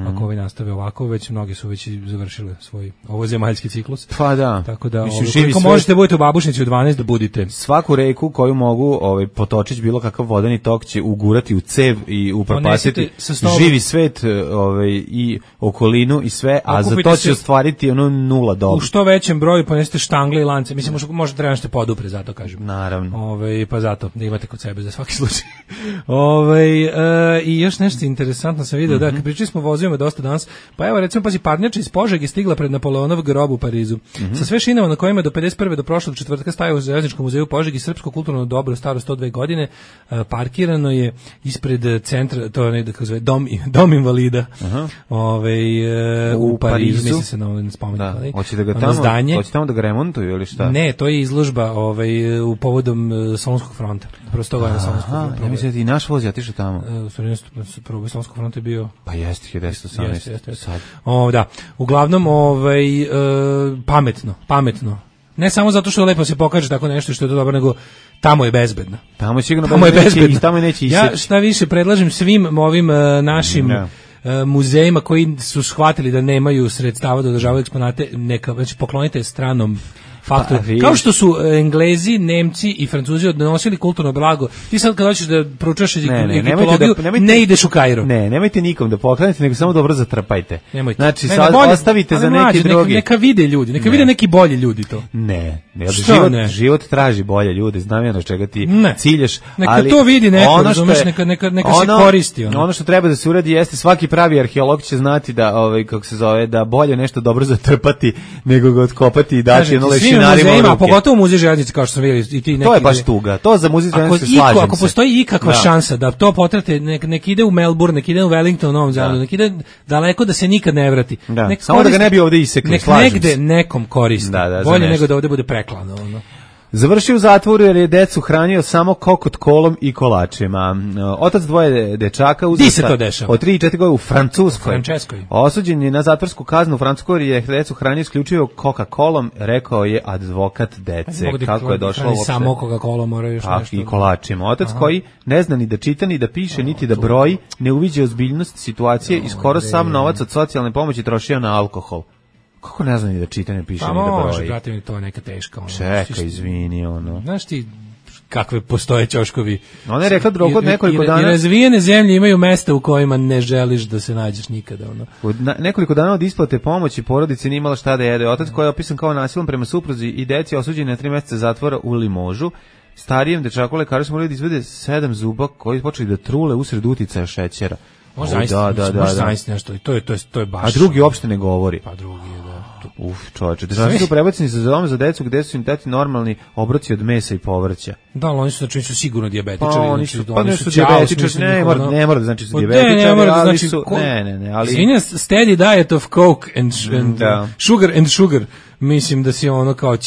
F: Ako ovi nastave ovako, već mnogi su već i završile svoj ovozemaljski ciklus.
E: pa da.
F: Tako da,
E: Mislim,
F: ovo,
E: živi
F: koliko
E: svet-
F: možete budete u Babušnici u dvanaest da budite.
E: Svaku reku koju mogu ovaj potočić bilo kakav vodeni tok će ugurati u cev i upropastiti
F: Ponesite sa sobom-
E: živi svet ovaj i okolinu i sve, a za
F: Okupite
E: to će
F: se-
E: ostvariti ono nula
F: U
E: dobit.
F: što većem broju ponesite štangle i lance. Mislim, možda, možda treba nešto podupre, zato kažem.
E: Naravno.
F: Ove, pa zato, da imate kod sebe za svaki slučaj. Ovaj e, i još nešto interesantno sam video, mm-hmm. da, pričali smo o vozovima dosta danas, pa evo recimo, pazi, parnjača iz Požege stigla pred Napoleonov grob u Parizu. Mm-hmm. Sa sve šinama na kojima do pedeset prve do prošlog četvrtka stajao u Željezničkom muzeju u Požegi srpsko kulturno dobro staro sto dve godine, e, parkirano je ispred centra, to je nekako zove dom, dom invalida. Uh-huh. Ovaj e, u, u Parizu, Parizu. Misli se na ovaj spomenik. Da.
E: Hoće da ga tamo, zdanje. Hoće tamo da ga remontuju ili šta?
F: Ne, to je izložba ovaj u povodom uh, Solunskog fronta. Prosto ga na Solunskog fronta.
E: Ja mislim da i naš voz je otišao tamo.
F: E, u stvari prvo Solunskog fronta je bio.
E: Pa jeste hiljadu devetsto osamnaest. Sad.
F: O, da. Uglavnom ovaj e, pametno, pametno. Ne samo zato što lepo se pokaže tako nešto što je to dobro, nego tamo je bezbedno.
E: Tamo je sigurno
F: tamo je bezbedno.
E: Tamo je neće iseći.
F: Ja šta više predlažem svim ovim uh, našim no. uh, muzejima koji su shvatili da nemaju sredstava da održavaju eksponate, neka znači poklonite stranom faktor. Pa, kao što su Englezi, Nemci i Francuzi odnosili kulturno blago. Ti sad kad hoćeš da proučavaš egiptologiju, ne, ne ideš u Kairo.
E: Ne, nemojte nikom da poklonite, nego samo dobro zatrpajte.
F: Nemojte.
E: Znači,
F: ne,
E: sad
F: bolje,
E: ostavite za neki
F: mlađe,
E: drugi.
F: Neka, neka vide ljudi, neka ne. vide neki bolji ljudi to.
E: Ne, ne život, ne? život traži bolje ljude, znam ja na čega ti ne. ciljaš.
F: Neka
E: ali
F: to vidi neko,
E: ono
F: razumeš,
E: je,
F: neka, neka, neka
E: ono,
F: se koristi. Ono.
E: ono što treba da se uradi jeste, svaki pravi arheolog će znati da, ovaj, kako se zove, da bolje nešto dobro zatrpati, nego ga otkopati i dati jedno lešinarima u ruke.
F: Pogotovo muzej željeznice kao što sam vidio i ti neki.
E: To je baš tuga. To za muzej željeznice se slažem.
F: Ako postoji ikakva da. šansa da to potrate, nek, nek ide u Melbourne, nek ide u Wellington, Novom Zelandu, nek ide daleko da se nikad ne vrati.
E: Da.
F: Nek
E: samo koristi, da ga ne bi ovde isekli,
F: nek
E: slažem
F: negde
E: se.
F: nekom koristi. Da, da, bolje nego da ovde bude preklano. Ono.
E: Završio u zatvoru jer je decu hranio samo kokot kolom i kolačima. Otac dvoje dečaka uzrasta od tri i četiri godine u Francuskoj.
F: Frančeskoj.
E: Osuđen je na zatvorsku kaznu u Francuskoj jer je decu hranio isključivo Coca-Colom, rekao je advokat dece. Kako je došlo uopšte?
F: Samo Coca-Cola moraju još nešto.
E: I kolačima. Otac Aha. koji ne zna ni da čita, ni da piše, niti da broji, ne uviđa ozbiljnost situacije i skoro sam novac od socijalne pomoći trošio na alkohol. Kako ne znam ni da čita, ne piše, pa, ni da broji. Pa može,
F: brate mi, to je neka teška. Ono.
E: Čeka, izvini, ono.
F: Znaš ti kakve postoje ćoškovi?
E: Ona je rekla drugo od nekoliko
F: i,
E: dana.
F: I razvijene zemlje imaju mesta u kojima ne želiš da se nađeš nikada. Ono.
E: Od na, nekoliko dana od isplate pomoći porodici nije imala šta da jede. Otac koji je opisan kao nasilan prema supruzi i deci osuđen na tri meseca zatvora u Limožu. Starijem dečaku lekari smo morali da izvede sedam zuba koji počeli da trule usred uticaja šećera.
F: Može zaista, da, da, da, da. nešto. To je, to je, to je baš.
E: A drugi uopšte ne govori.
F: Pa drugi je, da.
E: Uf, čoveče, državni su prebaceni za dom za decu gde su im teti normalni obroci od mesa i povrća.
F: Da, ali oni su znači su sigurno dijabetičari,
E: pa, oni su, znači, pa oni su dijabetičari, ne mora, ne mora da znači su dijabetičari,
F: ne, mora da
E: znači
F: su,
E: ne, ne, ne, ali
F: Izvinja, steady diet of coke and, and
E: da.
F: sugar and sugar, mislim da si ono kao,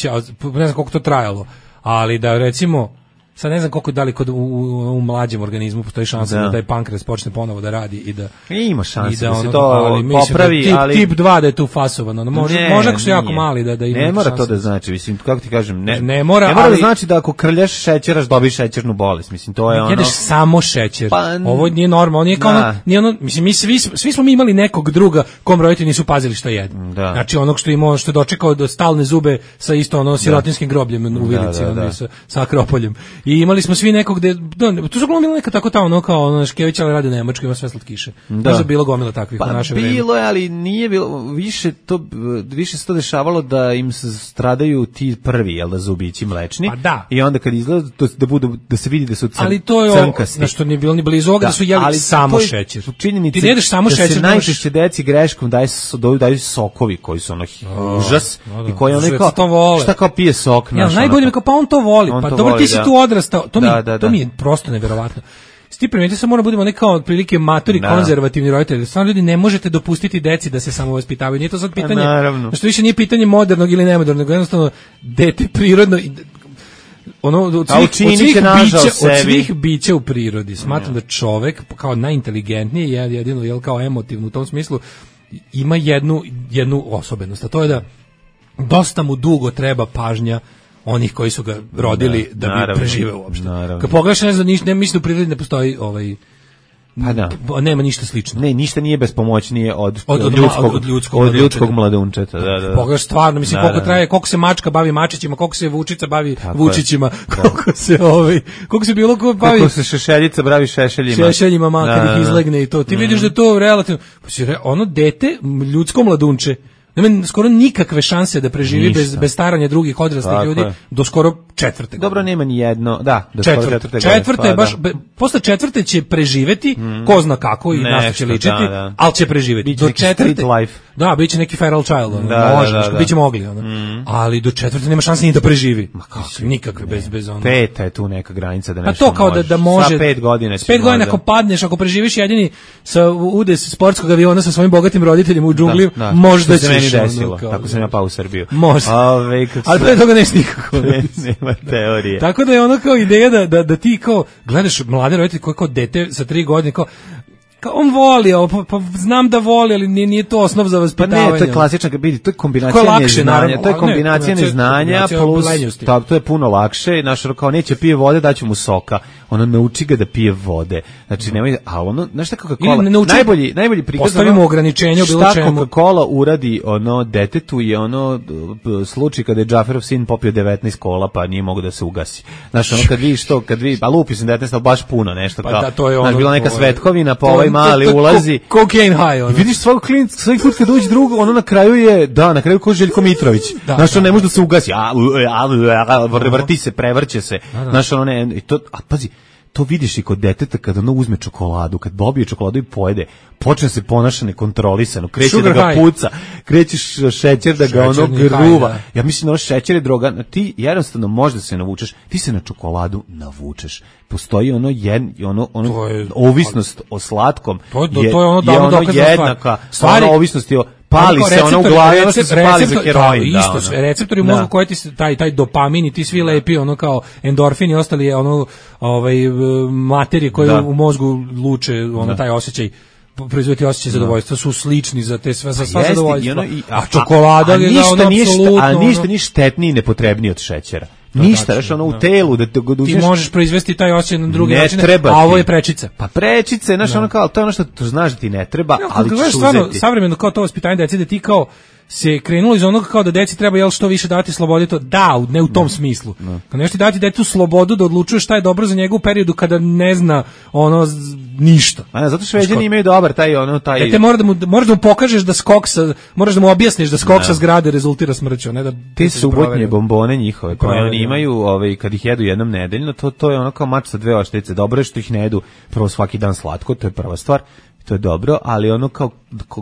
F: ne znam koliko to trajalo, ali da recimo sad ne znam koliko da li kod u, u, u mlađem organizmu postoji šansa da. da taj pankreas počne ponovo da radi i da
E: ima šanse da, da se
F: ono,
E: to
F: ali,
E: popravi,
F: da tip,
E: ali
F: tip dva da je tu fasovano. No, može ne, možda ako su jako mali da da ima.
E: Ne mora
F: šanse.
E: To da znači, mislim kako ti kažem, ne.
F: Ne mora,
E: ne mora
F: ali,
E: da znači da ako krljaš šećeraš dobiješ šećernu bolest. Mislim to je ono.
F: Jedeš samo šećer.
E: Pa,
F: ovo nije normalno, nije kao ono, nije ono, mislim mi svi svi smo mi imali nekog druga kom roditelji nisu pazili šta jedu.
E: Da.
F: Znači onog što imao što je dočekao do stalne zube sa isto ono sirotinskim grobljem u Vilici, da, da, da. sa sa Akropoljem. I imali smo svi nekog gde da, tu su glumili neka tako tamo ono kao ono Škević, ali radi u Nemačkoj, ima sve slatkiše. Da. Možda bilo gomila takvih
E: pa,
F: u naše vreme.
E: Bilo je, ali nije bilo, više to, više se to dešavalo da im se stradaju ti prvi, jel da, zubići mlečni.
F: Pa da.
E: I onda kad izgleda, to, da, budu, da se vidi da su crn,
F: ali to je
E: crnkasti.
F: Na što nije bilo ni blizu ovoga da, da su jeli samo šećer.
E: Činjenica
F: ti jedeš samo
E: da
F: šećer.
E: Da se najčešće deci greškom daju, daju sokovi koji su ono oh, užas no, da. I koji ono kao, šta kao pije sok.
F: Ja, najbolje mi kao, pa on to voli. On pa to dobro voli, ti si da. Tu odrastao. To, da, mi, da, to mi je prosto neverovatno. Sti primetite se mora budemo nekao otprilike matori da. Konzervativni roditelji. Stvarno ljudi ne možete dopustiti deci da se samo vaspitavaju. Nije to sad pitanje. Što više nije pitanje modernog ili nemodernog, nego jednostavno dete prirodno ono od svih, od svih, bića, od svih bića u prirodi. Smatram da čovek kao najinteligentniji je jedino jel kao emotivno u tom smislu ima jednu jednu osobenost, a to je da dosta mu dugo treba pažnja onih koji su ga rodili da, da bi naravno, preživeo uopšte. Kad pogledaš, ne znam, ne mislim da u prirodi ne postoji ovaj
E: pa da.
F: Nema ništa slično.
E: Ne, ništa nije bespomoćnije od,
F: od,
E: od, ljudskog, od, od ljudskog, od ljudskog mladunčeta. Da, da.
F: Pogledaš stvarno, mislim, da, koliko da. Traje, koliko se mačka bavi mačićima, koliko se vučica bavi tako vučićima, je. Koliko se ovaj, koliko se bilo ko bavi...
E: Koliko se šešeljica bavi šešeljima.
F: Šešeljima, makar ih izlegne i to. Ti mm. vidiš da to relativno... Ono dete, ljudsko mladunče, nema skoro nikakve šanse da preživi bez, bez staranja drugih odraslih ljudi, je. Do skoro četvrte.
E: Dobro, nema ni jedno, da, do
F: četvrte,
E: četvrte,
F: četvrte je
E: pa,
F: baš,
E: da.
F: be, posle četvrte će preživeti, mm. ko zna kako i na što će ličiti,
E: da, da.
F: ali će preživeti.
E: Biće
F: do četvrte,
E: street life.
F: Da, biće neki feral child, ono,
E: da,
F: može,
E: da, da, da.
F: biće mogli, ono. Mm. Ali do četvrte nema šanse ni da preživi. Ma kako, nikakve, bez, bez ono.
E: Peta je tu neka granica da nešto
F: pa to kao da, da može,
E: sa pet godina
F: s pet godina ako padneš, ako preživiš jedini sa udes sportskog aviona sa svojim bogatim roditeljima u džungli,
E: da, da.
F: možda
E: ćeš. Što se meni desilo,
F: ono, kao,
E: tako sam ja pao u Srbiju.
F: Može.
E: Ove,
F: ali pre toga neš nikako.
E: ne, nema teorije.
F: Tako da je ono kao ideja da, da, da ti kao gledaš mlade roditelje koji kao dete sa tri godine kao kao on voli, pa, pa znam da voli, ali nije, nije to osnov za vaspitavanje.
E: Pa ne, to je klasična, vidi, to je kombinacija
F: je lakše,
E: neznanja,
F: naravno,
E: to je kombinacija
F: ne,
E: neznanja plus, ta, to je puno lakše, naš kao neće pije vode, daću mu soka, ono nauči ga da pije vode, znači nemoj, a ono, znaš šta Coca-Cola, najbolji, najbolji prikaz,
F: postavimo ono, ograničenje u bilo čemu.
E: Šta Coca-Cola uradi ono detetu je ono slučaj kada je Džaferov sin popio devetnaest kola, pa nije mogo da se ugasi. Znaš, ono kad vidiš to, kad vi, a lupi sam devetnaest, baš puno nešto,
F: pa
E: kao,
F: da, to je ono,
E: znaš, bila neka
F: to
E: svetkovina, pa ovaj mali ulazi.
F: Cocaine high, ono.
E: I vidiš svakog klinika, svaki put kad uđe drugo, ono na kraju je, da, na kraju ko Željko Mitrović. Da, znaš, on ne može da se ugasi, a, a, a, vrti se, prevrće se. Znaš, ono ne, i to, a pazi, to vidiš i kod deteta kada ono uzme čokoladu, kad dobije čokoladu i pojede, počne se ponaša nekontrolisano, kreće Sugar da ga high. Puca, krećeš šećer da ga ono gruva. High, ja mislim da ono šećer je droga, ti jednostavno možda se navučeš, ti se na čokoladu navučeš. Postoji ono jedan, ono, ono je, ovisnost o slatkom,
F: to je, je, to je ono,
E: je ono jednaka, stvari, ono ovisnosti o pali se ono u glavi, ono što se pali za heroin.
F: Da, isto, da, receptori u mozgu koji ti se, taj, taj dopamin i ti svi lepi, ono kao endorfini i ostali je ono, ovaj, materije koje da. u mozgu luče, ono, da. taj osjećaj, proizvoditi osjećaj zadovoljstva su slični za te sve, za sva zadovoljstva. Ono, i, a, a čokolada a, a, je ono apsolutno.
E: A ništa ni štetniji i nepotrebniji od šećera. Ništa, znaš, ono u telu da te
F: ti možeš proizvesti taj osjećaj na drugi način, a ovo je prečica.
E: Pa prečice, znaš, ono kao, to je ono što to znaš da ti ne treba, no, ali ćeš
F: stvarno, savremeno kao to vaspitanje dece, da ti kao se krenulo iz onoga kao da deci treba jel što više dati slobode, to da, ne u tom smislu. No. Kad nešto dati detetu slobodu da odlučuje šta je dobro za njega u periodu kada ne zna ono ništa.
E: A ne, zato Šveđani imaju dobar taj ono taj.
F: Dete mora da mu moraš da mu pokažeš da skok sa, moraš da mu objasniš da skok sa zgrade rezultira smrću, ne da
E: te subotnje bombone njihove koje oni imaju, ovaj kad ih jedu jednom nedeljno, to to je ono kao mač sa dve oštrice. Dobro je što ih ne jedu prvo svaki dan slatko, to je prva stvar. To je dobro, ali ono kao,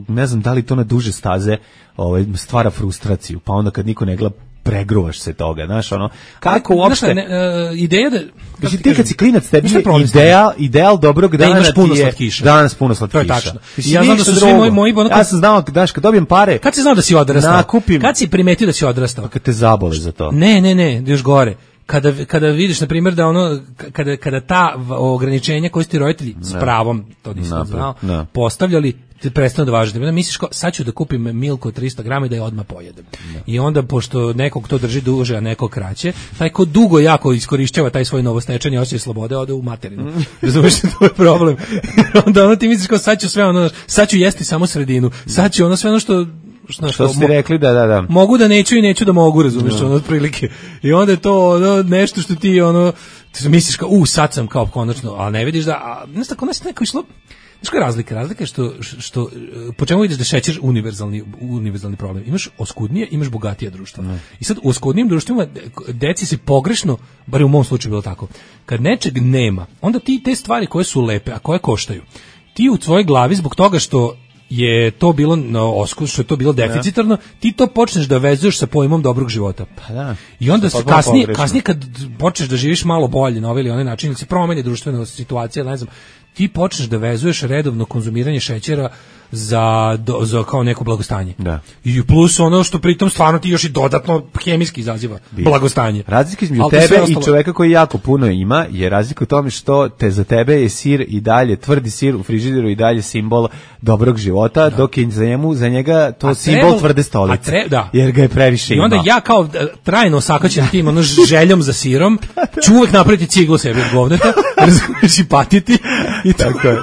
E: ne znam da li to na duže staze ovaj, stvara frustraciju, pa onda kad niko ne gleda, pregruvaš se toga, znaš, ono, kako uopšte...
F: Znaš, ne, uh, ideja da...
E: Znači, ti kad si klinac, tebi je ideal, ideal dobrog dana
F: da
E: puno slatkiša. Danas puno slatkiša.
F: To je tačno. Ja znam da su svi moji... moji ono,
E: ja sam znao, daš, kad dobijem pare...
F: Kad si znao da si odrastao? Nakupim... Kad si primetio da si odrastao?
E: Kad te zabole za to.
F: Ne, ne, ne, još gore. Kada, kada vidiš, na primjer, da ono, kada, kada ta ograničenja koje su ti roditelji s pravom, to nisam znao, no. postavljali, te prestanu da važete. Misliš kao, sad ću da kupim milku od trista grama i da je odmah pojedem. No. I onda, pošto nekog to drži duže, a nekog kraće, taj ko dugo jako iskorišćava taj svoj novostečeni osjećaj slobode, ode u materinu. Razumiješ, to je problem. Onda ono ti misliš kao, sad ću sve ono, sad ću jesti samo sredinu, sad ću ono sve ono što
E: Što, što ste rekli, da, da, da.
F: Mogu da neću i neću da mogu, razumiješ, no. ono, otprilike. I onda je to ono, nešto što ti, ono, ti misliš kao, u, sad sam kao konačno, ali ne vidiš da, a, znaš tako, nešto neko išlo, znaš koja je razlika? Razlika je što, što, po čemu vidiš da šećer univerzalni, univerzalni problem. Imaš oskudnije, imaš bogatije društva. No. I sad u oskudnijim društvima deci se pogrešno, bar u mom slučaju bilo tako, kad nečeg nema, onda ti te stvari koje su lepe, a koje koštaju, ti u tvojoj glavi zbog toga što je to bilo no, oskus, što je to bilo deficitarno, ti to počneš da vezuješ sa pojmom dobrog života.
E: Pa da.
F: I onda se kasnije, kasnije kad počneš da živiš malo bolje na ovaj ili onaj način, ili se promeni društvena situacija, ne znam, ti počneš da vezuješ redovno konzumiranje šećera za, do, za kao neko blagostanje.
E: Da.
F: I plus ono što pritom stvarno ti još i dodatno hemijski izaziva Biš. blagostanje.
E: Razlika između tebe i čoveka koji jako puno ima je razlika u tome što te za tebe je sir i dalje, tvrdi sir u frižideru i dalje simbol dobrog života, da. dok je za njemu, za njega to a simbol trebal, tvrde stolice. Tre, da. Jer ga je previše ima.
F: I onda ja kao trajno osakaćen tim ono željom za sirom, ću uvek napraviti ciglu sebi od govneta, razumiješ i patiti. I tako je.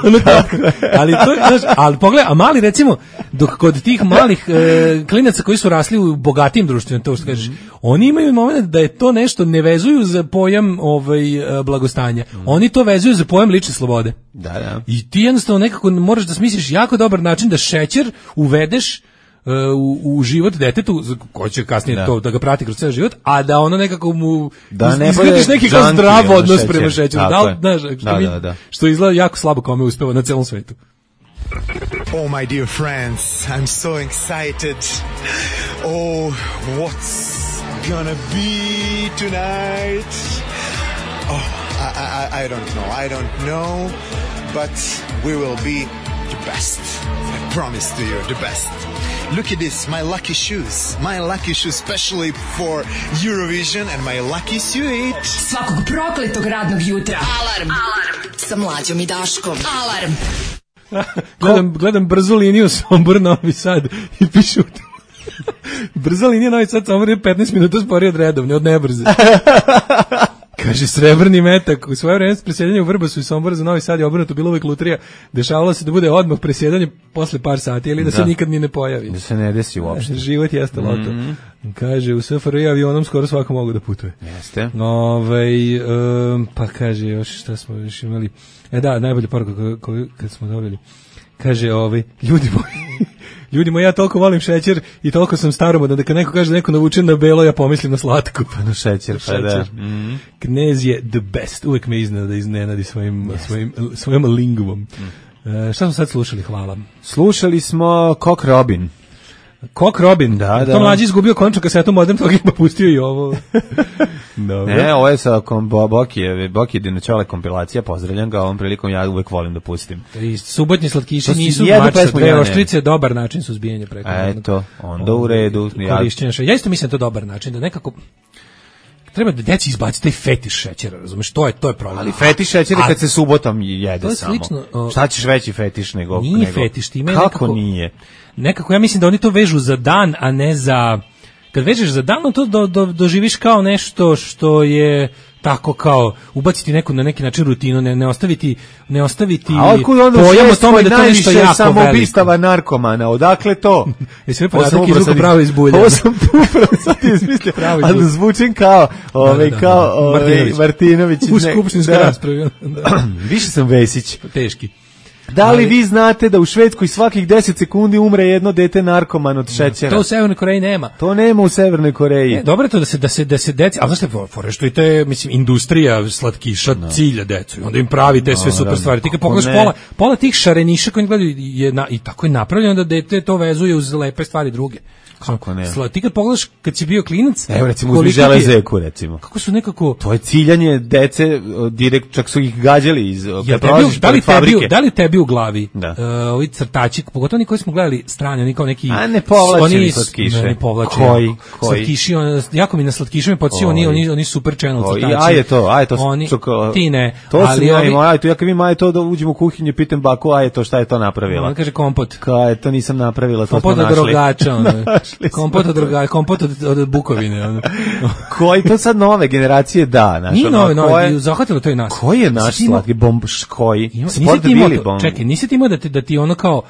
F: Ali to je, znaš, ali pogledaj, a mali recimo, dok kod tih malih e, klinaca koji su rasli u bogatijim društvima, to što kažeš, mm. oni imaju moment da je to nešto ne vezuju za pojam ovaj blagostanja. Mm. Oni to vezuju za pojam lične slobode.
E: Da, da.
F: I ti jednostavno nekako moraš da smisliš jako dobar način da šećer uvedeš u, u život detetu, ko će kasnije da. to da ga prati kroz ceo život, a da ono nekako mu
E: da ne
F: izgradiš neki kao zdrav odnos prema šećeru. Da, da,
E: da, da, da.
F: Što izgleda jako slabo kome uspeva na celom svetu.
J: Oh, my dear friends, I'm so excited. Oh, what's gonna be tonight? Oh, I, I, I don't know, I don't know, but we will be the best. I promise to you, the best. Look at this, my lucky shoes. My lucky shoes, especially for Eurovision, and my lucky suit.
B: Svakog prokletog radnog jutra. Alarm. Alarm. Sa Mlađom i Daškom. Alarm.
F: gledam, gledam brzu liniju Sombor Novi Sad i pišu brza linija Novi Sad Sombor je petnaest minuta sporije od redovne, od nebrze. Kaže, srebrni metak. U svoje vreme presjedanje u Vrbasu i Somboru za Novi Sad je obrnuto, bilo uvek lutrija. Dešavalo se da bude odmah presjedanje posle par sati ili da, da se nikad ni ne pojavi.
E: Da se ne desi uopšte.
F: Život jeste loto. Mm-hmm. Kaže, u S F R I avionom skoro svako mogu da putuje.
E: Jeste.
F: Ove, um, pa kaže, još šta smo još imali. E da, najbolja poruka koju kad smo dobili. Kaže, ovaj, ljudi moji, ljudi moji, ja toliko volim šećer i toliko sam staromodan da kad neko kaže da neko navučen na belo, ja pomislim na slatko.
E: Pa na šećer, pa šećer. Da.
F: Mm-hmm. Knez je the best, uvek me iznenada iznenadi svojim, yes. svojim, svojom lingvom. Mm. E, šta smo sad slušali, hvala?
E: Slušali smo Cock Robin.
F: Cock Robin,
E: da, da.
F: To Mlađi izgubio končnu kasetu Modern Talking pa pustio i ovo.
E: Dobro. Ne, ovo je sa Bokije, Bokije Dinoćole kompilacija, pozdravljam ga, ovom prilikom ja uvek volim da pustim.
F: I subotnji slatkiši nisu mač sa dve oštrice, dobar način suzbijanja preko.
E: Eto, onda u redu.
F: Korišćenja šećera. Ja isto mislim da to dobar način, da nekako treba da deci izbaci taj fetiš šećera, razumeš, to je, to je problem.
E: Ali fetiš šećera kad se subotom jede
F: to je
E: samo.
F: Slično, o,
E: šta ćeš veći fetiš nego...
F: Nije
E: nego,
F: fetiš, ti ima
E: kako
F: nekako...
E: nije?
F: Nekako, ja mislim da oni to vežu za dan, a ne za... Kad vežeš za dan, to do, do, doživiš kao nešto što je tako kao ubaciti neku na neki način rutinu, ne, ne ostaviti ne ostaviti pojam o tome da to nešto jako
E: samoubistava narkomana, odakle to?
F: Jesi mi podatak izvuku pravo iz bulja.
E: Ovo sam tu upravo sad izmislio, ali zvučim kao, ovaj, kao ovaj, Martinović.
F: U skupštinskoj raspravi.
E: Više sam Vesić.
F: Teški.
E: Da li vi znate da u Švedskoj svakih deset sekundi umre jedno dete narkoman od šećera?
F: To u Severnoj Koreji nema.
E: To nema u Severnoj Koreji.
F: Ne, dobro je to da se da se da se deci, al znaš šta, fore što i to je, mislim, industrija slatkiša no. cilja decu. I onda im pravi te sve no, super stvari. Ti kad pogledaš pola, pola tih šareniša koji gledaju je na, i tako je napravljeno da dete to vezuje uz lepe stvari druge.
E: Kako ne?
F: Sla, ti kad pogledaš kad si bio klinac,
E: evo recimo uzmi železeku recimo.
F: Kako su nekako
E: to je ciljanje dece, direkt čak su ih gađali iz
F: ja, tebi, da li tebi, da li tebi u glavi da. Uh, ovi crtači, pogotovo oni koji smo gledali strani, oni kao neki
E: a ne povlačeni slatkiše.
F: Ne povlače.
E: Koji? Koji?
F: Slatkiši, on, jako mi na slatkišima podsjeća oni, oni, oni super channel crtači.
E: A je to, a je to.
F: Oni,
E: čuko,
F: ti ne.
E: To ali ja im, aj to ja kad vidim aj to da uđemo u kuhinju, pitam baku, aj to šta je to napravila.
F: On kaže kompot.
E: Kaj, to nisam napravila, to
F: kompot
E: smo našli.
F: Drogača, kompot od drogača, kompot od, od Bukovine. Ono.
E: Koji to sad nove generacije da, naš.
F: Nije nove, nove, zahvatilo to i nas.
E: Koji je naš slatki bomb, koji?
F: Sport bili bomb. Čekaj, nisi ti imao da ti, da ti ono kao,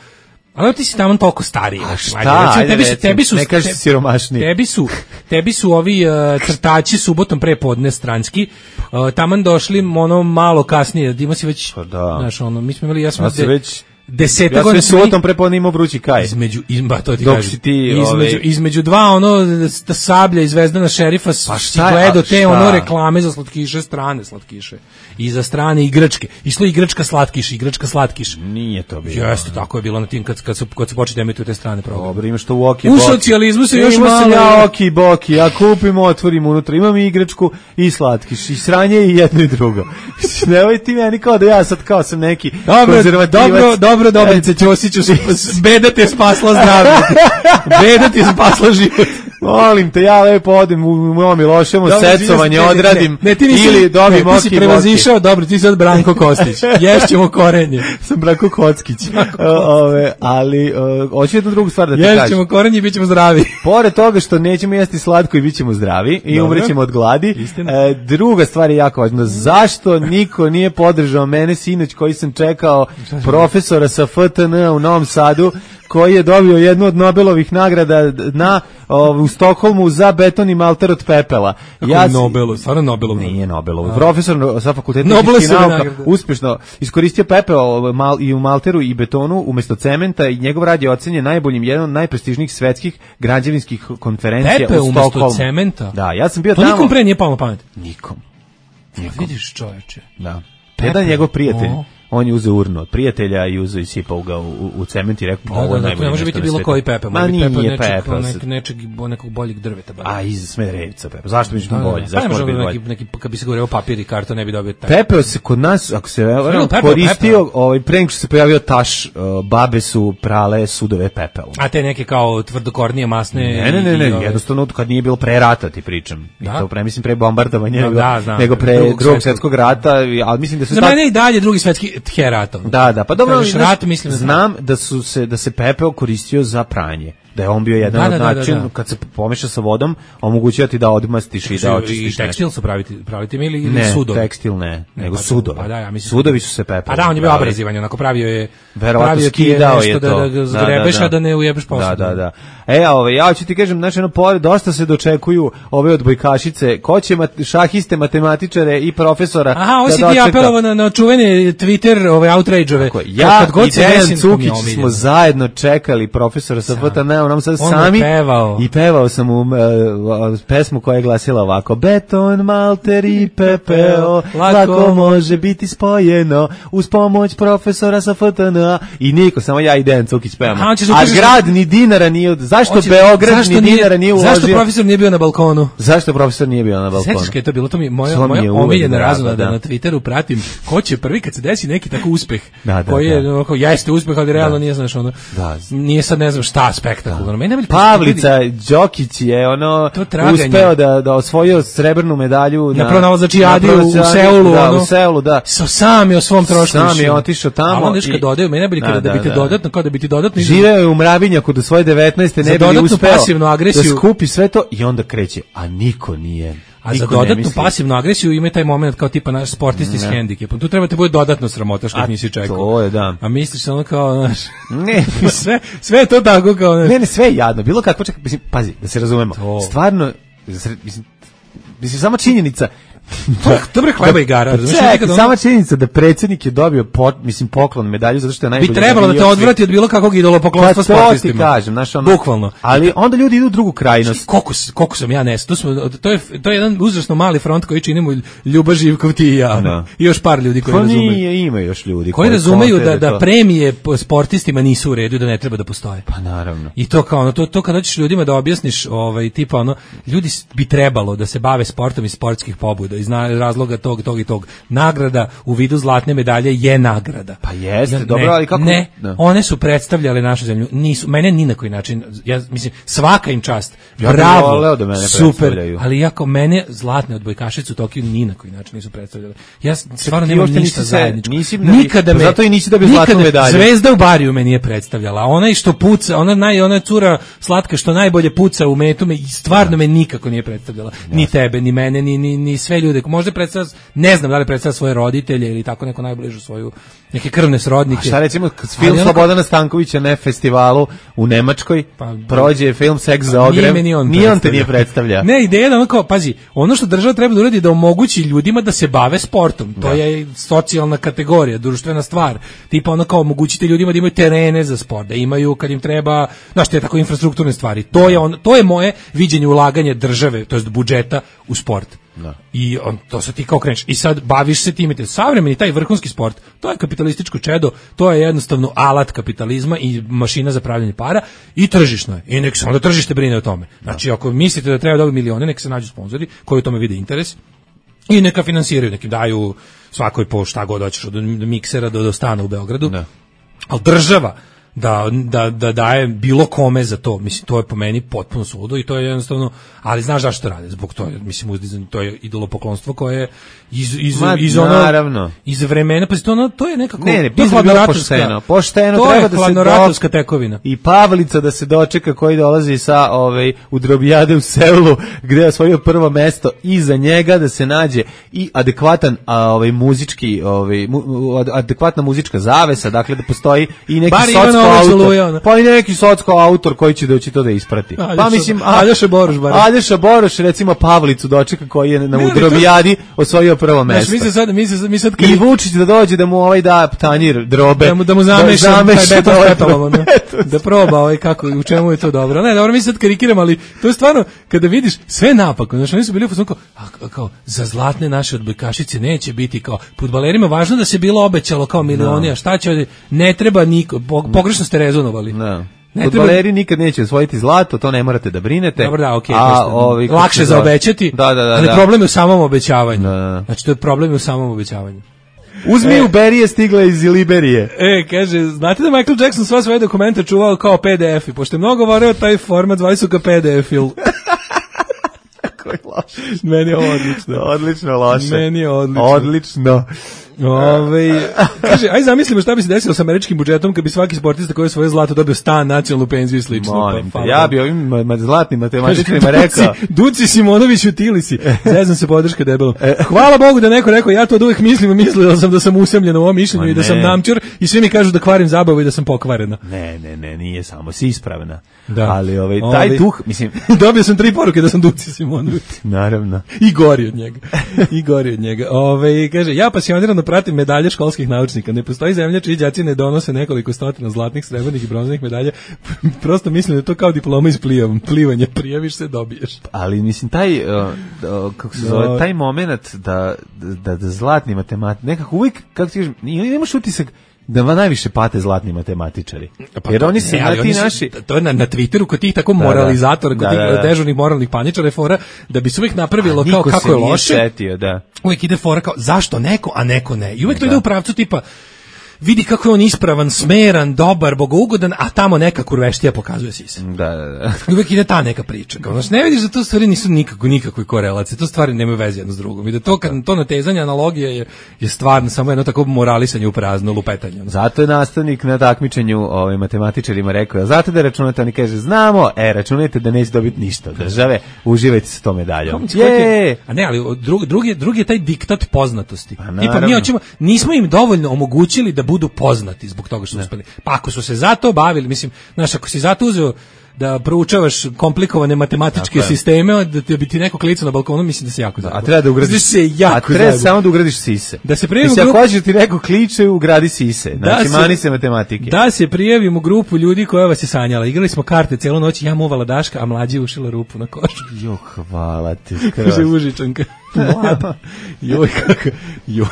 F: ali ti si tamo toliko stariji.
E: A šta? Ajde, tebi su, tebi su, ne kažeš siromašniji.
F: Tebi su, tebi su ovi uh, crtači subotom pre podne stranski, uh, taman došli ono malo kasnije, da ima si već,
E: pa da.
F: Znaš, ono, mi smo imali, ja smo
E: ja već
F: deseta
E: ja
F: godina.
E: Ja sam subotom prepodne imao vrući kaj.
F: Između, izba, to ti
E: dok
F: kažem.
E: Ti,
F: između,
E: ovaj...
F: između dva ono sablja i Zvezdana šerifa pa si gledao te ono reklame za slatkiše, strane slatkiše. I za strane igračke. Išlo igračka slatkiš, igračka slatkiš.
E: Nije to bilo.
F: Jeste, tako je bilo na tim kad, kad su, kad su počeli emituju te strane programe.
E: Dobro, imaš to u Oki
F: U socijalizmu se još malo...
E: Imao sam ja Oki Boki, ja kupim, otvorim unutra, imam i igračku i slatkiš, i sranje i jedno i drugo. Nemoj ti meni kao da ja sad kao sam neki
F: dobro,
E: konzervativac.
F: Dobro, dobro, Dobrice Ćosiću, beda te spasla zdravlje. Beda ti spasla život.
E: Molim te, ja lepo odem u moj Miloševo, secovanje odradim
F: ne, ne, ne,
E: ili dobim Oki Boki.
F: Ti si prevazišao, dobro, ti si sad Branko Kostić. Ješćemo korenje.
E: Sam Branko Kockić. Ove, ali, hoću jednu drugu stvar da ti kažem.
F: Ješćemo korenje i bit ćemo zdravi.
E: Pored toga što nećemo jesti slatko i bit ćemo zdravi i umrećemo od gladi. E, druga stvar je jako važna. Zašto niko nije podržao mene sinoć koji sam čekao profesora sa F T N u Novom Sadu koji je dobio jednu od Nobelovih nagrada na o, u Stokholmu za beton i malter od pepela.
F: Kako
E: ja
F: Nobelov, stvarno Nobelov.
E: Nije Nobelov. Profesor sa fakulteta
F: Nobelove
E: fizičkih nauka
F: nagrade.
E: uspješno iskoristio pepeo mal, i u malteru i betonu umjesto cementa i njegov rad je ocenjen najboljim, jedan od najprestižnijih svetskih građevinskih konferencija
F: Pepe
E: u Stokholmu.
F: umjesto cementa?
E: Da, ja sam bio
F: to
E: tamo.
F: nikom pre nije palo na pamet.
E: Nikom.
F: Nikom. Vidiš, čoveče.
E: Da. Jedan njegov prijatelj,
F: O.
E: on je uzeo urnu od prijatelja i uzeo i sipao ga u, u cement i rekao,
F: Da,
E: ovo je
F: da, da, to
E: najbolje
F: ne može
E: nešto
F: biti
E: na
F: bilo
E: svetu.
F: koji Pepe,
E: Ma
F: može biti
E: nije
F: Pepe
E: Pepe.
F: od nečeg, nečeg, nekog boljeg drveta. Bar.
E: A iz Smederevca Pepe. Zašto mi
F: Da,
E: bolje?
F: da,
E: Zašto
F: pa
E: mora
F: ne
E: biti
F: može
E: bolje?
F: neki, neki, kad bi se govorio papir i karton, ne bi dobio taj.
E: Pepeo se kod nas, ako se
F: Pepeo,
E: koristio,
F: pepeo.
E: ovaj, pre nego što se pojavio taš, uh, babe su prale sudove pepelom.
F: A te neke kao tvrdokornije, masne...
E: Ne, ne, ne,
F: i-
E: ne,
F: i ove-
E: jednostavno kad nije bilo pre rata ti pričam.
F: Da?
E: I to pre, mislim, pre bombardovanja,
F: Da,
E: nego,
F: da, znam.
E: nego pre
F: Drugog
E: drugog
F: svetskog.
E: svjetskog rata, ali mislim da su
F: Za
E: tad-
F: mene i dalje drugi svetski heratov.
E: Da, da, pa dobro,
F: Kažeš
E: znaš,
F: rat, mislim da
E: znam da su se da se pepeo koristio za pranje. Da je on bio jedan
F: Da,
E: od
F: da, da, da,
E: načina
F: da.
E: kad se pomeša sa vodom, omogućio ti da odmastiš i da
F: I
E: očistiš.
F: tekstil su praviti, praviti mi ili, ili
E: Ne,
F: sudovi?
E: tekstil ne, nego
F: pa,
E: sudovi.
F: Pa da, ja mislim.
E: Sudovi su se pepelom.
F: A da, on je bio
E: pravili.
F: abrazivan, onako pravio je...
E: Verovatno
F: pravio ti je
E: skidao
F: nešto
E: je
F: da,
E: to.
F: da ga zgrebeš, a da ne ujebeš posao.
E: Da, da, da. E, ove, ja ću ti kažem, znači, ono, pored, dosta se dočekuju ove odbojkašice, ko će mat, šahiste, matematičare i profesora.
F: Aha, ovo
E: da
F: si ti
E: dočeka.
F: apelovao na, na čuvene Twitter, ove outrage-ove.
E: Ja
F: Kad god
E: i
F: se
E: Dejan
F: desim,
E: Cukić
F: to mi je
E: smo
F: omiljeno.
E: zajedno čekali profesora sa F T N, on nam sad
F: On
E: sami
F: je pevao.
E: i pevao sam mu uh, pesmu koja je glasila ovako: beton, malter i pepeo
F: Lako.
E: lako može biti spojeno uz pomoć profesora sa F T N. I niko, samo ja i Dejan Cukić pevamo.
F: Aha, on će se
E: A
F: ukaže-
E: grad ni dinara nije, zašto
F: Hoće-
E: Beograd
F: zašto
E: ni
F: nije-
E: dinara nije uložio?
F: Zašto profesor nije bio na balkonu?
E: Zašto profesor nije bio na balkonu?
F: Sećaš kad je to bilo, to mi moja,
E: To mi je
F: moja
E: uvek
F: omiljena
E: drago,
F: razuna da
E: da.
F: na Twitteru pratim ko će prvi kad se desi neki tako uspeh,
E: Da, da,
F: koji je,
E: da.
F: onako, jeste uspeh, ali realno nije, znaš, ono,
E: Da.
F: nije sad ne znam šta spektakularno. Meni najbolje-
E: Pavlica Đokić je ono
F: To traganje.
E: uspeo da da osvojio srebrnu medalju
F: Na pronalazačijadi
E: na
F: u
E: pronalazačijadi,
F: Seulu,
E: da,
F: ono.
E: u Seulu, da.
F: So, sam je o svom trošku
E: Sam je
F: išao.
E: otišao tamo
F: A onda još kad
E: i-
F: dodaju, meni najbolje kada
E: Da,
F: da, bi te
E: da, da.
F: dodatno, kao da bi ti dodatno
E: Živeo je u Mravinjaku do svoje devetnaeste
F: Za
E: ne bi li
F: dodatnu
E: uspeo
F: pasivnu agresiju.
E: da skupi sve to i onda kreće, a niko nije.
F: A za
E: niko ne
F: dodatnu
E: misli.
F: pasivnu agresiju ima taj moment kao tipa naš sportisti s
E: Ne.
F: hendikepom. Tu treba te bude dodatno sramota što
E: A
F: ih nisi čekao.
E: to je, da.
F: A misliš ono kao, znaš,
E: Ne,
F: sve, sve je to tako kao, znaš.
E: ne, ne, sve je jadno. Bilo kako, čekaj, mislim, pazi, da se razumemo.
F: To.
E: Stvarno, mislim, mislim, sama činjenica.
F: To je dobro hleba i gara,
E: Pa
F: razumeš,
E: čekaj,
F: nekad ono-
E: sama činjenica da predsjednik je dobio pot, mislim poklon medalju zato što je najbolji.
F: Bi trebalo da te
E: navio
F: odvrati od bilo kakvog idolopoklonstva
E: Pa to ti
F: sportistima.
E: kažem, znaš, ono,
F: Bukvalno.
E: Ali onda ljudi idu u drugu krajnost.
F: Koliko, s- koliko sam ja nes, to, smo, to, je, to je jedan uzrasno mali front koji činimo Ljuba Živkov, ti i ja.
E: Da.
F: I još par ljudi koji
E: Pa
F: razumeju.
E: nije, ima još ljudi
F: Koji razumeju
E: konte
F: da, da
E: to-
F: premije po sportistima nisu u redu i da ne treba da postoje.
E: Pa naravno.
F: I to kao ono, to, to kad hoćeš ljudima da objasniš, ovaj, tipa ono, ljudi s- bi trebalo da se bave sportom iz sportskih pobuda, iz na- razloga tog, tog i tog. Nagrada u vidu zlatne medalje je nagrada.
E: Pa jeste,
F: Ne,
E: dobro, ali kako-
F: Ne,
E: da.
F: one su predstavljale našu zemlju, nisu, mene ni na koji način, ja mislim, svaka im čast,
E: Ja bih
F: bravo,
E: voleo da mene
F: super,
E: predstavljaju.
F: ali jako mene zlatne odbojkašice u Tokiju ni na koji način nisu predstavljale. Ja stvarno
E: ti
F: nemam
E: uopšte
F: ništa
E: nisi se-
F: zajedničko.
E: nisi-
F: Nikada
E: pa
F: me,
E: zato i nisi dobio zlatnu
F: nikada-
E: medalju.
F: Zvezda u bariju me nije predstavljala. Onaj što puca, ona naj ona cura slatka što najbolje puca u metu me i stvarno me nikako nije predstavljala. Ni tebe, ni mene, ni ni ni sve ljude. Možda predstavlja, ne znam da li predstavlja svoje roditelje ili tako neko najbližu svoju neke krvne srodnike.
E: A šta recimo kad
F: Ali
E: film
F: onako-
E: Slobodana Stankovića na festivalu u Nemačkoj
F: Pa,
E: prođe film Seks za
F: Nije
E: ogrev,
F: me ni on
E: nije on te
F: predstavlja.
E: nije predstavlja.
F: Ne, ideja je da ono kao, pazi, ono što država treba da uradi je da omogući ljudima da se bave sportom. To
E: Da.
F: je socijalna kategorija, društvena stvar. Tipa ono kao omogućite ljudima da imaju terene za sport, da imaju kad im treba, znaš, te tako infrastrukturne stvari. To je on, to je moje viđenje ulaganja države, to jest budžeta u sport.
E: Da.
F: I on, to se ti kao kreneš. I sad baviš se time. Savremeni taj vrhunski sport, to je kapitalističko čedo, to je jednostavno alat kapitalizma i mašina za pravljanje para i tržišno je. I nek se onda tržište brine o tome. Znači, ako mislite da treba dobiti milione, nek se nađu sponzori koji u tome vide interes i neka finansiraju, neki daju svakoj po šta god hoćeš, od miksera do, do stana u Beogradu.
E: Da.
F: Ali država da, da, da daje bilo kome za to, mislim, to je po meni potpuno suludo i to je jednostavno, ali znaš zašto rade, zbog toga, mislim, uzdizanje, to je idolopoklonstvo koje je iz, iz,
E: Ma,
F: iz ono,
E: naravno.
F: iz vremena, pa to, ono, to je nekako,
E: Ne, ne,
F: to je
E: mislim da je bilo
F: hladnoratovska-
E: pošteno. Pošteno
F: to
E: treba
F: je
E: da se
F: hladnoratovska
E: dok-
F: tekovina.
E: I Pavlica da se dočeka koji dolazi sa ovaj u drobijade u Seulu gde je osvojio prvo mesto i za njega da se nađe i adekvatan a, ovaj muzički ovaj mu, adekvatna muzička zavesa, dakle da postoji i neki
F: Bar ima na
E: soc autor, pa i neki socko autor koji će doći to da isprati.
F: Aljoša,
E: pa mislim,
F: Aljoša Boruš bar.
E: Aljoša Boruš recimo Pavlicu dočeka koji je na udrobijadi osvojio prvo mesto.
F: Znaš, mi se sad, mi se, mi sad
E: I Vučić da dođe da mu ovaj da tanjir drobe.
F: Da mu, da mu zameša, da taj beton s petolom, da, da proba ovaj kako, u čemu je to dobro. Ne, dobro, mi sad karikiramo, ali to je stvarno, kada vidiš sve napako, znaš, oni su bili u fazonu kao, a, kao, za zlatne naše odbojkašice neće biti kao, fudbalerima važno da se bilo obećalo kao milioni, no. A šta će, ne treba niko, pogrešno ste rezonovali.
E: No. Fudbaleri nikad neće osvojiti zlato, to ne morate da brinete.
F: Dobro, da, okej.
E: Okay,
F: ovaj, lakše za obećati,
E: da, da, da,
F: ali
E: da.
F: problem je u samom obećavanju.
E: Da, da.
F: Znači, to je problem u samom obećavanju.
E: Uzmi e, u Berije stigla iz Liberije.
F: E, kaže, znate da Michael Jackson sva svoje dokumente čuvao kao P D F i pošto je mnogo voreo taj format, zvali su ga P D F-il.
E: Kako je loše.
F: Meni je odlično.
E: Odlično loše.
F: Meni je odlično.
E: Odlično.
F: Ove, kaže, aj zamislimo šta bi se desilo sa američkim budžetom kad bi svaki sportista koji je svoje zlato dobio stan, nacionalnu penziju i slično.
E: Molim, pa, ja bi ovim zlatnim matematičarima rekao.
F: Duci Simonović u Tilisi. Ne znam se podrška debelo. Hvala Bogu da neko rekao, ja to od uvijek mislim, mislila sam da sam usamljen u ovom mišljenju i da sam namćur i svi mi kažu da kvarim zabavu i da sam pokvarena.
E: Ne, ne, ne, nije samo, si ispravna.
F: Da.
E: Ali ovaj, taj Ovi, duh, mislim...
F: Dobio sam tri poruke da sam Duci Simonović.
E: Naravno.
F: I gori od njega. I gori od njega. Ove, kaže, ja pasionirano pratim medalje školskih naučnika. Ne postoji zemlja čiji đaci ne donose nekoliko stotina zlatnih, srebrnih i bronzanih medalja. Prosto mislim da je to kao diploma iz plivanja. Prijaviš se, dobiješ.
E: Ali mislim taj uh, uh, kako se zove, taj momenat da da da zlatni matematik nekako uvijek kako ti kažeš, nemaš utisak da va najviše pate zlatni matematičari. Pa jer to, oni se ne, na ti su, naši
F: to je na, na Twitteru kod tih tako moralizatora, kod da, tih da, da. dežurnih moralnih paničara fora da bi se uvijek napravilo kao kako je loše.
E: Setio, da.
F: Uvijek ide fora kao zašto neko, a neko ne. I uvijek to da. ide u pravcu tipa vidi kako je on ispravan, smeran, dobar, bogougodan, a tamo neka kurveštija pokazuje sise.
E: Da, da, da.
F: Uvijek ide ta neka priča. Kao, znači, ne vidiš da to stvari nisu nikako, nikakve korelacije, to stvari nemaju veze jedno s drugom. I da to, kad, to natezanje, analogija je, je stvarno samo jedno tako moralisanje u prazno, lupetanje.
E: Zato je nastavnik na takmičenju ovim matematičarima rekao, zato da računate, oni kaže, znamo, e, računajte da neće dobiti ništa od države, uživajte se to medaljom.
F: Je! A ne, ali drugi, drugi, drugi je taj diktat poznatosti. Tipa, mi hoćemo, nismo im dovoljno omogućili da budu poznati zbog toga što su uspeli. Pa ako su se zato bavili, mislim, znaš, ako si zato uzeo da proučavaš komplikovane matematičke dakle. sisteme, da bi ti neko klicao na balkonu, mislim da se jako zajedno.
E: A treba da ugradiš
F: se jako
E: A treba samo da ugradiš sise.
F: Da se prijavimo
E: grupu. Ako hoćeš ti neko kliče, ugradi sise. Znači,
F: da
E: mani se matematike.
F: Da se prijavimo grupu ljudi koja vas je sanjala. Igrali smo karte celu noć, ja muvala Daška, a mlađi ušila rupu na košu.
E: Jo, hvala ti.
F: Kaže Užičanka. Mlada. Joj, kako, joj.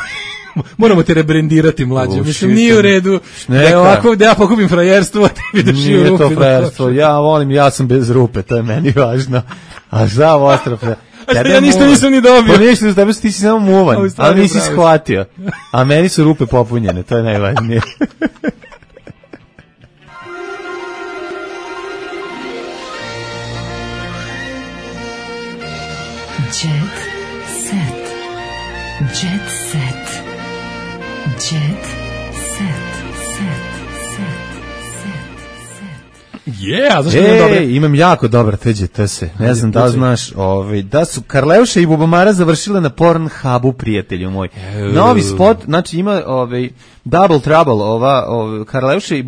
F: Moramo te rebrendirati mlađe. Mislim, nije u redu da je ovako da ja pokupim frajerstvo, a tebi da šiju rupi.
E: Nije to frajerstvo. Ja volim, ja sam bez rupe, to je meni važno. A za ostrofe.
F: A što ja ništa nisam ni dobio.
E: Pa ništa, da ti si samo muvan, ali nisi shvatio. A meni su rupe popunjene, to je najvažnije.
B: Jet set. Jet set. Jet set. Set. Set. Set.
F: Yeah, zašto
E: e,
F: imam dobre?
E: Imam jako dobar T J T S. Ne znam da li znaš, ovaj, da su Karleuša i Bubamara završile na Pornhubu, prijatelju moj. Novi spot, znači ima ovaj Double Trouble, ova, ova Karleuša i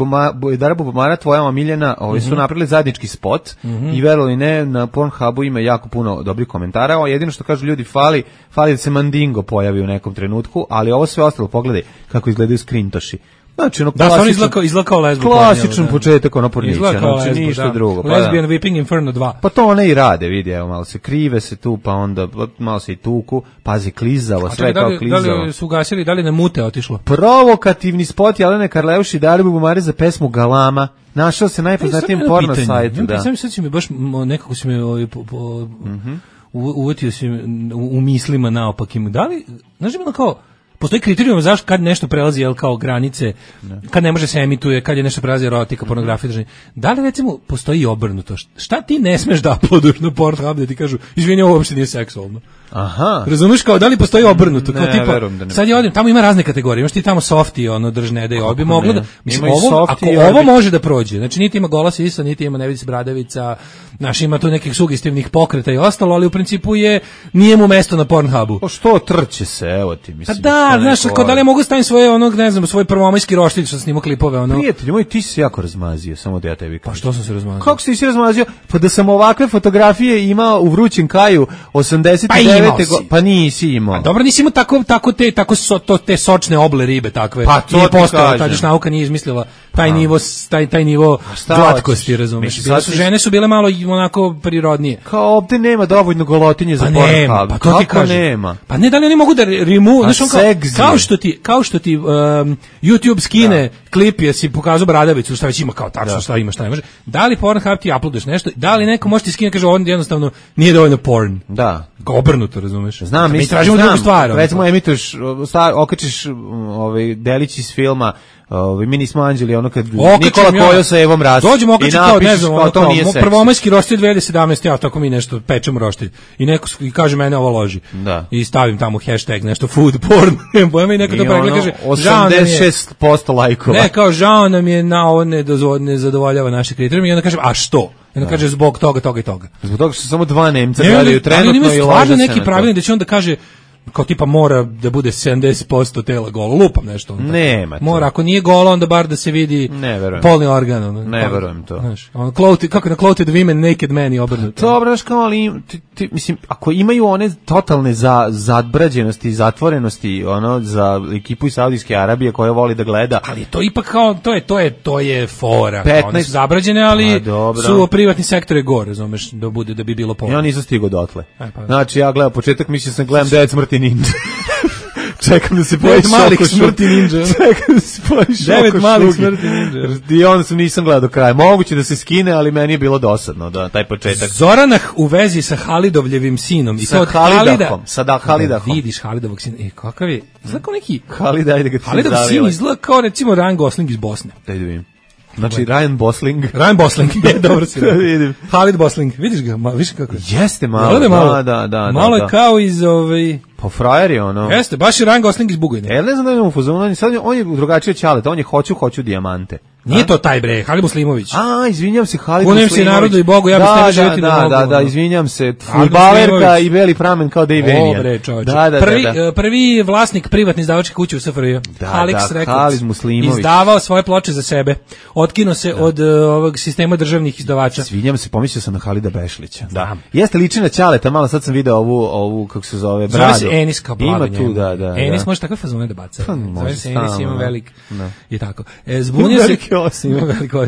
E: Dara Bubamara, tvoja omiljena, ovaj, su napravili zajednički spot mm-hmm. i verovali ne, na Pornhubu ima jako puno dobrih komentara. O, jedino što kažu ljudi, fali, fali da se Mandingo pojavi u nekom trenutku, ali ovo sve ostalo, pogledaj kako izgledaju skrintoši. Znači, ono
F: da, on izlakao, izlakao lesbu.
E: Klasičan da. početak, ono pornića, znači lesbu, ništa da. drugo. Pa
F: Lesbian da. Whipping Inferno dva.
E: Pa to one i rade, vidi, evo, malo se krive se tu, pa onda malo se i tuku, pazi, klizavo, sve kao klizavo.
F: Da li su ugasili, da li na mute otišlo?
E: Provokativni spot Jelene Karleuši i Dare Bubamare za pesmu Galama. Našao se najpoznatijem porno sajtu.
F: Da. Sam sad si mi baš, nekako si me ovaj, po, po, mm-hmm. uvetio si u, u mislima naopakim. Da li, znaš mi kao, postoji kriterijum zašto kad nešto prelazi jel kao granice, ne. kad ne može se emituje, kad je nešto prelazi erotika, pornografija, držanje. Da li recimo postoji obrnuto? Šta ti ne smeš da uploaduješ na Pornhub da ti kažu, izvini, ovo uopšte nije seksualno?
E: Aha.
F: Razumeš, kao da li postoji obrnuto, kao
E: Ne,
F: tipa
E: verujem da ne
F: sad je odem, tamo ima razne kategorije, imaš ti tamo softi, ono držne da je obi moglo da mislim
E: Ima i
F: ovo
E: softi
F: ako
E: i
F: ovo
E: orbi.
F: može da prođe. Znači niti ima gola sisa, niti ima Nević Bradavica, naš ima tu nekih sugestivnih pokreta i ostalo, ali u principu je nije mu mesto na Pornhubu.
E: Pa što trče se, evo ti,
F: Pa
E: mislim.
F: da,
E: što
F: znaš,
E: neko
F: kao da li
E: voli.
F: mogu staviti svoje onog, ne znam, svoj prvomajski roštilj što snima klipove, ono.
E: Prijatelj moj, ti si se jako razmazio, samo da ja tebi kažem.
F: Pa što sam se razmazio?
E: Kako si se razmazio? Pa da sam ovakve fotografije imao u vrućem kaju osamdeset devete
F: Pa imao si.
E: Pa nisi imao.
F: Dobro, nisi imao tako, tako te, tako so, to, te sočne oble ribe takve.
E: Pa to
F: nije
E: ti
F: postojalo,
E: kažem.
F: tad nauka nije izmislila taj nivo, taj, taj nivo
E: šta
F: glatkosti,
E: hoćeš?
F: razumeš.
E: Mislim,
F: Bile
E: sad
F: su,
E: si-
F: žene su bile malo i onako prirodnije.
E: Kao ovde nema dovoljno golotinje za
F: Pa
E: Pornhub.
F: nema, pa to ti
E: Kako
F: kažem.
E: nema?
F: Pa ne, da li oni mogu da rimu,
E: A
F: znaš, on kao,
E: seksi.
F: kao što ti, kao što ti um, YouTube skine klip, jesi pokazao Bradavicu, šta već ima kao tačno,
E: Da.
F: šta ima, šta ne može. Da li Pornhub ti uploadaš nešto, da li neko može ti skine, kaže, on jednostavno nije dovoljno porn.
E: Da.
F: Kao obrnuto, razumeš?
E: Znam,
F: mi
E: mislim,
F: tražimo
E: znam.
F: drugu stvar. ono.
E: Recimo emituješ, sta- okačiš um, ovaj delić iz filma, ovaj mi nismo anđeli, ono kad
F: Okačim
E: Nikola
F: ja.
E: Kojo sa Evom Ras.
F: Dođemo okačim kao, ne znam, ono
E: to
F: kao,
E: nije
F: mo-
E: seksi.
F: prvomajski roštilj dve hiljade sedamnaeste, ja tako mi nešto pečemo roštilj. I neko s- i kaže mene ovo loži.
E: Da.
F: I stavim tamo hashtag nešto food porn. Pojma i neko to
E: I
F: pregleda
E: ono,
F: kaže, žao nam je-
E: osamdeset šest posto lajkova.
F: Ne, kao žao nam je na ovo ne, dozvo, ne zadovoljava naše kriterijume i onda kažem, a što? I onda kaže zbog toga, toga i toga.
E: Zbog toga što samo dva Nemca
F: Ne,
E: gledaju
F: ali- ali
E: trenutno
F: oni imaju
E: i
F: stvarno
E: lože se
F: neki
E: na to.
F: pravilnik da će onda kaže kao tipa mora da bude sedamdeset posto tela golo, lupam nešto. onda.
E: Nema to.
F: Mora, ako nije golo, onda bar da se vidi
E: Ne verujem.
F: polni organ. Ono.
E: Ne verujem to.
F: Znaš, ono, clothed, kako je na clothed women, naked man i obrnuto.
E: Dobro, znaš kao, ali im- ti, ti, mislim, ako imaju one totalne za, zadbrađenosti i zatvorenosti, ono, za ekipu iz Saudijske Arabije koja voli da gleda,
F: Ali to ipak kao, to je, to je, to je fora. Kao, One
E: petnaest
F: su zabrađene, ali
E: Pa, dobro.
F: su privatni sektor je gore, razumeš, da bude, da bi bilo polno.
E: ja nisam stigao dotle.
F: E, pa.
E: Znači, ja gledam početak, mislim sam gledam Dead Smrti Ninja. Čekam da se pojavi
F: Devet malih
E: Šoko
F: smrti
E: Šugi.
F: ninja.
E: Čekam da se pojavi Šoko
F: Devet malih
E: Šugi.
F: smrti ninja.
E: I onda sam nisam gledao do kraja. Moguće da se skine, ali meni je bilo dosadno da taj početak.
F: Zoranah u vezi sa Halidovljevim sinom. I
E: Sa
F: to od
E: Halidahom, sa da- Halidahom.
F: Da vidiš Halidovog sina. E, kakav je? Izgleda kao neki...
E: Halid, ajde ga ti
F: Halidov sin
E: zavile.
F: izgleda kao recimo Ryan Gosling iz Bosne.
E: Daj da vidim. Znači, Ryan Gosling.
F: Ryan Gosling, je, dobro si
E: Da
F: rekao.
E: vidim.
F: Halid Gosling, vidiš ga, ma, vidiš kako je?
E: Jeste malo,
F: Jel da je malo?
E: da, da, da.
F: Malo
E: da,
F: je kao iz, ovaj...
E: Pa frajer je ono.
F: Jeste, baš je Ryan Gosling iz Bugojne.
E: E, ne znam da je u fazonu, on je- sad je- on je drugačije ćaleta, on je hoću, hoću dijamante.
F: Nije to taj bre, Halid Muslimović.
E: A, izvinjam se, Halid
F: Kunem se
E: Muslimović.
F: narodu i Bogu, ja bih s tebe živjeti
E: da,
F: ne
E: da,
F: mogu,
E: da, da,
F: ono.
E: izvinjam se,
F: Halid
E: fudbalerka
F: Muslimović.
E: i beli pramen kao Dave Vanian.
F: Dobre, čoveče.
E: Da, da,
F: prvi,
E: da, da.
F: e, prvi vlasnik privatne izdavačke kuće u S F R J.
E: Da,
F: Alex
E: da,
F: Records.
E: Halid Muslimović.
F: Izdavao svoje ploče za sebe. Otkinuo se od e, ovog sistema državnih izdavača.
E: Izvinjam se, pomislio sam na Halida Bešlića. Da. Jeste liči na ćaleta, malo sad sam video ovu, ovu kako se zove,
F: Zove
E: bradu.
F: se Enis kao blago
E: Ima tu,
F: njemu.
E: da, da.
F: Enis
E: da.
F: može takve fazone da baca.
E: Pa,
F: Zove
E: može
F: se Enis,
E: stalno,
F: ima
E: da.
F: velik.
E: Da.
F: I tako. E, zbunio se.
E: Veliki osim.
F: Ima veliku,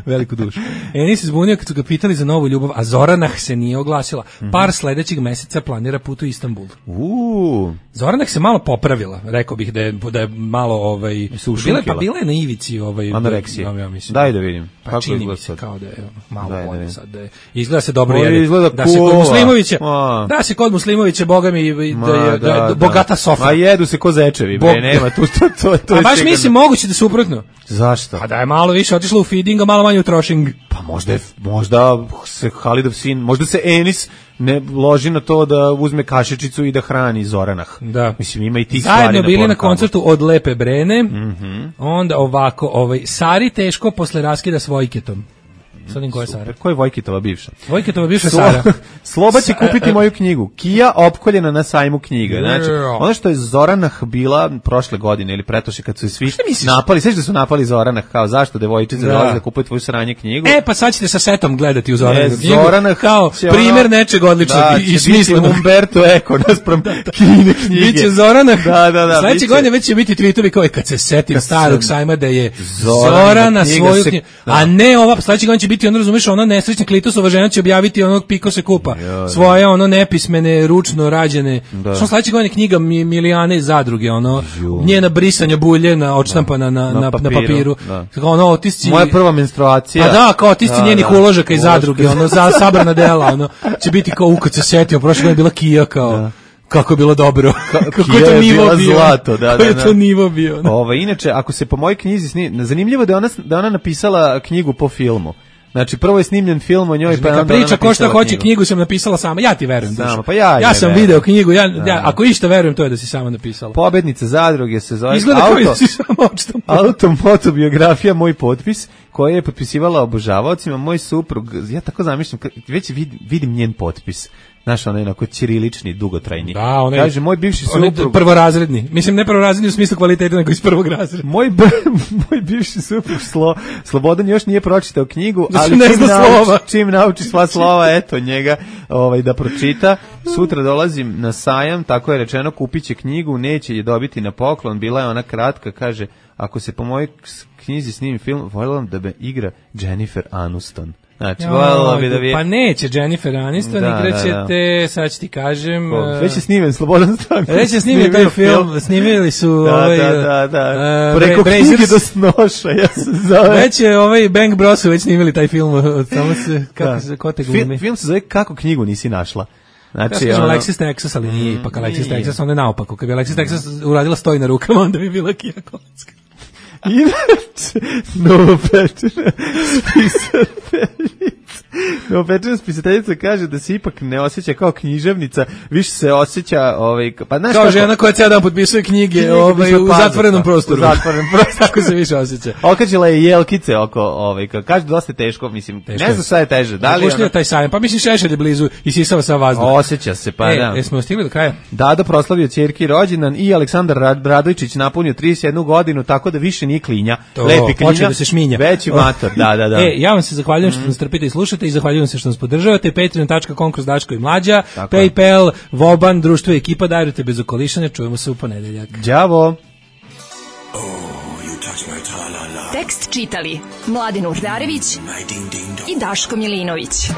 F: veliku dušu. Enis se zbunio kad su ga pitali za novu ljubav, a Zoranah se nije oglasila. Par sledećeg meseca planira put u Istanbul.
E: Uuu.
F: Zoranah se malo popravila, rekao bih da je, da je malo ovaj
E: Se
F: bila,
E: ušunkila.
F: pa bila je na ivici ovaj
E: Anoreksije.
F: ja, ja mislim.
E: Daj da vidim.
F: Pa
E: Kako
F: čini mi
E: izgleda
F: se
E: sad?
F: kao da je ono, malo
E: Daj da
F: bolje
E: vidim.
F: sad da je. Izgleda se dobro
E: Ovo
F: jede.
E: izgleda
F: Da se kod
E: kula.
F: Muslimovića.
E: A.
F: Da se kod Muslimovića boga mi da je,
E: Ma,
F: da je
E: da, da.
F: bogata sofa.
E: Ma jedu se ko zečevi, bre,
F: Bog-
E: nema tu, to, to, to
F: A
E: je
F: baš
E: sigurno.
F: mislim moguće da suprotno.
E: Zašto?
F: Pa da je malo više otišlo u feeding, a malo manje u trošing.
E: Pa možda, je, možda se Halidov sin, možda se Enis ne loži na to da uzme kašičicu i da hrani Zoranah.
F: Da.
E: Mislim, ima i tih stvari
F: Zajedno
E: na
F: bili na
E: Pornhubu.
F: koncertu od Lepe Brene.
E: Mhm.
F: Onda ovako, ovaj Sari teško posle raskida s Vojketom. Sad im ko je Sara?
E: Ko je Vojkitova bivša?
F: Vojketova bivša
E: Slo-
F: Sara.
E: Sloba će
F: Sa-
E: kupiti
F: e,
E: moju knjigu. Kija opkoljena na sajmu knjiga. Znači,
F: Yeah.
E: ono što je Zoranah bila prošle godine ili pretprošle kad su je svi
F: Šta misliš?
E: napali, sveći da su napali Zoranah kao zašto devojčice
F: Da.
E: dolaze da kupuje tvoju sranje knjigu.
F: E, pa sad ćete sa setom gledati u Zoranu.
E: E, Zoranah
F: kao
E: će
F: primjer
E: ono-
F: nečeg odličnog
E: da,
F: i, i
E: će
F: smislenog.
E: biti Umberto Eco naspram Kine knjige.
F: Biće Zorana.
E: Da, da, da,
F: Sledeće
E: biće.
F: godine već će biti tweetovi kao kad se setim
E: Kad
F: starog
E: sam-
F: sajma da je
E: Zoranina
F: Zorana
E: knjiga
F: svoju
E: se-
F: knjigu.
E: da.
F: A ne ova, sledeće godine će biti ono, razumeš, ona nesrećna Klitusova žena će objaviti onog Piko se kupa.
E: da.
F: Svoje ono nepismene, ručno rađene.
E: Da.
F: Što sledeće godine knjiga Mi- Milijane iz zadruge, ono
E: Ju.
F: njena brisanja bulje na odštampana na, na,
E: Na
F: na papiru.
E: papiru, da.
F: Kao ono otisci.
E: Moja prva menstruacija.
F: Pa da, kao otisci
E: Da,
F: njenih
E: da.
F: uložaka iz
E: Uložka.
F: zadruge, ono za sabrana dela, ono će biti kao u kad se setio, prošle godine je bila Kija kao kako je bilo dobro. Kako je
E: Kija
F: to
E: je
F: nivo
E: bila
F: bio.
E: zlato, da,
F: Kako je
E: da,
F: to
E: da.
F: nivo bio. ono.
E: Ova, inače, ako se po mojoj knjizi sni, zanimljivo da je ona, da je ona napisala knjigu po filmu. Znači, prvo je snimljen film o njoj, pa
F: neka
E: onda
F: priča ko šta hoće, knjigu sam napisala sama. Ja ti verujem.
E: Sama, pa ja,
F: ja sam
E: verujem.
F: video knjigu, ja, ja, ako išta verujem, to je da si sama napisala.
E: Pobednica zadruge se zove
F: Izgleda
E: auto,
F: kao da si sama očitom.
E: automotobiografija, moj potpis, koja je potpisivala obožavaocima, moj suprug, ja tako zamišljam, već vidim, vidim njen potpis. Znaš, onaj onako ćirilični, dugotrajni.
F: Da, onaj,
E: kaže, moj bivši suprug...
F: Prvorazredni. Mislim, ne prvorazredni u smislu kvaliteta, nego iz prvog razreda.
E: Moj, moj bivši suprug Slo, Slobodan još nije pročitao knjigu,
F: da
E: ali
F: ne
E: čim,
F: nauči,
E: slova. čim nauči sva slova, eto njega ovaj, da pročita. Sutra dolazim na sajam, tako je rečeno, kupit će knjigu, neće je dobiti na poklon. Bila je ona kratka, kaže, ako se po mojoj knjizi snimi film, voljela da me igra Jennifer Aniston. Znači, voljela bi da bi...
F: Pa neće Jennifer Aniston,
E: da,
F: igraćete,
E: da, da.
F: sad ću ti kažem...
E: Ko, već je snimen, Slobodan Stanković.
F: Već je snimen taj film, film, snimili su...
E: Da,
F: ovaj,
E: da, da, da.
F: Uh,
E: Preko
F: Bra-
E: knjige do snoša, ja se zove.
F: Već je ovaj Bang Bros već snimili taj film, od samo se, kako da. se, ko te glumi.
E: Film, film se zove Kako knjigu nisi našla.
F: Znači, ja sam ono... Alexis Texas, ali nije ipak Alexis Texas, onda je naopako. Kad bi Alexis Texas uradila stoji na rukama, onda bi bila Kija Kocka.
E: Inače, novopečena spisateljica. Novopečena spisateljica kaže da se ipak ne osjeća kao književnica, više se osjeća ovaj, pa znaš
F: kao
E: kako...
F: žena koja cijel dan potpisuje knjige, knjige ovaj, u zatvorenom prostoru.
E: U zatvorenom prostoru.
F: Tako se više osjeća.
E: Okačila je jelkice oko, ovaj, kaže dosta teško, mislim, teško ne znam šta je teže. Da li
F: ona... taj sajam, pa mislim Šešelj je blizu i sisava sa vazduh.
E: Osjeća se, pa
F: e,
E: da.
F: E, smo stigli do kraja?
E: Dado proslavio ćerki rođendan i Aleksandar Radojčić napunio trideset jednu godinu, tako da više nije klinja.
F: To,
E: lepi klinja,
F: da se šminja.
E: Veći mator, da, da, da.
F: E, ja vam se zahvaljujem što nas trpite i slušate i zahvaljujem se što nas podržavate. patreon dot com kroz Daško i Mlađa, tako PayPal, Voban, društvo i ekipa, darujte bez okolišanja, čujemo se u ponedeljak.
E: Đavo!
G: Oh, you touch my tra-la-la.
B: Tekst čitali Mladin Urdarević i Daško Milinović.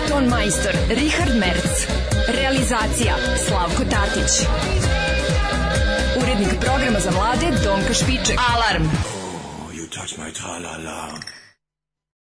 B: Ton majstor Richard Merc. Realizacija Slavko Tatić. Urednik programa za mlade Donka Špiček. Alarm!
G: Oh, you touch my tra-la-la.